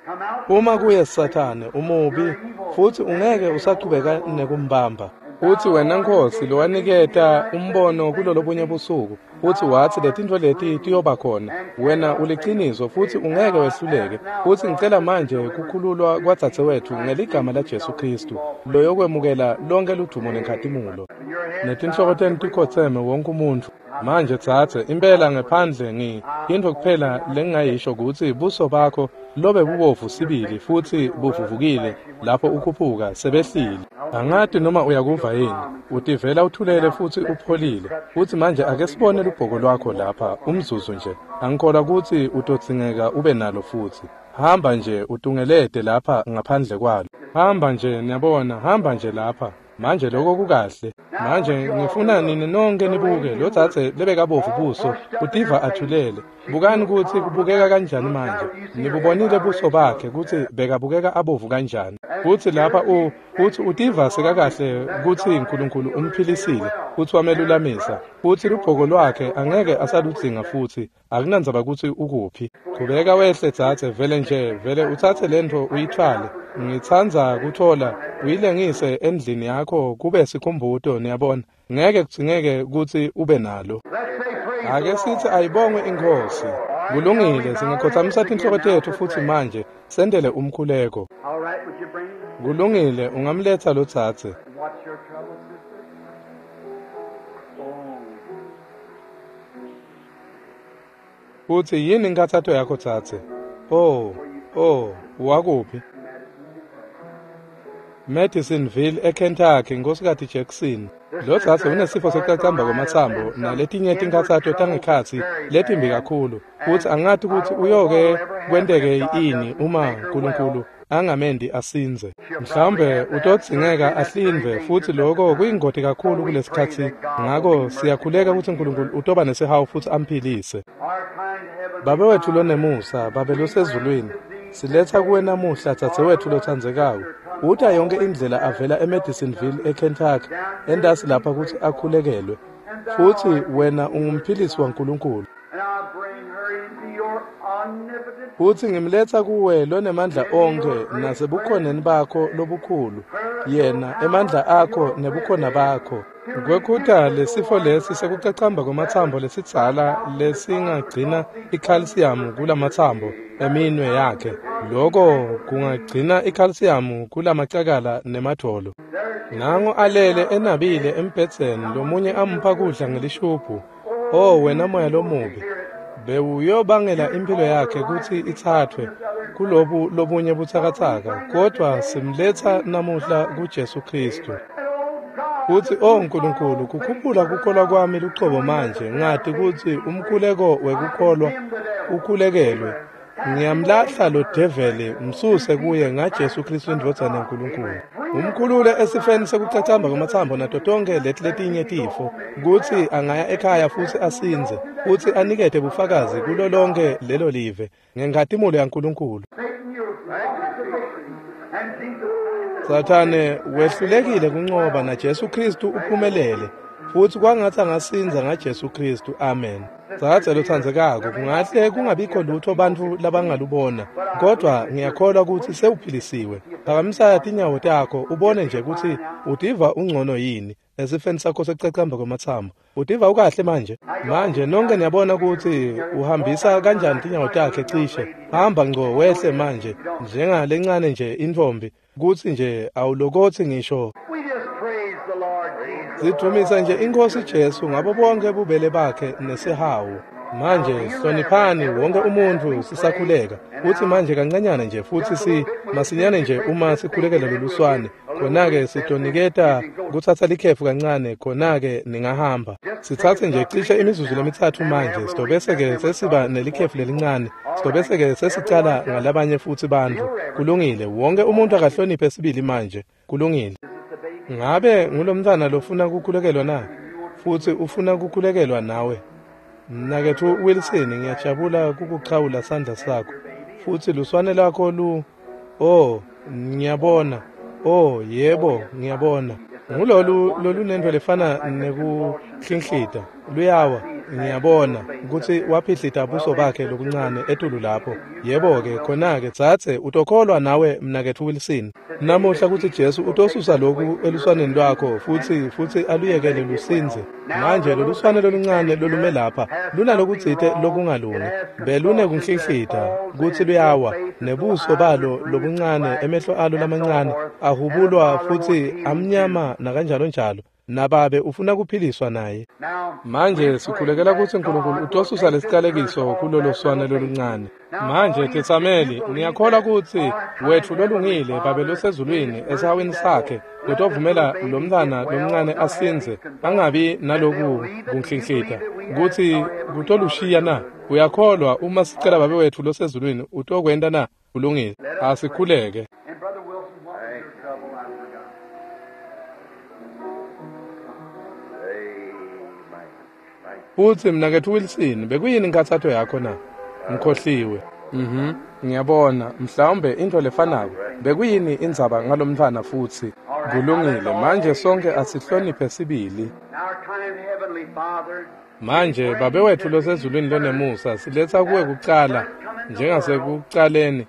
S1: Uma kuye Sathane umubi, futsi ungeke usachubeka nekumbamba. Futsi wena Nkhosi lowaniketa umbono kulolobunye busuku, futsi watsi letintfo leti tiyoba khona, wena uliciniso futsi ungeke wehluleke. Futsi ngicela manje kukhululwa kwadzadzewetfu ngeligama laJesu Khristu, loyokwemukela lonke ludumo nenkhatimulo. Netinhloko tenu tikhotseme wonke umuntfu. Manje dzadze, impela ngephandle ngi intfo kuphela lengingayisho kutsi buso bakho lobe bubovu sibili futsi buvuvukile lapho ukhuphuka sebehlile. Angati noma uyakuva yini, utivela uthulele futsi upholile. Futsi manje ake sibone lubhoko lwakho lapha umzuzu nje. Angikholwa kutsi utodzingeka ube nalo futsi. Hamba nje utungelete lapha ngaphandle kwalo. Hamba nje, niyabona, hamba nje lapha. Manje lokho kukahle. Manje ngifuna nini nonke nibuke lo dzadze lebekabovu buso utiva athulele. Bukani kutsi kubukeka kanjani manje. Nibubonile buso bakhe kutsi bekabukeka abovu kanjani. Futsi lapha u futsi utiva sekakahle kutsi uNkulunkulu umphilisile futsi wamelulamisa. Futsi lubhoko lwakhe angeke asaludzinga futsi akunandzaba kutsi ukuphi. Qhubeka wehle dzadze, vele nje vele utsatse lentfo uyithwale. Ngitsandza kuthola uyilengise endlini yakho kube sikhumbuto, niyabona. Ngeke kudzingeke kutsi ube nalo. Ake sithi ayibongwe iNkhosi. Kulungile, singakhothamisa tinhloko tetfu futsi manje sendele umkhuleko. Kulungile, ungamletsa lo dzadze. Futsi yini inkhatsato yakho dzadze? Oh, oh, wakuphi? Madisonville eKentucky, Nkhosikati Jackson. Lo dzadze unesifo sekucacamba kwematsambo naletinye tinkhatsato tangekhatsi letimbi kakhulu. Futsi angati kutsi uyoke kwenteke ini uma uNkulunkulu angamendi asindze. Mhlawumbe utodzingeka ahlindve, futsi lokho kuyingoti kakhulu kulesikhatsi. Ngako siyakhuleka kutsi uNkulunkulu utoba nesihawu futsi amphilise. Babe wetfu lonemusa, Babe losezulwini, siletsa kuwe namuhla dzadzewetfu lotsandzekako. Uta yonke indlela avela eMadisonville eKentucky entasi lapha kutsi akhulekelwe. Futsi wena ungumphilisi waNkulunkulu. Futsi ngimletsa kuwe lonemandla onkhe nasebukhoneni bakho lobukhulu, yena emandla akho nebukhona bakho. Kwekhuta lesifo lesi sekucacamba kwematsambo lesidzala lesingagcina ikhalsiyamu kulamatsambo eminwe yakhe. Loko kungagcina ikhalsiyamu kulamacakala nemadvolo. Nango alele enabile embhedzeni, lomunye ampha kudla ngelishubhu. Oh wena moya lomubi, bewuyobangela impilo yakhe kutsi itsathwe kulobu lobunye butsakatsaka, kodwa simletsa namuhla kuJesu Khristu. Futsi oh Nkulunkulu, kukhuphula kukholwa kwami lucobo manje, ngati kutsi umkhuleko wekukholwa ukhulekelwe. Ngiyamlahla lo develi, msuse kuye ngaJesu Khristu indvodzana yaNkulunkulu. Umkhulule esifeni sekucacamba kwematsambo nato tonke leti letinye tifo, kutsi angaya ekhaya futsi asindze, futsi anikete bufakazi kulo lonke lelo live ngenkhatimulo yaNkulunkulu. Sathane wehlulekile kuncoba naJesu Khristu uphumelele, futsi kwangatsi angasindza ngaJesu Khristu. Amen. Dzadze lotsandzekako, kungahle kungabikho lutho bantfu labangalubona, kodwa ngiyakholwa kutsi sewuphilisiwe. Phakamisa tinyawo takho ubone nje kutsi utiva ungcono yini esifeni sakho sekucacamba kwematsambo. Utiva ukahle manje? Manje nonke niyabona kutsi uhambisa kanjani tinyawo takhe cishe. Hamba ngco wehle manje njengalencane nje intfombi, kutsi nje awulokothi ngisho. Sidumisa nje iNkhosi Jesu ngabo bonke bubele bakhe nesihawu. Manje hloniphani wonke umuntfu sisakhuleka. Futsi manje kancanyana nje futsi si masinyane nje uma sikhulekela loluswane, khona-ke sitoniketa kutsatsa likhefu kancane, khona-ke ningahamba. Sitsatse nje cishe imizuzu lemitsatfu manje, sitobese-ke sesiba nelikhefu lelincane, sitobese-ke sesicala ngalabanye futsi bantfu. Kulungile, wonke umuntu akahloniphe sibili manje. Kulungile. Ngabe ngulomntfwana lofuna kukhulekelwa na? Futsi ufuna kukhulekelwa nawe? Mnaketfu Wilson, ngiyajabula kukuchawula sandla sakho. Futsi luswane lwakho lu oh, Ngiyabona. Oh, yebo, ngiyabona. Ngulolu lolunento lefana nekuhlinhlita. Luyawa, ngiyabona kutsi waphihlita buso bakhe lokuncane etulu lapho. Yebo-ke, khona-ke dzadze utokholwa nawe mnaketfu Wilson. Namuhla kutsi Jesu utosusa loku eluswaneni lwakho futsi futsi aluyekele lusindze. Manje loluswane loluncane lolume lapha lunalokutsite lokungalungi. Belunekuhlinhlita kutsi luyawa nebuso balo lobuncane, emehlo alo lamancane ahubulwa futsi amnyama nakanjalo njalo. Nababe ufuna kuphiliswa naye. Manje sikhulekela kutsi Nkulunkulu utosusa lesicalekiso kulolo swane loluncane. Manje Tetsameli, ngiyakholwa kutsi wetfu lolungile Babe losezulwini esihawini sakhe utovumela lomntfwana lomncane asindze angabi naloku kunhlinhlita kutsi kutolushiya na. Uyakholwa uma sicela Babe wetfu losezulwini utokwenta na? Kulungile, asikhuleke. Futsi mnaketfu Wilson, bekuyini inkhatsato yakho na? Ngikhohliwe. Mhm, ngiyabona, mhlawumbe intfo lefanako. Bekuyini indzaba ngalomntfwana futsi? Kulungile, manje sonke asihloniphe sibili. Manje Babe wetfu losezulwini lonemusa, siletsa kuwe kucala njengasekucaleni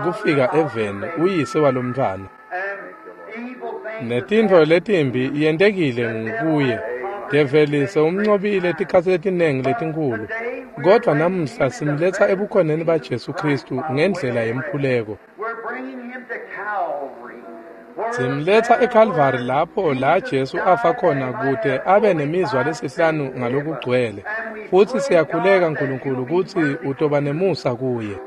S1: kufika eveni uyise walomntfwana. Netintfo letimbi yentekile ngukuye. Develi sewumncobile tikhatsi letinengi letinkhulu, kodvwa namuhla simletsa ebukhoneni baJesu Khristu ngendlela yemkhuleko. Simletsa eKalvari lapho la Jesu afa khona kute abe nemizwa lesihlanu ngalokugcwele. Futsi siyakhuleka Nkulunkulu kutsi utoba nemusa kuye.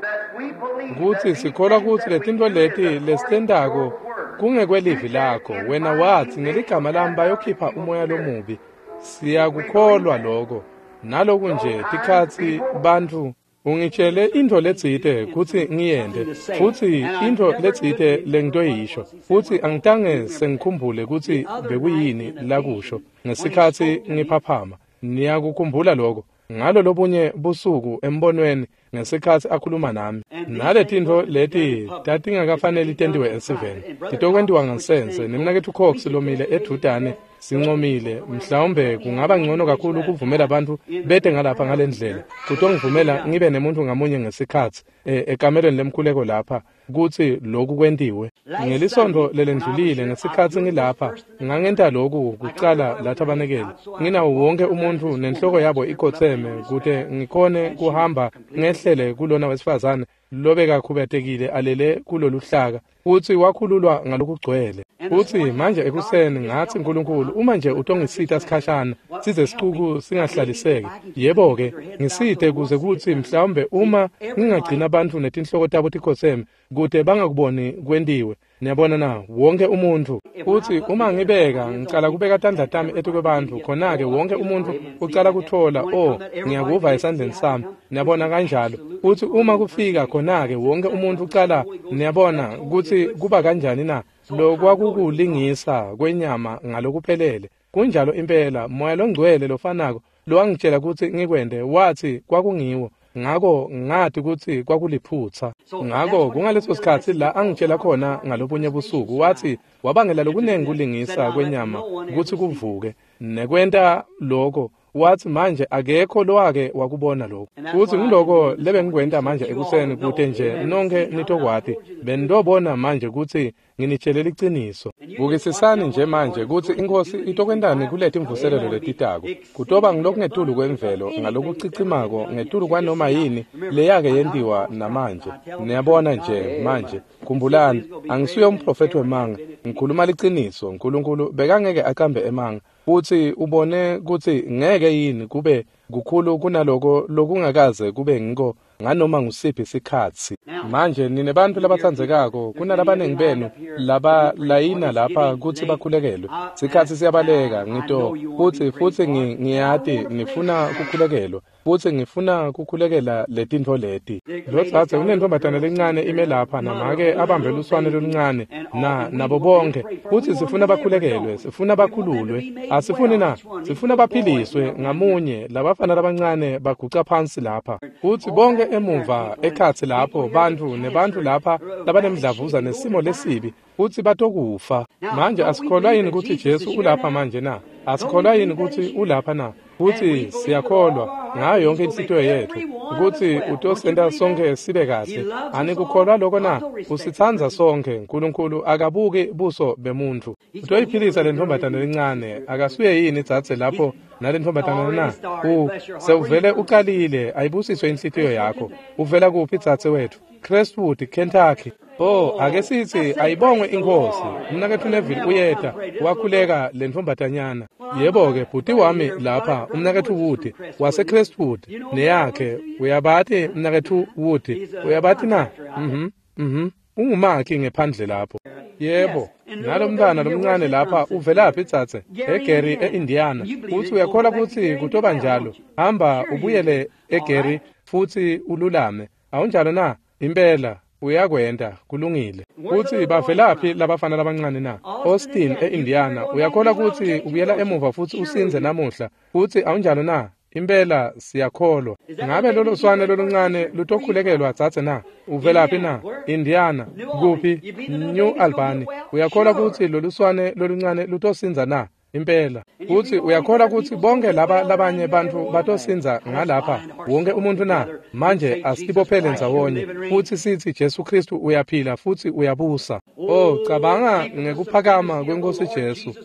S1: Kutsi sikholwa kutsi letintfo leti lesitentako kungekwelivi lakho. Wena watsi ngeligama lami bayokhipha umoya lomubi. Siyakukholwa lokho. Naloku nje tikhatsi bantfu ungitshele intfo letsite kutsi ngiyente futsi intfo letsite lengitoyisho futsi angitange sengikhumbule kutsi bekuyini lakusho ngesikhatsi ngiphaphama. Niyakukhumbula lokho ngalo lobunye busuku embonweni ngesikhatsi akhuluma nami. Naletintfo leti tatingakafaneli tentiwe esiveni, titokwentiwa ngansense. Nemnaketfu Cox lomile edvutane sincomile, mhlawumbe kungaba ngcono kakhulu kuvumela abantu bete ngalapha ngalendlela. Kutongivumela ngibe nemuntu ngamunye ngesikhatsi ekamelweni lemkhuleko lapha kutsi lokhu kwentiwe. Ngelisonto lelendlulile ngesikhatsi ngilapha ngangenta lokhu kucala lathabanekele nginawo wonke umuntu nenhloko yabo ikhotseme kute ngikhone kuhamba ngehlele kulona wesifazane lobekakhubatekile alele kuloluhlaka futsi wakhululwa ngalokugcwele. Futsi manje ekuseni ngatsi Nkulunkulu uma nje utongisita sikhashana size sicuku singahlaliseki, yebo-ke ngisite kuze kutsi mhlawumbe uma ngingagcina bantfu netinhloko tabo tikhotseme kute bangakuboni kwentiwe. Niyabona na, wonke umuntfu. Futsi uma ngibeka ngicala kubeka tandla tami etukwebantfu, khona-ke wonke umuntfu ucala kutfola, oh, ngiyakuva esandleni sami. Niyabona kanjalo. Futsi uma kufika khona-ke wonke umuntfu ucala, niyabona kutsi kuba kanjani na. Lokwakukulingisa kwenyama ngalokuphelele. Kunjalo impela, Moya longcwele lofanako lowangitshela kutsi ngikwente watsi kwakungiwo. Ngako ngati kutsi kwakuliphutsa. Ngako kungaleso sikhatsi la angitshela khona ngalobunye busuku watsi wabangela lokunengi kulingisa kwenyama kutsi kuvuke nekwenta lokho. Watsi manje akekho lowake wakubona lokho. Futsi ngiloko lebengikwenta manje ekuseni kute nje nonke nitokwati. Benitobona manje kutsi nginitshele liciniso. Bukisisani nje manje kutsi iNkhosi itokwentani kuletimvuselelo letitako. Kutoba ngilokungetulu kwemvelo ngalokucicimako ngetulu kwanoma yini leyake yentiwa namanje. Niyabona nje manje, khumbulani, angisuye umprofethi wemanga, ngikhuluma liciniso. Nkulunkulu bekangeke aqambe emanga. Futsi ubone kutsi ngeke yini kube kukhulu kunaloko lokungakaze kube ngiko nganoma ngusiphi sikhatsi. Manje nine bantfu labatsandzekako, kunalabanengi benu laba layina lapha kutsi bakhulekelwe. Sikhatsi siyabaleka ngito futsi futsi ngiyati nifuna kukhulekelwa. Futsi ngifuna kukhulekela letintfo leti. Lodzadze unentombatana lencane ime lapha namake abambe luswane loluncane na nabo bonke. Futsi sifuna bakhulekelwe, sifuna bakhululwe. Asifuni na, sifuna baphiliswe ngamunye. Labafana labancane baguca phansi lapha. Futsi bonke emuva ekhatsi lapho bantfu nebantfu lapha labanemdlavuza nesimo lesibi futsi batokufa. Manje asikholwa yini kutsi Jesu ulapha manje na? Asikholwa yini kutsi ulapha na? Futsi siyakholwa ngayo yonke inhlitiyo yetfu kutsi utosenta sonke sibe kahle. Anikukholwa lokho na? Usitsandza sonke. Nkulunkulu akabuki buso bemuntfu. Utoyiphilisa le ntombazane lencane. Akasuye yini dzadze lapho nale ntombazane na? U sewuvele uqalile. Ayibusiswe inhlitiyo yakho. Uvela kuphi dzadze wethu? Crestwood, Kentucky. Oh, ake sithi ayibongwe inkosi. Umnaketfu Neville uyeta wakhuleka le ntombazanyana. Yebo-ke bhuti wami lapha umnaketfu Wood wase Crestwood neyakhe. Uyabati umnaketfu Wood? Uyabati na? Mhm. Mhm. Ungumakhi ngephandle lapho. Yebo, nalomntwana lomncane lapha uvelaphi dzadze? eGary eIndiana. Futsi uyakholwa kutsi kutoba njalo? Hamba ubuyele eGary futsi ululame. Awunjalo na? Impela uyakwenta, kulungile. Futsi bavelaphi labafana labancane na? Austin eIndiana. Uyakholwa kutsi ubuyela emuva futsi usindze namuhla? Futsi awunjalo na? Impela siyakholwa. Ngabe lolo swane loluncane lutokhulekelwa dzadze na? Uvelaphi na? Indiana. Kuphi? New Albany. Uyakholwa kutsi loluswane loluncane lutosindza na? Impela. Futsi uyakholwa kutsi bonke laba labanye bantfu batosindza ngalapha wonke umuntu na? Manje asibophele ndzawonye futsi sithi Jesu Kristu uyaphila futsi uyabusa. Oh, cabanga ngekuphakama kwenkosi Jesu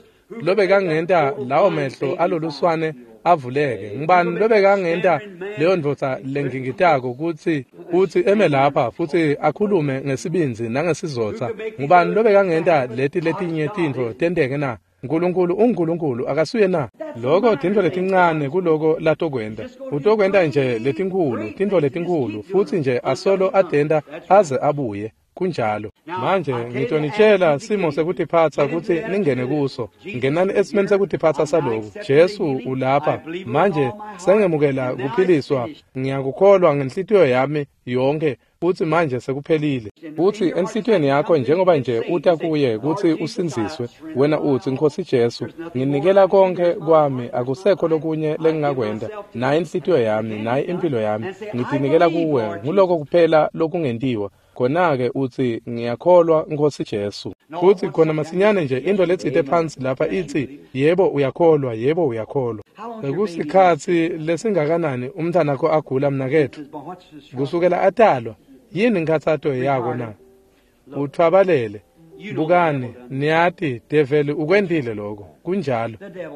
S1: lobekangenta lawo mehlo aloluswane avuleke. Ngibani lobekangenta leyo ndvodza lengingitako kutsi kutsi eme lapha futsi akhulume ngesibindzi nangesizotsa? Ngubani lobekangenta leti letinye tintfo tenteke na? Nkulunkulu unguNkulunkulu akasuye na? Lokho tintfo letincane kuloko latokwenta. Utokwenta nje letinkhulu, tintfo letinkhulu futsi nje asolo atenta aze abuye. Kunjalo. Manje ngitonitshela simo sekutiphatsa kutsi ningene kuso. Ngenani esimeni sekutiphatsa saloku. Jesu ulapha. Manje sengemukela kuphiliswa. Ngiyakukholwa ngenhlitiyo yami yonke futsi manje sekuphelile. Futsi enhlitiyweni yakho njengoba nje uta kuye kutsi usindziswe, wena utsi Nkosi Jesu, nginikela konke kwami, akusekho lokunye lengingakwenta. Nayi inhlitiyo yami, nayi impilo yami, ngitinikela kuwe. Nguloko kuphela lokungentiwa. Khona-ke utsi ngiyakholwa Nkosi Jesu. Futsi khona masinyane nje into letsite phansi lapha itsi yebo uyakholwa, yebo uyakholwa. Sekusikhatsi lesingakanani umntwanakho agula mnaketfu? Kusukela atalwa. Yini inkhatsato yako na? Uthwabalele. Bukani, niyati develi ukwentile lokho. Kunjalo.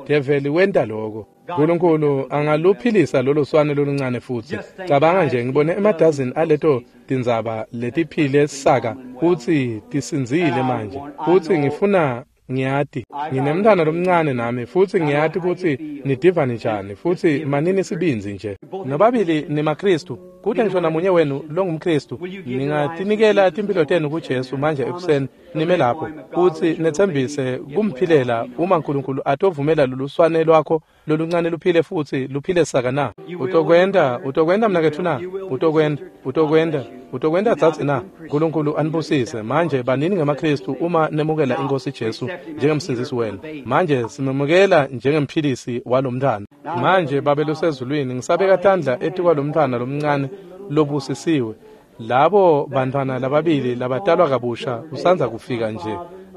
S1: Develi wenta lokho. Nkulunkulu angaluphilisa lolo swane loluncane futsi. Cabanga nje ngibone emadazini aleto tindzaba letiphile saka futsi tisindzile manje. Futsi ngifuna ngiyati nginemntwana lomncane nami futsi ngiyati kutsi nidiva njani futsi manini sibindzi nje. Nobabili nimaKristu. Kute ngisho namunye wenu longumKristu. Ningatinikela timphilo tenu kuJesu manje ekuseni nime lapho futsi netsembise kumphilela uma Nkulunkulu atovumela loluswane lwakho loluncane luphile futsi luphile saka na? Utokwenta, utokwenta mnaketfu na? Utokwenta, utokwenta, utokwenta dzadze na? Nkulunkulu anibusise. Manje banini ngemaKristu uma nemukela iNkosi Jesu njengemsindzisi wenu. Manje simemukela njengemphilisi walomntwana. Manje Babe losezulwini, ngisabeka tandla etikwalomntwana lomncane lobusisiwe. Labo bantwana lababili labatalwa kabusha usandza kufika nje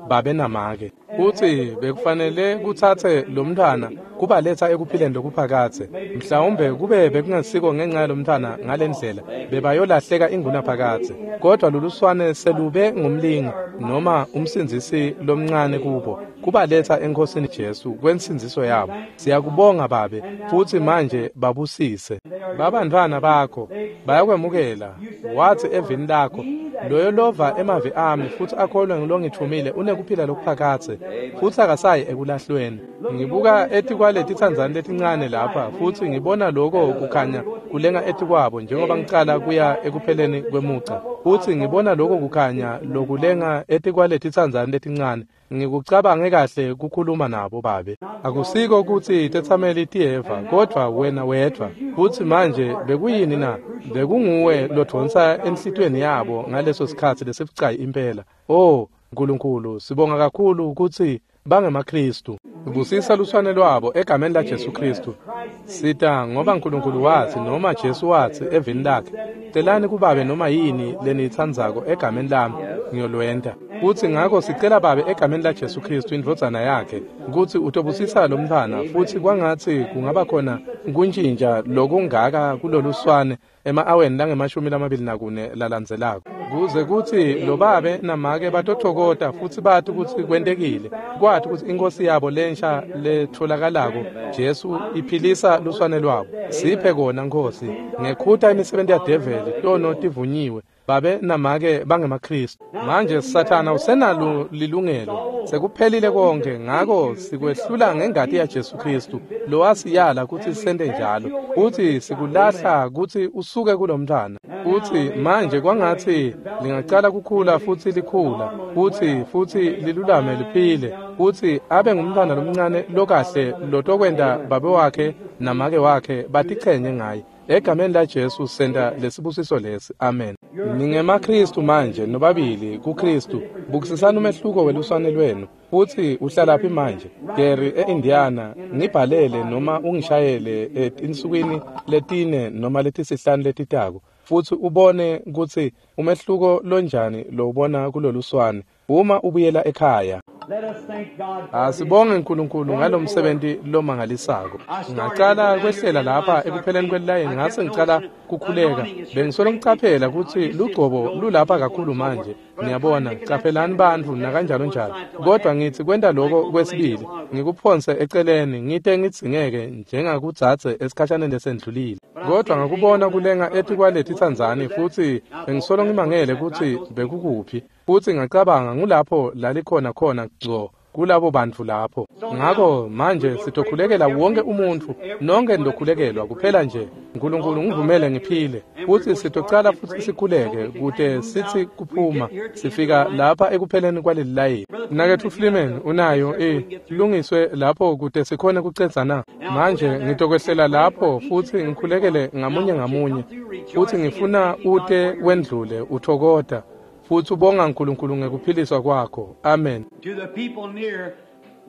S1: babe namake. Futsi bekufanele kutsatse lomntwana kubaletsa ekuphileni lokuphakadze. Mhlawumbe kube bekungesiko ngenxa yalomntwana ngalendlela bebayolahleka ingunaphakadze. Kodwa loluswane selube ngumlingi noma umsindzisi lomncane kubo kubaletsa eNkosini Jesu kwensindziso yabo. Siyakubonga Babe futsi manje babusise. Babantwana bakho bayakwemukela. Wathi evini lakho, loyo lova emavi ami futsi akholwe ngilongithumile unekuphila lokuphakadze futsi akasayi ekulahlweni. Ngibuka etikwaleti tsandzane letincane lapha futsi ngibona lokho kukhanya kulenga etikwabo njengoba ngicala kuya ekupheleni kwemugca. Futsi ngibona lokho kukhanya lokulenga etikwaleti tsandzane letincane. Ngikucabange kahle kukhuluma nabo Babe. Akusiko kutsi tetsameli tiyeva kodvwa wena wedvwa. Futsi manje bekuyini na? Bekunguwe lodvonsa enhlitiyweni yabo ngaleso sikhatsi lesibucayi impela. Oh Nkulunkulu, sibonga kakhulu kutsi bangemaKristu. Busisa luswane lwabo egameni la Jesu Kristu. Sita ngoba Nkulunkulu wathi noma Jesu wathi evini lakhe Celani kuBabe noma yini leniyitsandzako egameni lami, ngiyolwenta. Futsi ngako sicela Babe egameni laJesu Khristu indvodzana yakhe kutsi utobusisa lo mntfwana, futsi kwangatsi kungaba khona kuntjintja lokungaka kuloluswane ema-aweni langemashumi lamabili nakune lalandzelako, kuze kutsi lo babe namake batotfokota futsi bati kutsi kwentekile, kwati kutsi iNkhosi yabo lensha letfolakalako Jesu iphilisa luswane lwabo. Siphe kona Nkhosi, ngekhuta imisebenti yadeveli, tono tivunyiwe, babe namake bangemaKhristu. Manje Sathana usenalo lilungelo, sekuphelile konke, ngako sikwehlula ngengati yaJesu Khristu lowasiyala kutsi sente njalo, futsi sikulahla kutsi usuke kulomntfwana. Futsi manje kwangatsi lingacala kukhula futsi likhula, futsi futsi lilulame liphile, futsi abe ngumntfwana lomncane lokahle lotokwenta babe wakhe namake wakhe batichenye ngaye. Egameni laJesu senta lesibusiso lesi. Amen. NingemaKhristu manje nobabili kuKhristu. Bukisisani umehluko weluswane lwenu. Futsi uhlalaphi manje? Gary e-Indiana, ngibhalele noma ungishayele etinsukwini letine noma letisihlanu letitako, futsi ubone kutsi umehluko lonjani lowubona kuloluswane uma ubuyela ekhaya. Asibonge uNkulunkulu ngalomsebenzi lomangalisako. Ngacala kwehlela lapha ekupheleni kwelilayini, ngase ngicala kukhuleka. Bengisolo ngicaphela kutsi lugcobo lulapha kakhulu manje. Niyabona, caphelani bantfu nakanjalo njalo. Kodwa ngitsi kwenta lokho kwesibili, ngikuphonse eceleni ngite ngidzingeke njengakudzadze esikhashaneni lesendlulile. Kodwa ngakubona kulenga etikwaleti tsandzani, futsi bengisolo ngimangele kutsi bekukuphi. Futsi ngacabanga ngulapho lalikhona khona ngco kulabo bantfu lapho. Ngako manje sitokhulekela wonke umuntfu, nonke nitokhulekelwa kuphela nje uNkulunkulu ngivumele ngiphile. Futsi sitocala futsi sikhuleke kute sitsi kuphuma sifika lapha ekupheleni kwaleli layini. Mnaketfu Fleeman unayo e lungiswe lapho kute sikhone kucedza na. Manje ngitokwehlela lapho futsi ngikhulekele ngamunye ngamunye, futsi ngifuna ute wendlule uthokota futsi ubonga uNkulunkulu ngekuphiliswa kwakho. Amen.
S2: To the people near,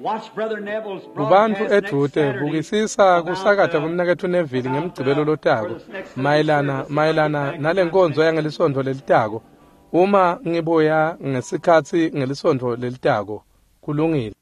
S2: watch Brother Neville's
S1: Kubantfu
S2: broadcast next
S1: edvute,
S2: Saturday
S1: bukisisa
S2: about
S1: kusakata
S2: the
S1: kwemnaketfu Neville ngemgcibelo lotako
S2: for the next Sunday
S1: mayelana
S2: service.
S1: mayelana
S2: Back
S1: nalenkonzo yangelisonto lelitako. Uma ngibuya ngesikhatsi ngelisontfo lelitako, kulungile.